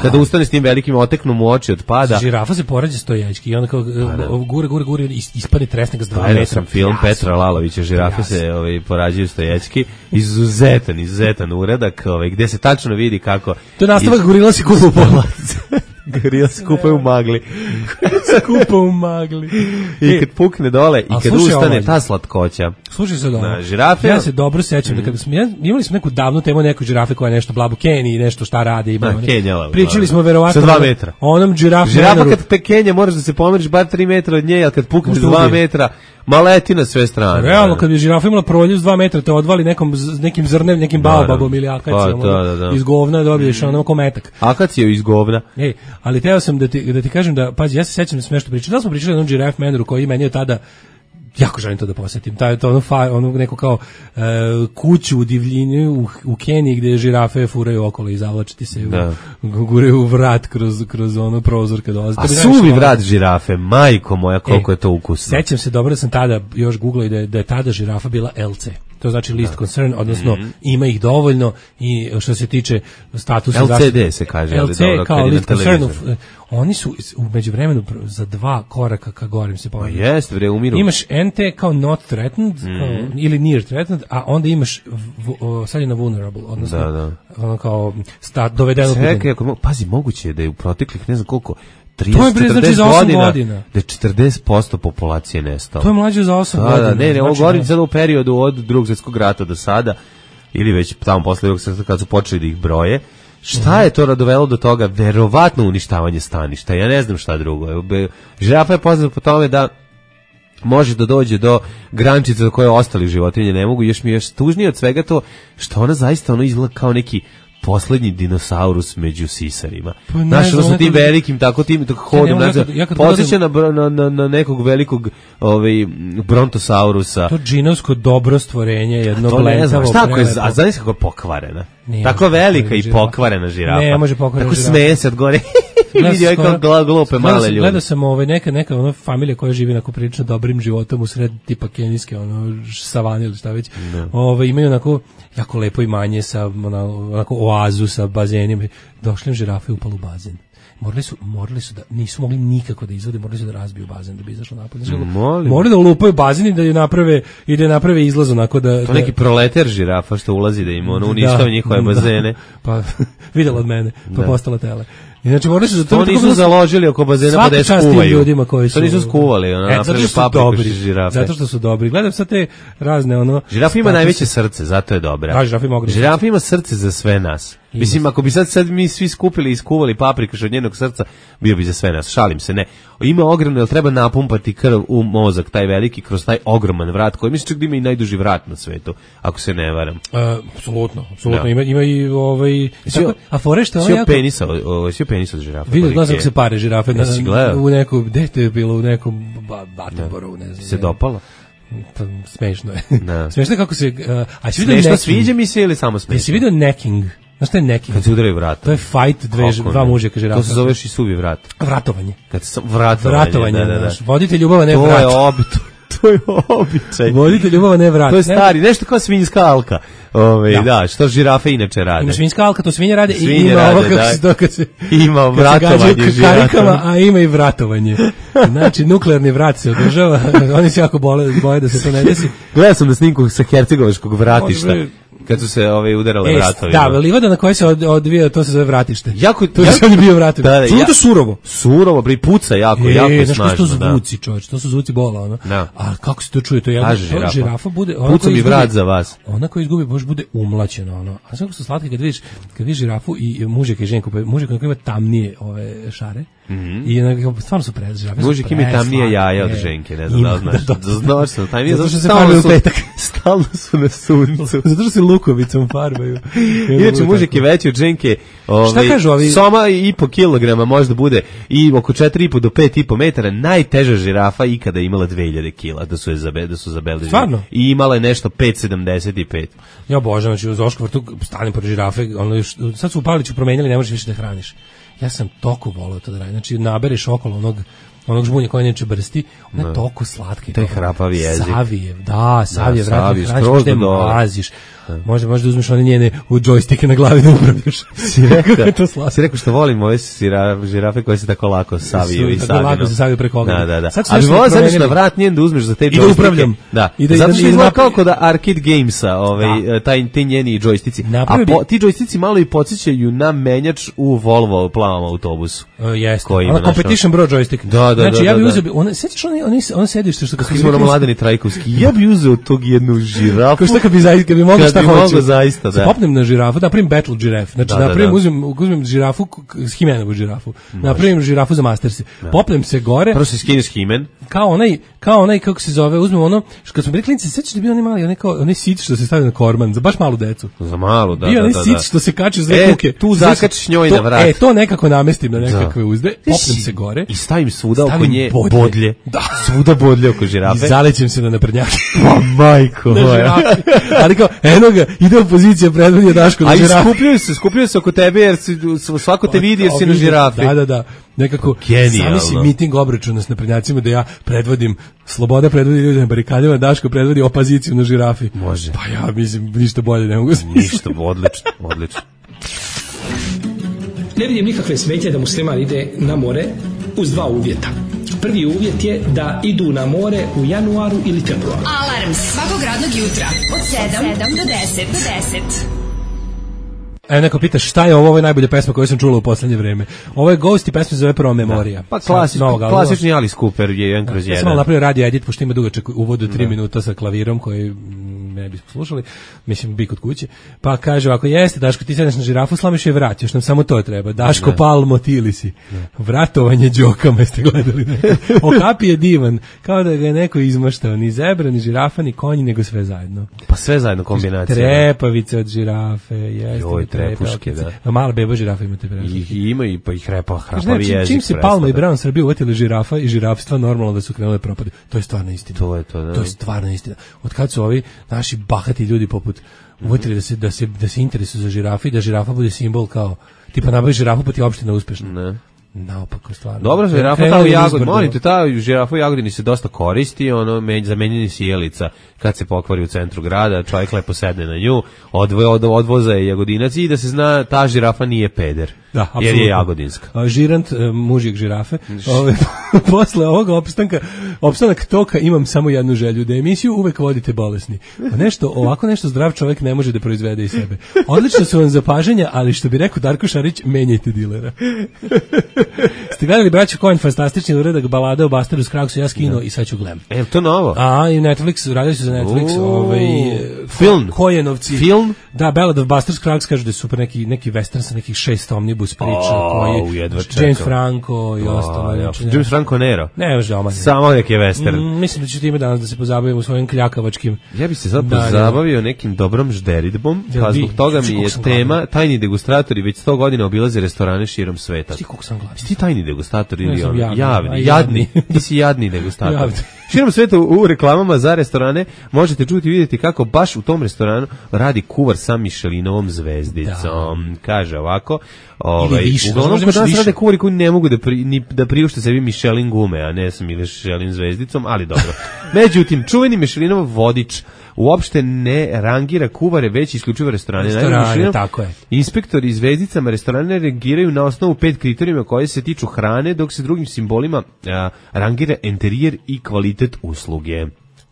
Kada ustane s tim velikim oteknu mu oči od pada. Žirafa se porađa stojački i onda kao gure, gure, gure, ispadne tresne ga s dva metra. Sam film Petra Lalovića, žirafe se ovaj, porađaju stojački, izuzetan, izuzetan uradak, ovaj, gde se tačno vidi kako... To je nastavak iz... gorila si kupa u polac. Gorila se kupa u magli. Skupa u magli. I kad pukne dole i kad ustane ta slatkoća. Slušaj se dobro. Na žirafe. Ja se dobro sećam mm. da kada smo ja, imali smo neku davnu temu neku žirafe koja je nešto blabu Keniji, nešto šta radi, ima. Pričali smo verovatno sa dva metra. Onom žirafu. Žirafa kad te Kenija moraš da se pomeriš bar tri metra od nje, al kad pukne dva metra ma leti na sve strane. Realno, kad bi žirafa imala proljev s dva metra, te odvali nekom, nekim zrnem, nekim baobabom ili akacijom, pa, da, da, da. iz govna dobiješ ono kometak. Akaciju iz govna. Ej, ali teo sam da ti, da ti kažem da, pazi, ja se sećam da smo nešto pričali, da smo pričali o jednom Giraffe Manoru koji meni je tada, jako želim to da posjetim, taj, to ono, fa, ono neko kao uh, kuću u divljini u, u Keniji gdje žirafe furaju okolo i zavlačiti se, u, guraju u vrat kroz, kroz ono prozor kad dolazi. A suvi vrat žirafe, majko moja, koliko e, je to ukusno. Sećam se dobro da sam tada još googlao i da je, da je tada žirafa bila L C. To znači list concern, odnosno mm-hmm. ima ih dovoljno i što se tiče statusa L C D se kaže, L C ali kao list concern, oni su u međuvremenu za dva koraka ka gorim se pomenu. Pa jest, bre, umiru. Imaš N T kao not threatened, mm-hmm. kao, ili near threatened, a onda imaš v, o, sad je na vulnerable, odnosno da, da. ono kao stat, dovedeno. Čekaj, ako, pazi, moguće je da je u proteklih ne znam koliko trideset četrdeset godina, godina da je četrdeset posto populacije nestalo. To je mlađe za osam da, godina. Da, ne, ne, znači, ovo govorim sada u periodu od drugog svjetskog rata do sada, ili već tamo posle drugog svjetskog kad su počeli da ih broje. Šta je to dovelo do toga? Verovatno uništavanje staništa. Ja ne znam šta drugo. Žirafa je poznata po tome da može da dođe do grančice do koje ostali životinje ne mogu. Još mi je još tužnije od svega to što ona zaista ono izgleda kao neki poslednji dinosaurus među sisarima. Pa znaš, ono sa tim velikim, tako tim, tako hodom, ja ja ja posjeća na, na, na nekog velikog ovaj, brontosaurusa. To džinovsko dobro stvorenje, jedno blentavo. Šta ako je, a znaš kako je pokvarena? Nije tako velika i pokvarena žirafa. Ne, može pokvarena tako žirafa. Tako smeje se od gore. Vidio je kao glupe male ljudi. Gledao sam ovaj, neka, neka ono familija koja živi onako prilično dobrim životom u sred tipa kenijske ono, savane ili šta već. Ove, imaju onako jako lepo imanje sa onako oazu sa bazenima. Došli im žirafe i upali u bazen. Morali su, morali su da, nisu mogli nikako da izvode, morali su da razbiju bazen da bi izašlo napolje. Morali da ulupaju bazen i da je naprave, i da je naprave izlaz onako da... To neki proleter žirafa što ulazi da im ono uništava njihove bazene. Pa videla od mene, pa postala tele. Inače morali su to nisu bilo... založili oko bazena pa da skuvaju. Ljudima koji su to nisu skuvali, ona e, napravili papriku žirafe. Zato što su dobri. Gledam sad te razne ono. Žirafa ima najveće srce, zato je dobra. Da, žirafa ima, žirafa ima srce za sve nas. Ima. Mislim, ako bi sad, sad mi svi skupili i skuvali paprikaš od njenog srca, bio bi za sve nas. Šalim se, ne. Ima ogromno, jer treba napumpati krv u mozak, taj veliki, kroz taj ogroman vrat, koji mislim čak da ima i najduži vrat na svetu, ako se ne varam. Apsolutno, uh, apsolutno. Ima, ima i ovaj... Tako, a fore što je jako... penisa, o, svi penisa od žirafa. Vidio, gledam kako se pare žirafe na, u nekom, gde te je bilo, u nekom Batenborovu, ne znam. Se dopala? Pa, smešno je. Smešno je kako se... Uh, a smešno necking, sviđa mi se ili samo smešno? Jesi vidio necking? Znaš što je necking? Kad se udaraju vrata. To je fight dve, dva mužjaka žirafa. To se zoveš i suvi vrat. Vratovanje. Kad se, vratovanje, vratovanje, da, da, da. Vodite ljubava, ne vrat. To je obito. To je običaj. Vodite ljubava, ne vrat. To je stari, nešto kao svinjska alka. Ove, da. da, što žirafe inače rade. Ima svinjska alka, to svinje rade svinje i ima rade, ovo kako se to kad se... Ima vratovanje žirafama, a ima i vratovanje. Znači, nuklearni vrat se održava, oni se jako bole, boje da se to ne desi. Gledao sam na snimku sa hercegovačkog vratišta. kad su se ove udarale e, vratovi. Da, livada na kojoj se od, odvija, to se zove vratište. Jako, to je on bio vratište. Da, da, ja, to surovo. Surovo, bre, puca jako, e, jako snažno. Znaš što su zvuci, čovječ, to su zvuci bola, ono. Da. A kako se to čuje, to je jedna žirafa. žirafa bude, puca mi vrat za vas. Ona koja izgubi, može bude umlaćena, ono. A sve su slatke kad vidiš, kad vidiš žirafu i mužek i ženku, mužek koji ima tamnije ove šare. Mm-hmm. I onako, stvarno su pre žirafe. Mužek ima tamnije jaja od ženke, ne znam da znaš. Znaš sam, taj nije, zato što se farbaju u petak. Stalno su na suncu. Zato što se lukovicom farbaju. Inače, mužek je veći od ženke. Šta kažu ovi? Soma i po kilograma možda bude i oko četiri i po do pet i po metara. Najteža žirafa ikada je imala dve hiljade kila, da su je zabe, da su zabeležili. Stvarno? I imala je nešto pet sedamdeset pet. Ja božam, znači u Zoškom vrtu stanem pored žirafe, ono još, sad su u Pavliću promenjali, ne možeš više da hraniš. Ja sam toliko volao to da radim. Znači nabereš okolo onog onog žbunja koji neće brsti, ona je toliko slatka. Taj hrapavi jezik. Savijev, da, Savijev, da, vrati, hraniš, da maziš. Može, može da uzmeš one njene u džojstike na glavi da upravljaš. Si rekao, si rekao što volim ove žirafe koje se tako lako saviju i saviju. Lako se saviju preko ognja. Da, da, da. Ali volao zadeš na vrat njen da uzmeš za te džojstike. I da upravljam. Da, zato što izgleda kao kod arcade gamesa, taj, ti njeni džojstici. A ti džojstici malo i podsjećaju na menjač u Volvo plavom autobusu. Jeste, ona competition bro džojstik. Da, da, znači, da, ja bih da. uzeo, on, sećaš on, on, on sedište što... Kako smo na Mladeni Trajkovski, ja bih uzeo tog jednu žirafu. Kao što kad bi, zaista, kad bi mogli šta hoće. Mogo zaista, da. Se popnem na žirafu, da napravim battle žiraf. Znači, da, napravim, da, da. Uzmem, uzmem žirafu, Himenovu žirafu. Može. Napravim žirafu za Mastersi. Da. Popnem se gore. Prvo se skineš Himen. Kao onaj, kao onaj, kako se zove, uzmem ono, što kad smo bili klinici, sećaš da bio onaj mali, onaj, kao, onaj sit što se stavio na korman, za baš malu decu. Za malu, da, bio da, onaj da. sit što se kače za e, kuke. Tu zakačiš njoj na vrat. E, to nekako namestim na nekakve uzde, popnem se gore. I stavim svuda oko nje bodlje. bodlje. Da. Svuda bodlje oko žirafe. I zalećem se na naprednjake. Pa majko moja. Ali kao, eno ga, ide opozicija, predvodi Daško na žirafi. A skupljaju se, skupljaju se oko tebe jer si, svako te vidi jer si na žirafi. Da, da, da. Nekako, sami si miting obračuna s naprednjacima da ja predvodim, Sloboda predvodi ljudi na barikadima, Daško predvodi opoziciju na žirafi. Može. Pa ja mislim, ništa bolje ne mogu smisliti. Ništa, odlično, odlično. Ne vidim nikakve smetnje da musliman ide na more uz dva uvjeta. Prvi uvjet je da idu na more u januaru ili februaru. Alarm svakog radnog jutra od sedam do deset. Do deset. E, neko pita šta je ovo, ovo je najbolja pesma koju sam čula u poslednje vreme. Ovo je Ghost i pesma zove Prva memorija. Da. Pa klasič, klasični Alice Cooper je jedan kroz jedan. Ja sam malo napravio radio edit, pošto ima dugačak uvod od tri minuta sa klavirom koji ne bismo slušali, mislim bi kod kuće. Pa kaže ovako, jeste Daško, ti sedneš na žirafu, slamiš je vrat, još nam samo to treba. Daško ne. Palmo Tilisi. Ne. Vratovanje đokama, jeste gledali. Okapi je divan, kao da ga je neko izmaštao, ni zebra, ni žirafa, ni konji, nego sve zajedno. Pa sve zajedno kombinacija. Trepavice od žirafe, jeste. Joj, trepuške, da. Mala beba žirafa ima te prepuške. I ima i pa ih repa, hrapavi jezik. Čim se Palma i Brown Srbije uvetili žirafa i žirafstva, normalno da su krenule propade. To je stvarno istina. To je to, da. To je stvarno istina. Od kad su ovi naši bahati ljudi poput uvetili da se da se da se interesuju za žirafe i da žirafa bude simbol kao tipa nabavi žirafu pa ti opština uspešna. Ne. Naopako stvarno. Dobro, žirafa ta u Jagodini, molite, ta žirafa u Jagodini se dosta koristi, ono zamenjeni sjelica kad se pokvari u centru grada, čovjek lepo sedne na nju, odvoje od odvoza je Jagodinac i da se zna ta žirafa nije peder. Da, jer je jagodinska. A, žirant, mužjeg žirafe. Ove, posle ovoga opstanka, opstanak toka imam samo jednu želju, da emisiju uvek vodite bolesni. Pa nešto, ovako nešto zdrav čovjek ne može da proizvede iz sebe. Odlično su vam zapažanja, ali što bi rekao Darko Šarić, menjajte dilera. Ste gledali braću Coen fantastični uradak balada o Busteru Scruggsu, ja skinuo i sad ću gledam. E, to novo? A, i Netflix, radili su za Netflix, ovaj film, Coenovci. Film? Da, Ballad of Buster Scruggs, kažu da je super neki, neki western sa nekih šest omnibus priča, oh, koji je James Franco i oh, ostalo. Ja. James Franco Nero? Ne, još da omanje. Samo neki western. Mm, mislim da ću time danas da se pozabavim u svojim kljakavačkim. Ja bih se sad da, pozabavio da. nekim dobrom žderidbom, pa zbog toga mi je tema glavno. Tajni degustatori već sto godina obilaze restorane širom sveta. Ti koliko sam gladan. Ti tajni degustatori ili ono? Javni, javni, jadni. Ti si jadni degustator. Širom sveta u reklamama za restorane možete čuti i vidjeti kako baš u tom restoranu radi kuvar sa Michelinovom zvezdicom. Da. Kaže ovako, ovaj, uglavnom kod nas rade kuvari koji ne mogu da, pri, ni, da priušte sebi Michelin gume, a ne sa Michelin zvezdicom, ali dobro. Međutim, čuveni Michelinov vodič uopšte ne rangira kuvare, već isključivo restorane. Restorane, tako je. Inspektori zvezdicama restorane rangiraju na osnovu pet kriterijuma koje se tiču hrane, dok se drugim simbolima a, rangira interijer i kvalitet usluge.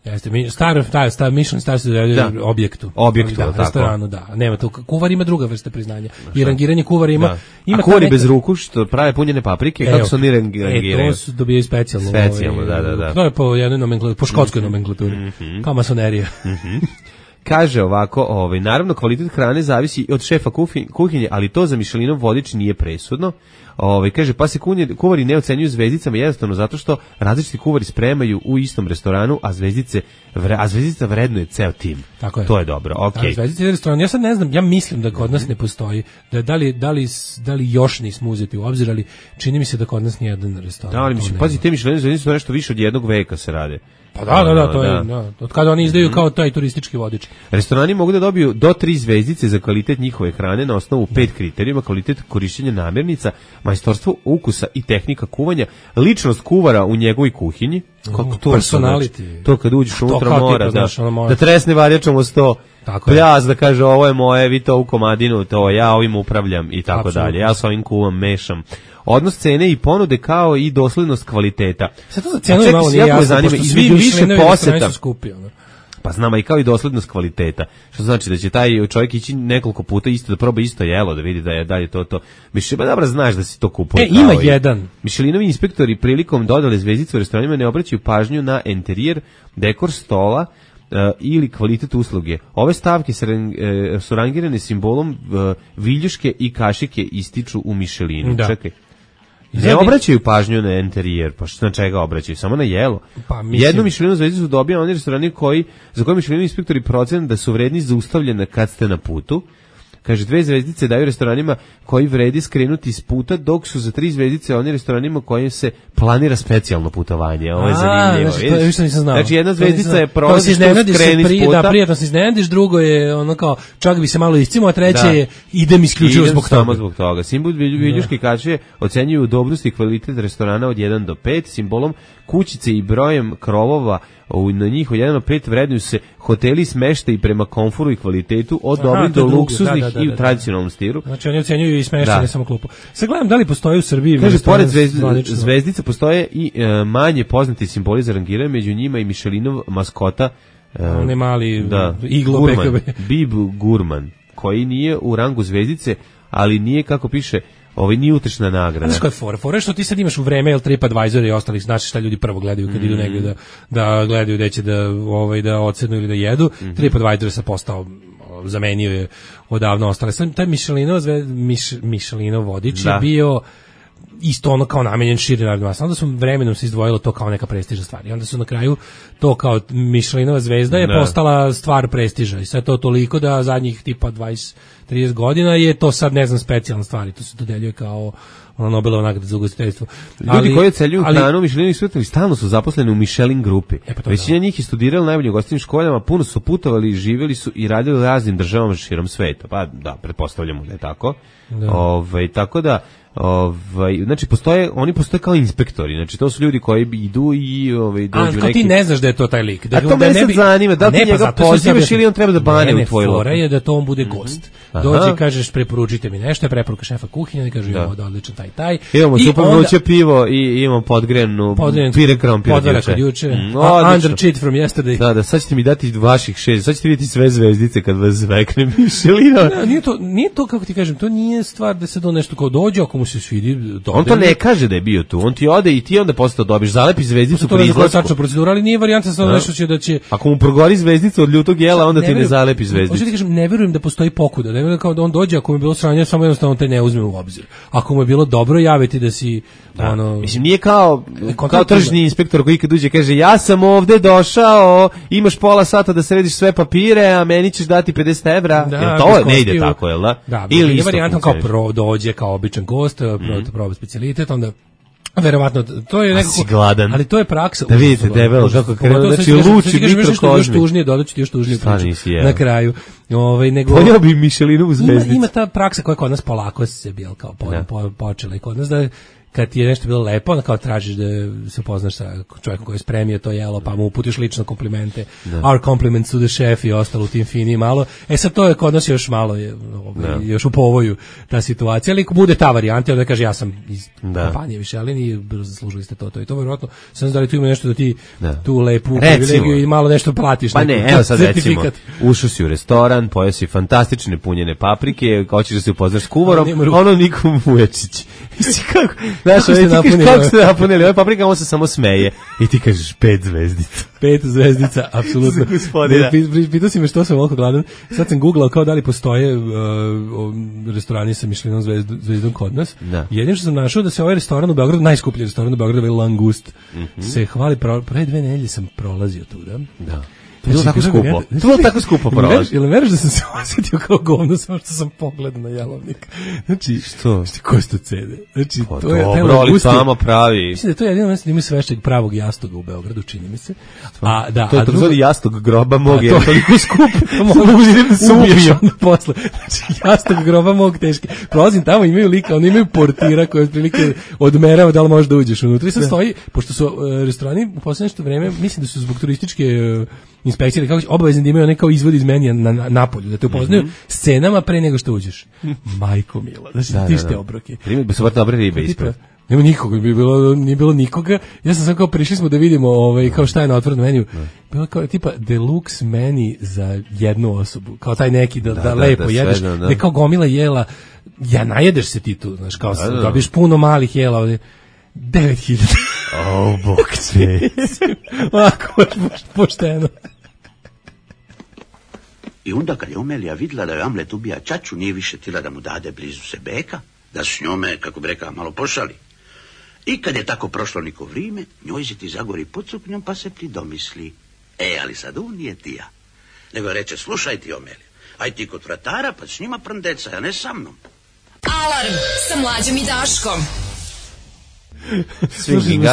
Jeste, mi star star star Michelin star se dodeljuje objektu. Objektu, da, tako. Restoranu, da. Nema to. Kuvar ima druga vrsta priznanja. I rangiranje kuvara ima, da. ima A kuvari neka... bez ruku što prave punjene paprike, kako su oni rangiraju? E, to su dobijaju specijalno. Specijalno, ovaj, da, da, da. To je po jednoj nomenklaturi, po škotskoj nomenklaturi. Mm-hmm. Kao masonerija. Mhm. Kaže ovako, ovaj, naravno kvalitet hrane zavisi od šefa kuhinje, ali to za Michelinov vodič nije presudno. Ovaj, kaže, pa se kuvari ne ocenjuju zvezdicama jednostavno zato što različiti kuvari spremaju u istom restoranu, a zvezdice vre, a zvezdica vrednuje ceo tim. Tako je. To je dobro, okej. Okay. Zvezdice je restoran, ja sad ne znam, ja mislim da kod nas ne postoji, da, da, li, da, li, da li još nismo uzeti u obzir, ali čini mi se da kod nas nije jedan restoran. Da, ali mislim, pazi, te Michelin zvezdice su nešto više od jednog veka se rade. Pa da, da, da, to je, da. Od kada oni izdaju kao taj turistički vodič. Restorani mogu da dobiju do tri zvezdice za kvalitet njihove hrane na osnovu pet kriterijuma: kvalitet korišćenja namirnica, majstorstvo ukusa i tehnika kuvanja, ličnost kuvara u njegovoj kuhinji, kako to personality. To kad uđeš unutra mora, da, znaš, ono da tresne varjačom o sto, pljas, da kaže ovo je moje, vi to u komadinu, to ja ovim upravljam i tako Absolutno. dalje. Ja s ovim kuvam, mešam. Odnos cene i ponude kao i doslednost kvaliteta. Sad to za cenu je malo nije jasno, pošto svi više poseta. Skupi, ono. Pa znamo i kao i doslednost kvaliteta. Što znači da će taj čovjek ići nekoliko puta isto da proba isto jelo, da vidi da je dalje to to. Mišljen, pa dobro znaš da si to kupuje. E, ima jedan. Mišelinovi inspektori prilikom dodale zvezdice u restoranima ne obraćaju pažnju na enterijer, dekor stola, Uh, ili kvalitet usluge. Ove stavke su, uh, su rangirane simbolom uh, viljuške i kašike ističu u Michelinu. Da. Čekaj. Ne obraćaju pažnju na enterijer, pa što na čega obraćaju? Samo na jelo. Pa, mislim... Jednu Michelinu zvezdicu dobija oni restorani koji, za koje Michelinu inspektori procene da su vredni zaustavljene kad ste na putu. Kaže, dve zvezdice daju restoranima koji vredi skrenuti s puta, dok su za tri zvezdice oni restoranima kojim se planira specijalno putovanje. Ovo je zanimljivo. Znači, to je više nisam znao. Znači, jedna zvezdica je prolazi što skreni pri, s puta. Da, prijatno se iznenadiš, drugo je ono kao, čak bi se malo iscimo, a treće da. je idem isključivo idem zbog toga. Samo zbog toga. Simbol viljuške kačije ocenjuju dobrobnost i kvalitet restorana od jedan do pet, simbolom kućice i brojem krovova na njih od jedan do pet vrednuju se hoteli smeštaj prema komforu i kvalitetu od dobrih do luksuznih da, da, da, i u tradicionalnom stilu. Znači oni ocenjuju i smeštaj, ne samo klupu. Sad gledam da li postoji u Srbiji. Kaže, pored zvezdica postoje i e, manje poznati simboli za rangiranje, među njima i Michelinov maskota. E, On je mali da, iglo Gurman, Bib Gurman, koji nije u rangu zvezdice, ali nije, kako piše, ovaj nije utešna nagrada. Znaš koja je fora? Fora je što ti sad imaš u vreme, jel, TripAdvisor i ostali, znaš šta ljudi prvo gledaju kad mm. idu negdje da, da gledaju gde će da, ovaj, da ocenu ili da jedu. Mm. TripAdvisor je sad postao, zamenio je odavno ostale. Sad taj Michelinov, Mich, Michelinov vodič da. je bio isto ono kao namenjen širi narodnoj masi. Onda su vremenom se izdvojilo to kao neka prestižna stvar. I onda su na kraju to kao Michelinova zvezda je ne. postala stvar prestiža. I sad to toliko da zadnjih tipa dvadeset trideset godina je to sad, ne znam, specijalna stvar. I to se dodeljuje kao ono Nobelova nagrada za ugostiteljstvo. Ljudi koji ocenjuju hranu Michelinovih svetovih stalno su zaposleni u Michelin grupi. E pa većina njih je studirala najbolje u ugostiteljskim školama, puno su putovali, živjeli su i radili u raznim državama širom sveta. Pa da, pretpostavljamo da je tako. Da. Ove, tako da ovaj znači postoje oni postoje kao inspektori, znači to su ljudi koji idu i ovaj dođu neki. A ti ne znaš da je to taj lik, da, a to da ne bi zanima da ti njega pozivaš ili on treba da bane u tvoj lokal. Je da to on bude gost. Mm-hmm. Dođe, kažeš preporučite mi nešto, je preporuka šefa kuhinje, i kaže imamo da odličan taj taj. Imamo super vruće pivo i imamo podgrenu pire krompir juče. Mm, under cheat from yesterday. Da, da, sad ćete mi dati vaših šest, sad ćete vidjeti sve zvezdice kad vas zvekne Michelina. Ne, nije to, nije to kako ti kažem, to nije stvar da se do nešto kao dođe, ako mu se svidi. Dođe. On to ne kaže da je bio tu, on ti ode i ti onda posle to dobiš, zalepi zvezdicu pri izlasku. To je procedura, ali nije varijanta samo nešto će da će. Ako mu progori zvezdica od ljutog jela, onda ne ti ne zalepi zvezdicu. Hoćeš ti kažem, ne verujem da postoji pokuda, ne verujem kao da on dođe, ako mu je bilo sranje, samo jednostavno te ne uzme u obzir. Ako mu je bilo dobro, javiti da si da. ono. Mislim, nije kao kao tržni inspektor koji kad uđe kaže ja sam ovde došao, imaš pola sata da središ sve papire, a meni ćeš dati pedeset evra. Da, jer to ne ide tako, je l' da? Da, ili je varijanta kao pro dođe kao običan gost, mm. proba specijalitet, onda verovatno to je nekako gladan. Ali to je praksa. Da vidite debelo kako krenuo, znači luči mikrokozmi. Još tužnije dodaću ti još tužnije priču na kraju. Ovaj nego Pojeo bi Michelinovu zvezdicu. Ima, ima ta praksa koja kod nas polako se bil kao po, po, počela i kod nas da kad ti je nešto bilo lepo, onda kao tražiš da se upoznaš sa čovjekom koji je spremio to jelo, pa mu uputiš lično komplimente, da. Our compliments to the chef i ostalo u tim fini malo. E sad to je kod nas još malo, je, ovaj, još u povoju ta situacija, ali bude ta varijanta, onda kaže ja sam iz da. kompanije Michelin i zaslužili ste to, to i to, vjerojatno sam znam da li tu ima nešto da ti da. tu lepu privilegiju i malo nešto platiš. Pa ne, evo sad recimo, ušao si u restoran, pojeo si fantastične punjene paprike, hoćeš da se upoznaš s kuvarom, ono Nikom Vujačić. Kako, znaš, kako, ste napunili, kako ste napunili ove paprike, on se samo smeje i ti kažeš pet zvezdica. Pet zvezdica, apsolutno. Pitao si me što sam ovako gladan, sad sam googlao kao da li postoje uh, restorani sa Michelinom zvezdu, zvezdom kod nas. Da. Jedino što sam našao da se ovaj restoran u Beogradu, najskuplji restoran u Beogradu, ovaj Langust, mm-hmm. se hvali, pre dve nedelje sam prolazio tu, da? Da. To je bilo tako skupo. To je bilo tako skupo prolazi. Jel veriš da sam se osjetio kao govno samo što sam pogledao na jelovnik? Znači, što? Znači, koje su to cede? Znači, pa to je dobro, ali samo pravi. Mislim da je to jedino mjesto da ima svešćeg pravog jastoga u Beogradu, čini mi se. A, da, to je to drugo... jastog groba mog, je toliko skupo. Mogu da se ubiješ onda posle. Znači, jastog groba mog teški. Prolazim tamo, imaju lika, oni imaju portira koji otprilike odmerava da li možeš da uđeš unutra. I sad stoji, pošto su uh, restorani u poslednje nešto vreme, mislim da su zbog turističke uh, inspekcije kako obavezni da imaju onaj kao izvod iz menija na, na napolju, da te upoznaju mm-hmm. scenama pre nego što uđeš. Majko mila, znači da, ti ste da, da. obroke. Ribe, bi su vrlo dobre ribe ispred. Nema nikoga, bi bilo, nije bilo nikoga. Ja sam sam kao prišli smo da vidimo ovaj, kao šta je na otvorenom meniju. Bilo kao tipa deluxe meni za jednu osobu. Kao taj neki da, da, da lepo da, jedeš. Da, da. Ne kao gomila jela. Ja najedeš se ti tu, znaš, kao da, da, da. dobiš puno malih jela ovdje. devet hiljada. O, bok će. Ovako, pošteno. I onda kad je Omelija vidjela da je Amlet ubija čaču, nije više tila da mu dade blizu se beka, da s njome, kako bi rekao, malo pošali. I kad je tako prošlo niko vrijeme, njoj se ti zagori pod suknjom pa se pridomisli. E, ali sad on nije tija. Nego reče, slušaj ti Omelija, aj ti kod vratara pa s njima prndeca, a ne sa mnom. Alarm sa Mlađom i Daškom.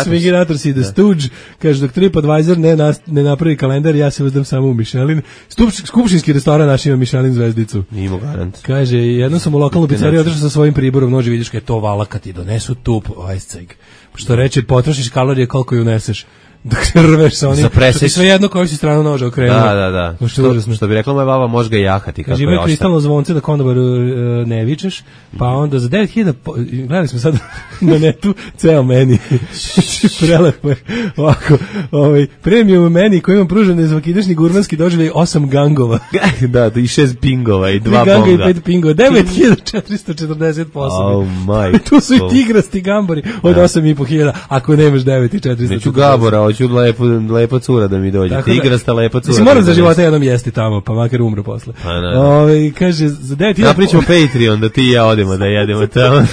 Swinginator si da Stooge, kaže dok TripAdvisor ne, nas, ne napravi kalendar, ja se uzdam samo u Michelin. Stup, skupštinski restoran naš ima Michelin zvezdicu. Nimo garant. Kaže, jednom sam u lokalnu pizzeriju otišao sa svojim priborom, noži vidiš kaj je to vala kad ti donesu tup, ajceg. Što reče, potrošiš kalorije koliko ju uneseš. Dok se rveš sa onim, što ti sve jedno koju si stranu noža okrenuo. Da, da, da. Što, što, što bi rekla moja baba, može ga jahati. Kaže, ima kristalno zvonce da kondobaru uh, ne vičeš, pa onda za devet hiljada, gledali smo sad na netu, ceo meni. Prelepo je. Ovako, ovaj, premium meni koji imam pružene zvakidašnji gurmanski doživljaj osam gangova. Da, i šest pingova i dva ganga bonga. I pet pingova. devet hiljada četiristo četrdeset posebe. Oh my. Tu su i tigrasti gambori od osam i po hiljada, ako nemaš devet hiljada četiristo četrdeset. Neću Gabora, hoću lepo, lepo cura da mi dođe. Tako tigrasta lepa cura. Mislim, moram za života jednom jesti tamo, pa makar umro posle. Ove, kaže, za devet hiljada... Napričamo Patreon da ti i ja odemo da jedemo tamo.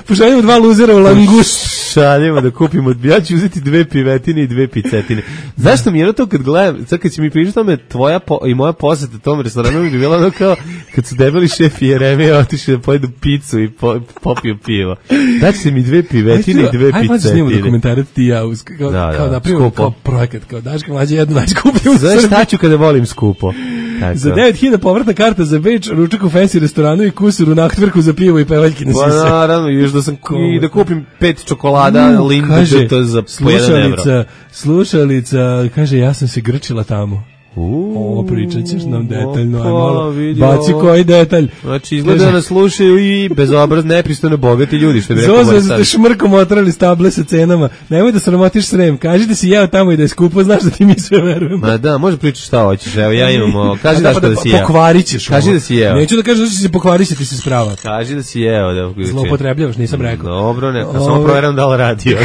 Pošaljemo dva luzera u Langust. Šaljemo da kupimo, ja ću uzeti dve pivetine i dve picetine. Zašto mi je to kad gledam, sad kad si mi pričao tome, tvoja po, i moja poseta tom restoranu bi bila ono kao kad su debeli šef i Jeremija otišli da pojedu picu i po, popiju pivo. Znači se mi dve pivetine i dve aj, picetine. Aj, snimamo dokumentarac ti ja, uz, kao, da, kao da, napravimo kao projekat, kao Daška Mlađa jednu najskuplju u Srbiji. Znaš šta ću kada volim skupo? Tako. Za devet hiljada povratna karta za Beč, ručak u fancy restoranu i kusur u nahtvrku za pivo i pevaljke na sise. Pa naravno, još da sam i da kupim pet čokolada, uh, Lindu, kaže, to za po jedan evro. Slušalica, kaže, ja sam se grčila tamo. Ovo pričat ćeš nam detaljno, aj malo, baci koji detalj. Znači, izgleda da nas slušaju i bezobraz, nepristojno bogati ljudi, što bi rekao Zozo, ste šmrkom otrali stable sa cenama, nemoj da sramotiš Srem, kaži da si jeo tamo i da je skupo, znaš da ti mi sve verujem. Ma da, može pričati šta hoćeš, evo ja imam, kaži Daško da si jeo. Pokvarit ćeš ovo. Kaži da si jeo. Neću da kažeš da si se pokvarit, će ti se sprava. Kaži da si jeo. Da, zloupotrebljavaš, nisam rekao. Dobro, ne, samo proveram da li radi još.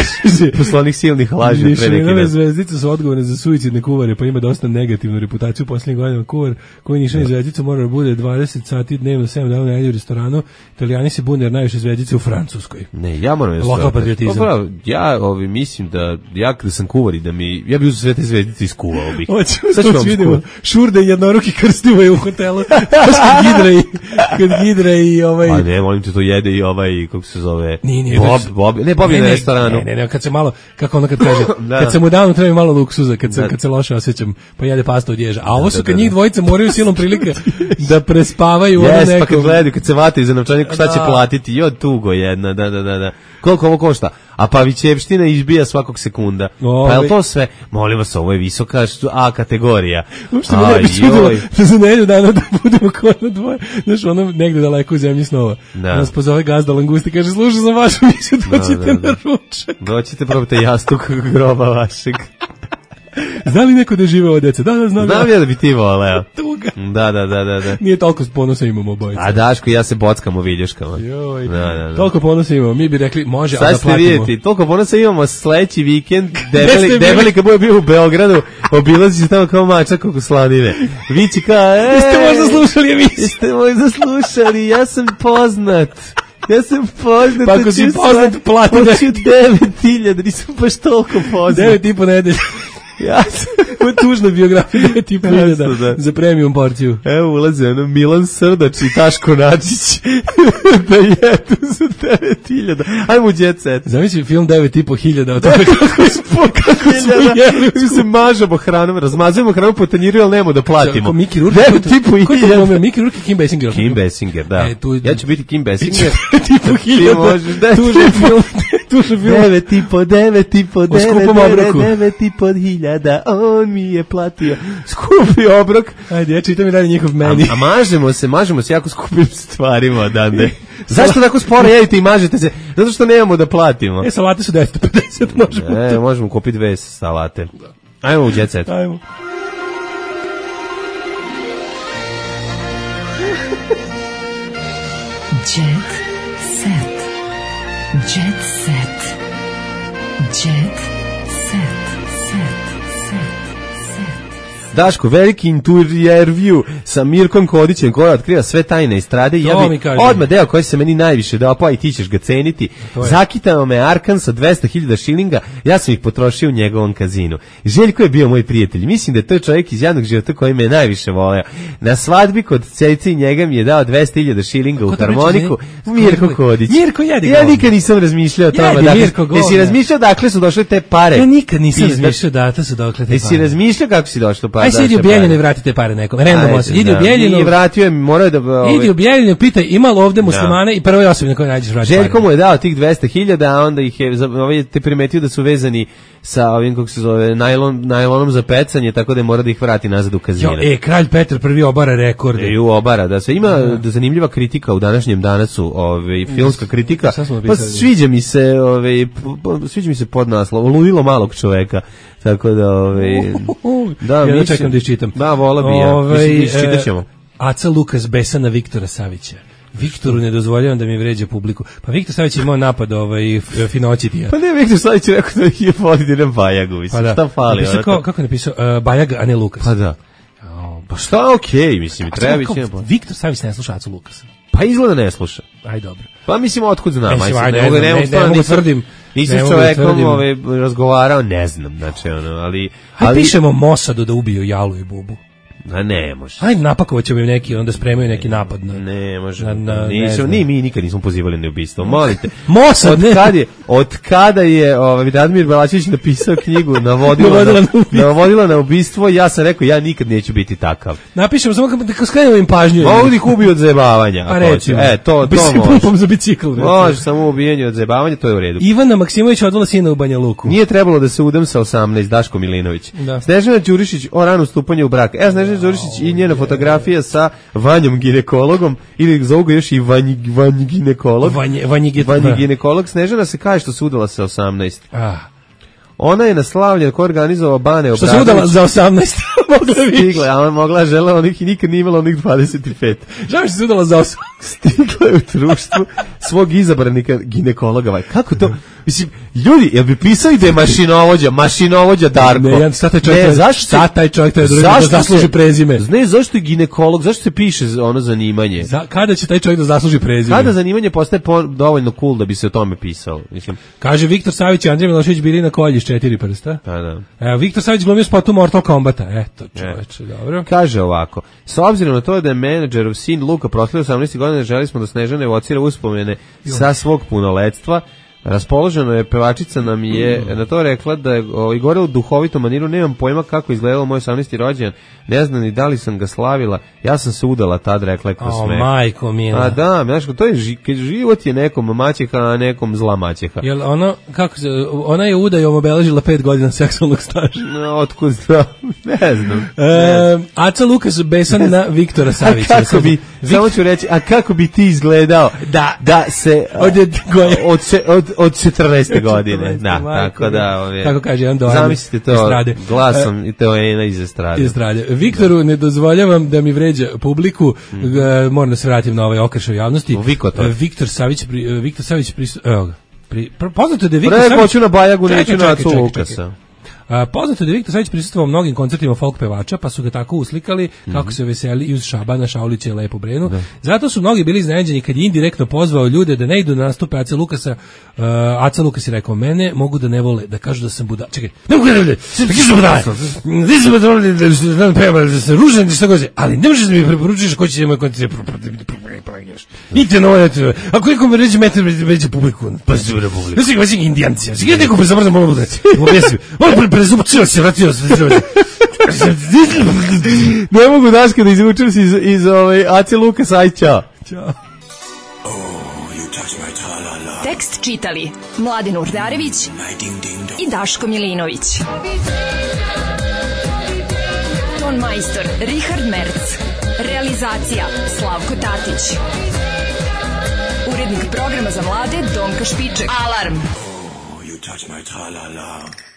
Poslovnik silnih laži pre neki dan. Mišelinove zvezdice su odgovorne za suicidne kuvare, pa ima dosta negativnu reputaciju u posljednjih godina. Kuvar koji ništa ni zvezdica mora da bude dvadeset sati dnevno, sedam dana u nedelju u restoranu. Italijani se bune jer najviše zvezdice u Francuskoj. Ne, ja moram da lokal patriotizam. Pa, ja ovi, mislim da ja kada sam kuvar i da mi ja bih uzeo sve te zvezdice i iskuvao bih. Sad ću vidimo. Šurde jednoruki krstivo je u hotelu. Kad Gidra i kad Gidra i ovaj. Pa ne, molim te, to jede i ovaj kako se zove. Nije, nije, Bob, Bob, ne Bob je na restoranu. Ne, ne, ne, kad se malo kako ona kad kaže, da. Kad se mu danu treba malo luksuza, kad se da. Kad se loše osjećam, pa jede pastu zastavu od ježa. A ovo su kad njih dvojica moraju silom prilike da prespavaju ono yes, neko. Pa kad gledaju, kad se vataju za novčanik, šta će platiti? Jo, tugo jedna, da, da, da, da. Koliko ovo košta? A Pavićevština izbija svakog sekunda. Ove. Pa je li to sve? Molim vas, ovo je visoka A kategorija. Uopšte me ne bi čudilo da za nedelju dana da budemo kao na dvoje. Znaš, ono negde daleko u zemlji snova. Da. Nas pozove gazda Langusti, kaže, slušaj sam vašu misiju, doćete da, da, da. na ručak. Doćete, probajte jastuk groba vašeg. Zna li neko da žive od dece? Da, da, znam. Znam ja da bi ti voleo. Tuga. Da, da, da, da, da. Nije toliko ponosa imamo obojica. A Daško i ja se bockamo viljuškama. Joj. Da, da, da. Toliko ponosa imamo. Mi bi rekli, može, sad ali da platimo. Sad ste vidjeti, toliko ponosa imamo sledeći vikend. Debeli, debeli kad bude bio u Beogradu, obilazi se tamo kao mačak oko slanine. Vići kao, e, jeste možda slušali emisiju? Jeste možda slušali, ja sam poznat. Ja sam poznat. Pa ako si poznat, plati da ću devet hiljada, nisam baš toliko poznat. devet i po nedelje. Ja sam u tužnoj biografiji devet i po hiljada za premium porciju. Evo ulaze ono Milan Srdač i Taško Načić da jedu za devet hiljada. Ajmo u Jet Set. Zamisli film devet i po hiljada o tome kako smo jeli. Mi se mažemo hranom, razmazujemo hranu po tanjiru, ali nemo da platimo. Miki Rourke. devet i po hiljada. Miki Rourke i Kim Basinger. Kim Basinger, da. E, tu, ja ću biti Kim Basinger. devet i po hiljada. Tužan film. Tužan film. devet i po, devet i po, devet i po hiljada. On mi je platio skupi obrok. Ajde, ja čitam i dalje njihov meni. A, a mažemo se, mažemo se jako skupim stvarima odande. Zašto tako sporo jedite i mažete se? Zato što nemamo da platimo. E, salate su deset pedeset, možemo. E, možemo kupiti dve salate. Ajmo u Jet Set. Ajmo. Jet Set. Jet Set. Jet Set. Daško, veliki intervju sa Mirkom Kodićem koja otkriva sve tajne estrade i ja bi odmah deo koji se meni najviše dao, pa i ti ćeš ga ceniti. Zakitao me Arkan sa dvesta hiljada šilinga, ja sam ih potrošio u njegovom kazinu. Željko je bio moj prijatelj, mislim da je to čovjek iz javnog života koji me najviše voleo. Na svadbi kod celice i njega mi je dao dvesta hiljada šilinga u harmoniku. Mirko Kodić. Mirko jedi ja nikad nisam razmišljao o tome. Dakle, jesi razmišljao dakle su došle te pare? Ja nikad nisam razmišljao dakle su došle te pare. Jesi razmišljao kako si došlo pare? Aj se idi u Bijeljinu i vratite pare nekom. Random se. Idi u Bijeljinu. I vratio je, morao da... Ovaj, idi u Bijeljinu, pitaj ima li ovde muslimane da. I prvoj osobi na kojoj nađeš vratiti pare. Željko mu je dao tih dvesta hiljada, a onda ih je, ovaj, te primetio da su vezani sa ovim, kako se zove, najlon, najlonom za pecanje, tako da je mora da ih vrati nazad u kazine. Jo, e, kralj Petar prvi obara rekorde. E, u obara, da se ima da. zanimljiva kritika u današnjem danasu, ovaj, filmska kritika. Pa sviđa mi se, ovaj, sviđa mi se podnaslov, ludilo malog čoveka. Tako da, ovaj, da, ja mi čekam da iščitam. Da, vola bi ja. Ovaj, Mislim, čitaš ćemo. Aca Lukas besa na Viktora Savića. Viktoru ne dozvoljavam da mi vređa publiku. Pa Viktor Savić je imao napad ovaj Finocitija. Pa ne, Viktor Savić je rekao da je vodi na Bajagu. Mislim, pa da. Šta fali? Napisao, kako, kako je napisao? Uh, Bajag, a ne Lukas. Pa da. Oh, pa šta, okej, okay, mislim, treba biti. Viktor Savić ne sluša Acu Lukasa. Pa izgleda ne sluša. Aj dobro. Pa mislim, otkud znam? Aj, ne, ne, ne, ne, ne mogu tvrdim. Nisam s čovekom ovaj, razgovarao, ne znam, znači, ono, ali... Aj, pišemo Mosadu da ubiju Jalu i Bubu. A ne može. Ajde, napakovat ćemo im neki, onda spremaju neki napad. Na, ne može. Na, na, nisam, ni mi nikad nismo pozivali na ubistvo. Molite. Mosad, od kad je, od kada je ovaj, Radmir Belačević napisao knjigu Navodila, na, na, navodila na ubistvo, ja sam rekao, ja nikad neću biti takav. Napišemo samo da skrenemo im pažnju. Mogu ih ubiju od zajebavanja. A recimo. E, to, to može. Pumpom za bicikl. Može, samo ubijanje od zajebavanja, to je u redu. Ivana Maksimović odvala sina u Banja Luku. Nije trebalo da se udam sa osamnaest, Daško Milinović. Da. Snežana Đurišić o ranu stupanju u brak. Evo Snežana Đurišić i njena fotografija sa Vanjom ginekologom, ili zovu ga još i Vanji, vanji ginekolog. Vanji, vanji, vanji ginekolog. Snežana se kaže što se udala sa osamnaest. Ah. Ona je na slavljen ko organizovao Bane Obradović. Što se udala za osamnaest? Stigla, a ona mogla žela, onih i nikad nije imala onih dvadeset pet. Žao što se udala za osamnaest. Stigla je u društvu svog izabranika ginekologa. Kako to? Mislim, ljudi, jel bi pisali da je mašinovođa, mašinovođa Darko? Ne, ja, sad taj čovjek, ne, zašto, sad taj čovjek taj da zasluži prezime. Ne, zašto je ginekolog, zašto se piše ono zanimanje? Za, kada će taj čovjek da zasluži prezime? Kada zanimanje postaje po, dovoljno cool da bi se o tome pisalo? Mislim. Kaže Viktor Savić i Andrej Milošević bili na kolji s četiri prsta. Pa da. Evo, Viktor Savić glumio spotu Mortal Kombata. Eto, čoveče, e. dobro. Kaže ovako, s obzirom na to da je menadžerov sin Luka proslavio osamnaest godina, želi smo da Snežana evocira uspomene jo. sa svog punoletstva. Raspoloženo je, pevačica nam je mm. na to rekla da je ovaj, gore u duhovitom maniru, nemam pojma kako izgledalo moj osamnaesti rođendan, ne znam ni da li sam ga slavila, ja sam se udala tad, rekla je kroz oh, smeh. Majko mila. A da, znaš, to je život je nekom maćeha, a nekom zla maćeha. Jel ono, kako se, ona je udajom obeležila pet godina seksualnog staža. No, otkud znam, ne znam. E, ne znam. Aca Lukas besan na Viktora Savića. A kako bi, Viktor... samo ću reći, a kako bi ti izgledao da, da se od, od, od, od četrnaeste godine. Da, tako da, ove, tako kaže jedan dojem. Zamislite to estrade. Glasom uh, i to je ena iz estrade. Iz estrade. Viktoru ne dozvoljavam da mi vređa publiku, mm. uh, moram da se vratim na ovaj okršaj javnosti. Uh, Viktor Savić, uh, Viktor Savić, prisu, evo ga, pri, poznato da je Viktor Savić... Hoću na Bajagu, neću na Acu Lukasa. A, poznato je da Viktor Savić prisustvovao mnogim koncertima folk pevača, pa su ga tako uslikali mm-hmm. kako se veseli i uz Šabana, Šaulića i Lepu Brenu. Da. Zato su mnogi bili iznenađeni kad je indirektno pozvao ljude da ne idu na nastupe Aca Lukasa. Uh, Aca Lukas je rekao, mene mogu da ne vole, da kažu da sam budala. Čekaj, ne mogu da ne vole, da kažu budala. Nisam budala, da sam ružan, šta god je, ali ne možeš da mi preporučiš ko će da moj koncert. Idite na ovo, ako neko me reći metar veće publiku, pa se bude publiku. Ja sam ga indijanci, ja sam ga neko prezabrzam, mogu da bude. Prezupčio se, vratio se. Ne mogu, Daška, da izvučem se iz, iz ovaj, Ace Lukas, aj, čao. Ćao. Tekst čitali Mladin Urdarević i Daško Milinović. Ton majstor Richard Merc. Realizacija Slavko Tatić. Urednik programa za mlade Donka Špiček. Alarm! Oh, you touch my tra-la-la.